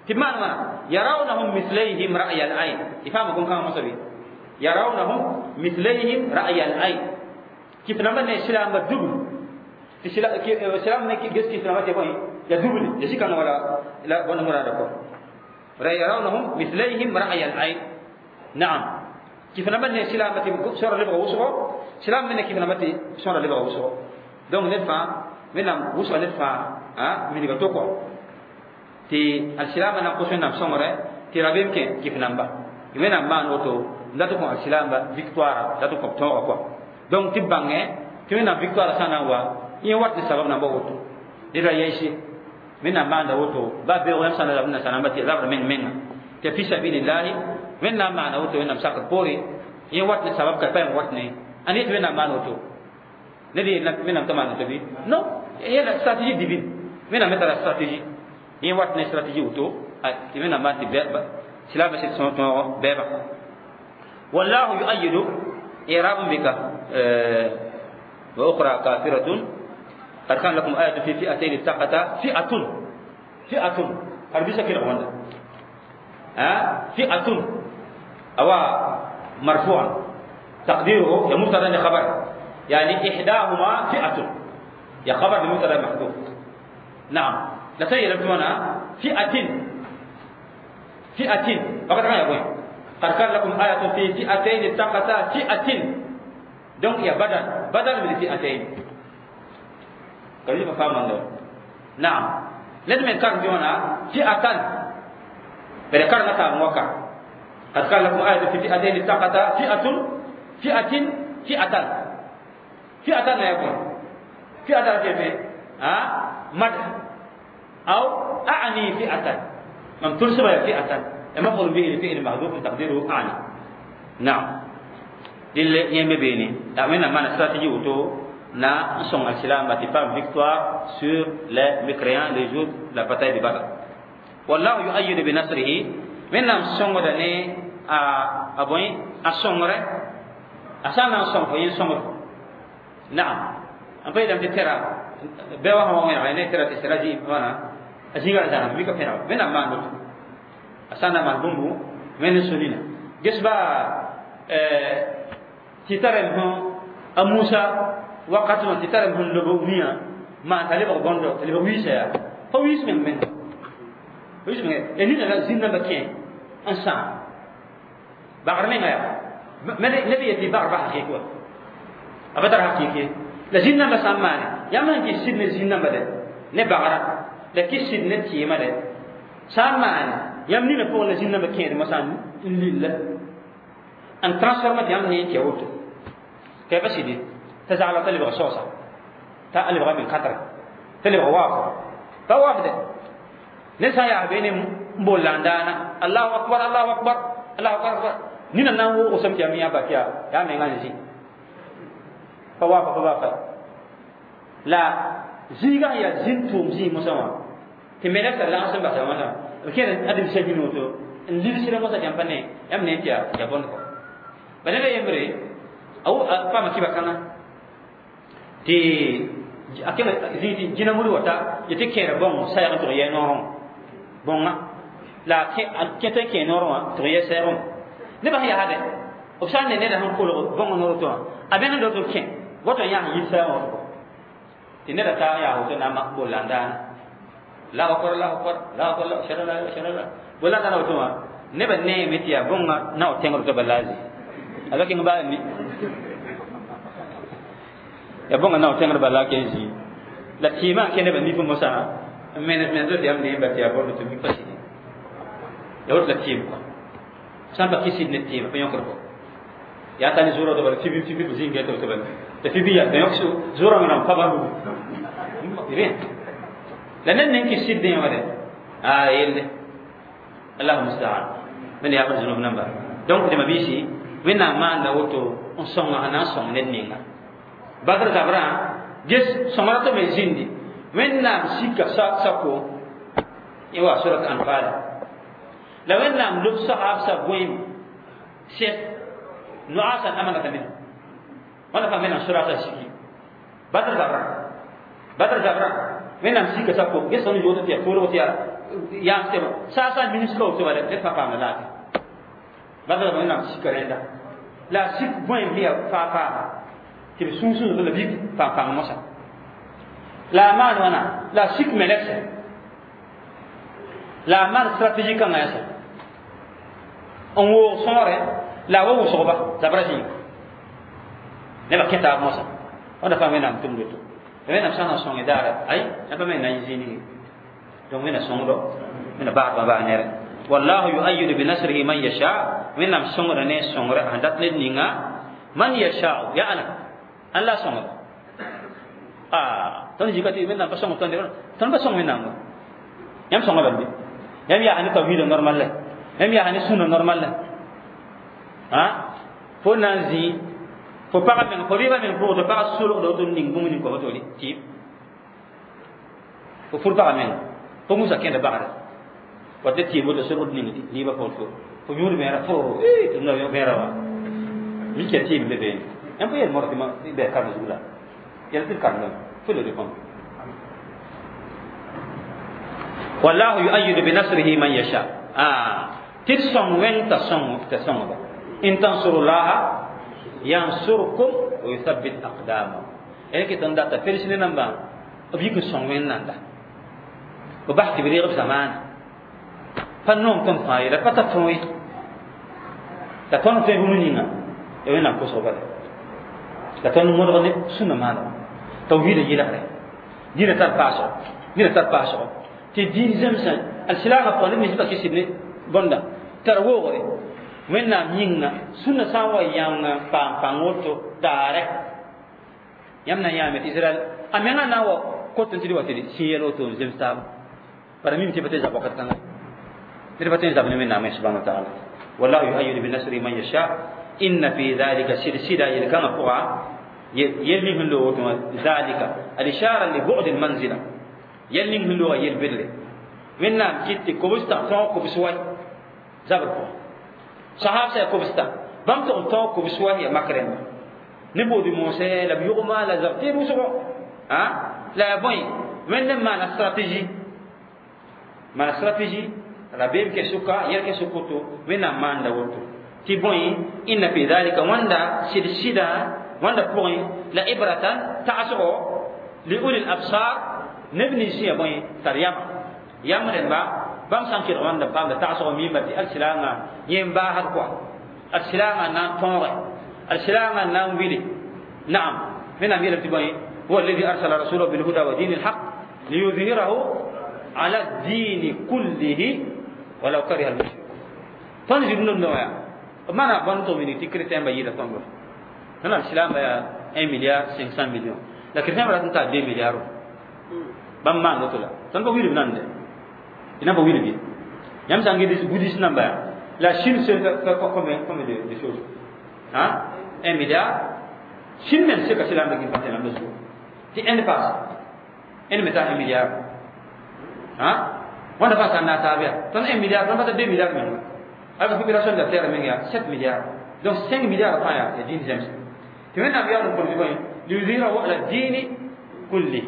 tɩ b maan wãna yarawnahum mislayhim ra'ya al ayn y faama bõn-kãngã mosã bɩ yarawnahum mislayhim ra'ya al ayn kɩf namba ne silaamba dubl tɩ silaam me ges kɩf namba tɩ bõe ya dubl ya zĩ-kãngã wala la bõn muraada kɔ يرونهم مثليهم رأي العين. نعم، كيف نبني سلامة سورة لبغة وسغو سلام من كيف نبني سورة لبغة وسغو donc ندفع من وسغو ندفع ها من يغتوكو تي السلام أنا قصنا نام سمرة تي ربيم كي كيف نمبا من ما نوتو لا تكون السلام victoire لا تكون توغا donc تي بانغ تي من victoire سانا وا ين وات سبب نمبا وتو دي يشي من ما نوتو با بي ويم سنة لبنا سنة بتي لبنا من من تفي سبيل الله من ما نوتو من مساق بوري ين وات سبب كبين واتني أنيت من ما نوتو ندي من ما نوتو بي non هي la stratégie divine من ما ترى stratégie ين واتني stratégie وتو من ما تبي سلام بس سنة بابا والله يؤيد إعراب بك وأخرى كافرة قد كان لكم آية في فئتين التقتا فئة فئة هربيسا كده هوندا ها فئة أو مرفوع تقديره يا مبتدا خبر يعني إحداهما فئة يا خبر لمبتدا محذوف. نعم لا سيرتونا فئة فئة فقط ما يقول قد كان لكم آية في فئتين التقتا فئة donc يا بدل بدل من فئتين كيف فهم الله. نعم لازم نكرر بيونا فئة بذكرنا تاموكا قد كان لكم آية في فئتين التقتا فئة فئة فئة فئة لا يكون فئة كيف ها مدح أو أعني فئة من تنسب فئة المفعول به لفعل محذوف تقديره أعني. نعم لل يمبيني أمنا ما نستراتيجي وتو na son al-islam bati femme victoire sur les mécréants les jours de la bataille de Badr. Wallahu yu'ayyidu bi nasrihi wẽnnaam sõngda ne a bõe a sõngre a sã n na n sõng fo yẽ sõngd naam n pa yeelame tɩ tɛra bɩ wa sã wa wẽneg ne tɛra tɩ sẽra zĩ wãna a zĩiga ra zãnam mika pẽneg wẽnnaam maan woto a sã n na maan bũmbu wẽnd n so nina ges ba tɩ tarem sõ a Musa wakat wã tɩ tarem sẽn lob wĩyã maan t'a lebg bõndo t'a lebg wiisa yaa pa wiis meng menga wiis menga ya nina la zĩn namba kẽ n sãam bagr menga yaa neb yetɩ bagr ba hakɩɩk wa a pa tar hakɩɩk ye La zĩn-nambã sã n maane yãmb sẽn kɩs sɩd ne zĩn-nambã dɛ ne bagra la kɩs sɩd ne tɩɩmã dɛ sã n maane yãmb nina pʋgẽ la zĩn-nambã kẽed mosã n lilla n transforma tɩ yãmb ne n tɩ woto ka pa sɩd ye t'a zagla t'a lebg saoosa t'a lebga men kãtre t'a lebg waafo pa waafde ne sã n yaa be ne n bool la n daana allahu akbar allahu akbar allahu akbar nina na n wogsem tɩ yãmb yã ba tɩ yaa menga n zĩ pa waafa pa baa la zĩigã sẽn yaa zĩn tʋʋm zĩig mosã wã tɩ melka lags n basa wãna b kẽer ãdem-biisã bĩn woto n ligsrã mosã tɩ yãmb pa ne yãmb ne tɩ yaa bõnd kɔ ba ned a yembre a paama kɩba kãngã tɩ a kẽng zĩig tɩ jĩna mud wata yetɩ kẽera bõng sayg n tʋg yɛ noorẽ bõnga la a kẽt n kẽ noorẽ wã tʋg yɛ saygẽ nebã sẽn yaa dɛ b sã n ne neda sẽn kolg bõngã noor tɩ wã a bẽnd n dot n kẽ woto n yaa sẽn yit saygẽ wã tɩ neda taa yaa woto na n mak bolla n daana Allahu akbar Allahu akbar Allahu akbar shara la shara la bolla n daana woto wã nebã neeme tɩ yaa bõngã na w tẽngr tɩ ba la zĩ a ka kẽng baa ni ya bõngã na w tẽngr bala ken zĩ la tɩɩmã n kẽ nebã nif mosã n menes menes tɩ yãmb neem ba tɩ yaa bõnd tɩ mi pa sɩd ya woto la tɩɩm kɔ sã n pa kɩ sɩd ne tɩɩm pa yõkd kɔ yaa ta ne zʋrã tɩ bala fibi fibi b zĩnga tɩ bala tɩ fibi yaa yõk zʋrã wẽnnaam pa bãmb rien la ned ning kɩ sɩd dẽ wã dɛ a yelle allahu mustaan wẽnd yaa b zũnub namba donc dẽma biisi wẽnnaam maanda woto n sõnga sẽn na n sõng ned ninga Badr zabrã ges sõngra tɩ me zĩndi wẽnnaam sika sako yẽ wa surat Anfal la wẽnnaam lob sahaabsã bõem sɛs nuasan amanata minhu wãnda fãa me na surata siki Badr zabrã Badr zabrã wẽnnaam sika sako ges tõnd yood tɩ yaa koolg tɩ yaa yãans tɩ saasa minisga woto bala ned fãa paamda laafɩ Badr zabrã wẽnnaam sika rẽnda la a sik bõem sẽn yaa faa-faa tɩ b sũur la bik pãng-pãng mosã la a maan wãna la a sik melekse la a maan stratégie kãngã yãsa n woog sõore la a wa wʋsgba zabra zĩiga nebã kẽ taab mosã wãnda fãa wẽnnaam tʋmd woto wẽnnaam sã n na sõng daara ay yãmb pa me na n yɩ zĩig ninge donc wẽnna sõngdo wẽnna baasdã baa nere wallahu yuayidu binasrihi man yasha wẽnnaam sõngda ne sõngrã sẽn dat ned ninga man yashau ya ana an la sõngda tõnd zĩka tɩ wẽnnaam pa sõng tõnd tõnd pa sõng wẽnnaam wa yãmb sõnga bal bɩ yãmb yaa ne tawhiida normal la yãmb yaa ne sũna normal la fo na n zĩ fo pagã meng fo rɩɩbã meng pʋgẽ tɩ pagã solgda woto n ning bũmb ning kõ fo tɩ fo fur pagã meng fo musa kẽnda bagre wa tɩ tɩɩm woto solgd ning rɩɩbã pʋgẽ fo yũud bẽera fo tɩ bẽera wã mika tɩɩm be beene yãmb pa yel modg tɩ bɩ karem zug la yɛl tɩ d karem fo le répondre wallahu yuayidu binasrihi man yasha tɩ d sõng wẽng t'a sõng t'a sõngba in tansurullaha yansurkum wa yuthabbit aqdamakum ẽn ket n data felisne nambã b yik n sõng wẽnnaam b bas tɩ b reeg b zamaana pa nong tõnd fãa ye la pa ta tõe la tõnd tõe bũmb ninga ya wẽnnaam kosg bala la tõnd modg ne sũnã maana tawhiida yɩlgre dĩnã tar paasgo dĩnã tar paasgo tɩ dĩin zemsã alsilaamã pʋgã neb nins pa kɩsd ne bõnda tar woogre wẽnnaam yĩnga sũnã sã n wa yãng paam pãng woto daare yãmb na n yãame tɩ Israɛl a menga na n wa kot n tɩ d wa tɩ d sĩ yɛl woto n zems taaba bara mim tɩ pa tɩ zab wakat kãnga ned pa tõe n zab ne wẽnnaamẽ subhana wa taala wallahu yuayidu binasrihi man yasha inna fi dhalika sɩd-sɩda yel-kãngã pʋga yel ning sẽn loog woto wã zalika al-ishara li bu'd al-manzila yel ning sẽn looga yel-bedre wẽnnaam kɩt tɩ kobstã tõog kobs wa zabr pʋgã sahab sã kobstã bãmb tʋg n tõog kobs wa yaa mak rẽmba ne boodi moosẽ la b yʋgma la zab tɩ wʋsgo la yaa bõe wẽnd n maana stratégie maana stratégie rabeem kɛ sʋka yɛl kɛ sʋk woto wẽnnaam maanda woto tɩ bõe inna fi dhalika wãnda sɩd-sɩda wãnda pʋgẽ la ibratan tagsgo li ulil absar neb nins sẽn yaa bõe tar yama yam rẽmba bãmb sã n kelg wãnda paamda tagsg miimba tɩ alsilaangã yẽ n baasd kɔa alsilaangã n na n tõoge alsilaangã n na n wile naam Wẽnnaam yeelame tɩ bõe huwa alladi arsala rasulahu bilhuda wa dini lhaq liyudhirahu ala dini kullihi walau kariha almushrikun. Tõnd zĩ rũndã wã yaa b maana bõn tɩ wilg tɩ chrétien ba yɩɩda tõndo. Wẽnnaam silaamba yaa 1 milliard 500 millions la chrétien ba rat n taa 2 milliard. Bãmb maan woto la tõnd pa wilb nande, d na pa wilb ye. Yãmb sã n gɩd bouddhiste namba yaa la Chine seule fait combien de choses? Hein? 1 milliard. Chine même seka silaamba gil fãa tẽnam la zugu tɩ Inde paas Inde me taa 1 milliard. Hein? Wãnda fãa sã n na n taab yaa tõnd 1 milliard, tõnd pa ta 2 milliard menga. Alors la population de la terre menga yaa 7 milliards. Donc 5 milliards fãa yaa diin zems. Tɩ Wẽnnaam yaool n kõt bõe liyudhirahu ala diini kulli.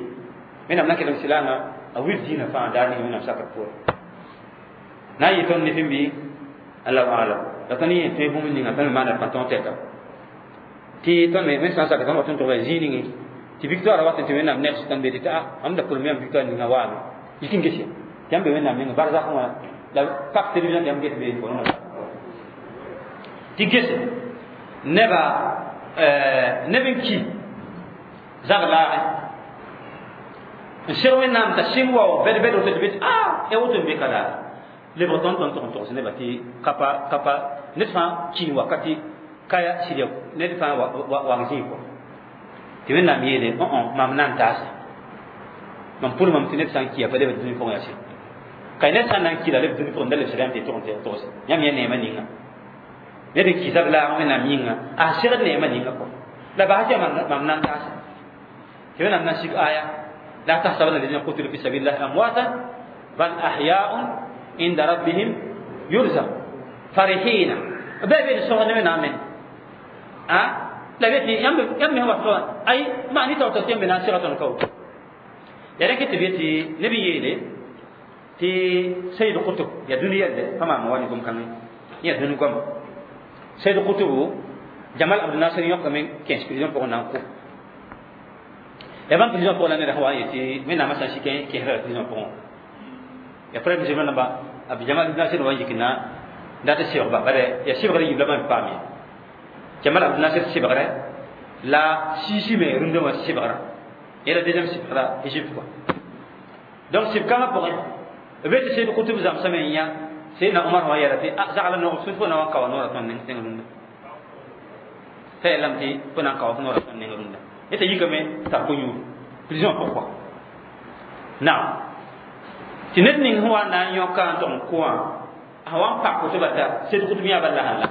Wẽnnaam na n kelem silaamã a wil diinã fãa daar ning Wẽnnaam sakr poore. Na n yɩ tõnd ne fẽn bɩ Allahu alam. La tõnd yẽ tõe bũmb ninga tõnd me maana pãtõ tɛka tɩ tõnd me sã n sak tõnd wat n tʋga zĩig ninge tɩ victoire wat n tɩ Wẽnnaam neg tõnd be tɩ a mam da pʋlem yãmb victoire ninga waame yik n gese tɩ yãmb be Wẽnnaam ninga barzak wã la pak télévision tɩ yãmb ges be tɩ gese neba neb n ki zag laagẽ n seg Wẽnnaam t'a sɩng wao bɛd bɛd woto tɩ be tɩ a ya woto n be ka daa lebg tõnd tõnd tʋg n togs nebã tɩ kapa kapa ned fãa kĩig wakati kaya sɩd ned fãa wang zĩig kɔ tɩ Wẽnnaam yeele mam na n taasa mam pʋl mam tɩ ned sã n kia pa lebd dũni pʋgẽ yaa sɩd ka ned sã n na n ki la leb dũni pʋgẽ da lebsda yãmb tɩ tʋg n togs yãmb yã neemã ninga ned n ki zab laag Wẽnnaam yĩnga a segd neemã ninga kɔ la bas tɩ mam na n taasa tɩ Wẽnnaam na n sig aya la tahsabanna alladhina qutilu fi sabilillahi amwatan bal ahya'un inda rabbihim yurzaq farihina bɩ be d sõsd ne Wẽnnaam me a la be tɩ yãmb me wat ay maa ne taoor tɩ yãmb me na n sega tõnd ka woto ya rẽk tɩ be tɩ neb n yeele tɩ Sayyid Qutb ya dũni yɛlde pa maam wa ne gom-kãngẽ yã dũni goama. Sayyid Qutb Jamal Abdel Nasser yõkame kẽes prison pʋgẽ na n kʋ ya bãmb prison pʋgẽ la ned sã wa n yetɩ Wẽnnaamã sã n sik kẽesra la prison pʋgẽ ya frère musulman namba Abdel Jamal Abdel Nasser wa n yik na dat n sebgba bare ya sebgr yiib la bãmb paam ye. Jamal Abdel Nasser sebgre la Sisi me rũndã wã sebgra yẽla deuxième sebgra Égypte quoi. Donc seb-kãngã pʋgẽ b be tɩ Sayyid Qutb zãmsame n yã Seydna Omar wã yɛla tɩ a zagla noog sũur fo na wa n kao noorã tõnd neng tẽng rũndã t'a yeelame tɩ fo na n kao noorã tõnd neng rũndã yẽ t'a yikame tar ko-yũud prison pʋg kɔa naam tɩ ned ning sẽn wa n na n yõka n tʋg n kʋ wã a wa n pak woto bata Sayyid Qutb yã bala sã la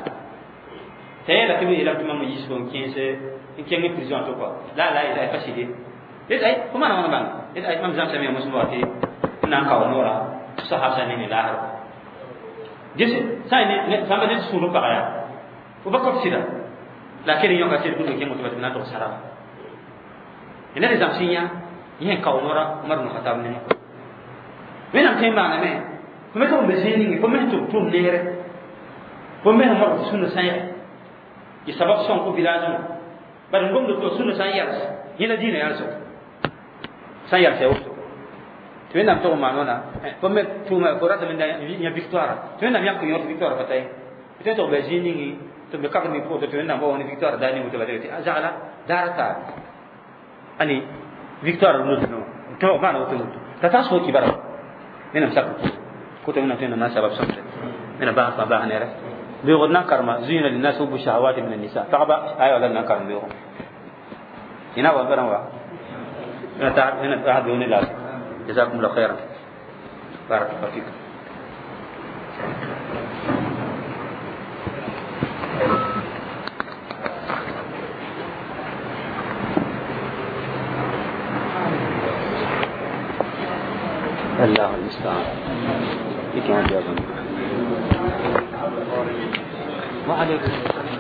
t'a yeela tɩ b yeelame tɩ mam yiis fo n kẽes n kẽng prison to kɔa la la la pa sɩde yet ay fo maana wãna bãng yet ay mam zãmsame ya mosem wa tɩ n na n kao noorã sahab sã neng laasr gese sã n sãmba ned sũur n paga yaa fo ba kõt sɩda la a kell n yõka Sayyid Qutb kẽng woto ba tɩ b na n tʋg saraba ned zãms n yã yẽ n kao noorã Umar bn Khatab nengẽ. Wẽnnaam tõe n maaname fo me tɩ b be zĩig ninge fo me tɩ b tʋm neere fo me sẽn modg tɩ sũnã sã n yaa y sabab sõng fo village wã bad n gomd tɩ sũnã sã n yals yẽ la dĩinã yalsg sã n yals ya woto tɩ Wẽnnaam tʋg n maan wãna fo me tʋʋma fo ratame yã victoire tɩ Wẽnnaam yãk n yõt victoire pa ta ye tɩ tɩ b be zĩig ninge tɩ b be kag ning pʋgẽ tɩ Wẽnnaam wa wa ne victoire daar ning woto ba tɩ a zagla daar taabe ani victoire rũndã tɩ maana woto woto t'a taas fo kibara Wẽnnaam sak koto Wẽnnaam tõe n na sabab sõmde wẽnnaam bas fãa bas nere beoogd na n karema zuyina linnas hubbu shahawati min annisa pagba aya wala na n karem beoogo ina wa baran wa ina ta beoog ne laafɩ. Jazakumullah khairan, barakallahu fikum. الله المستعان. وعليكم السلام.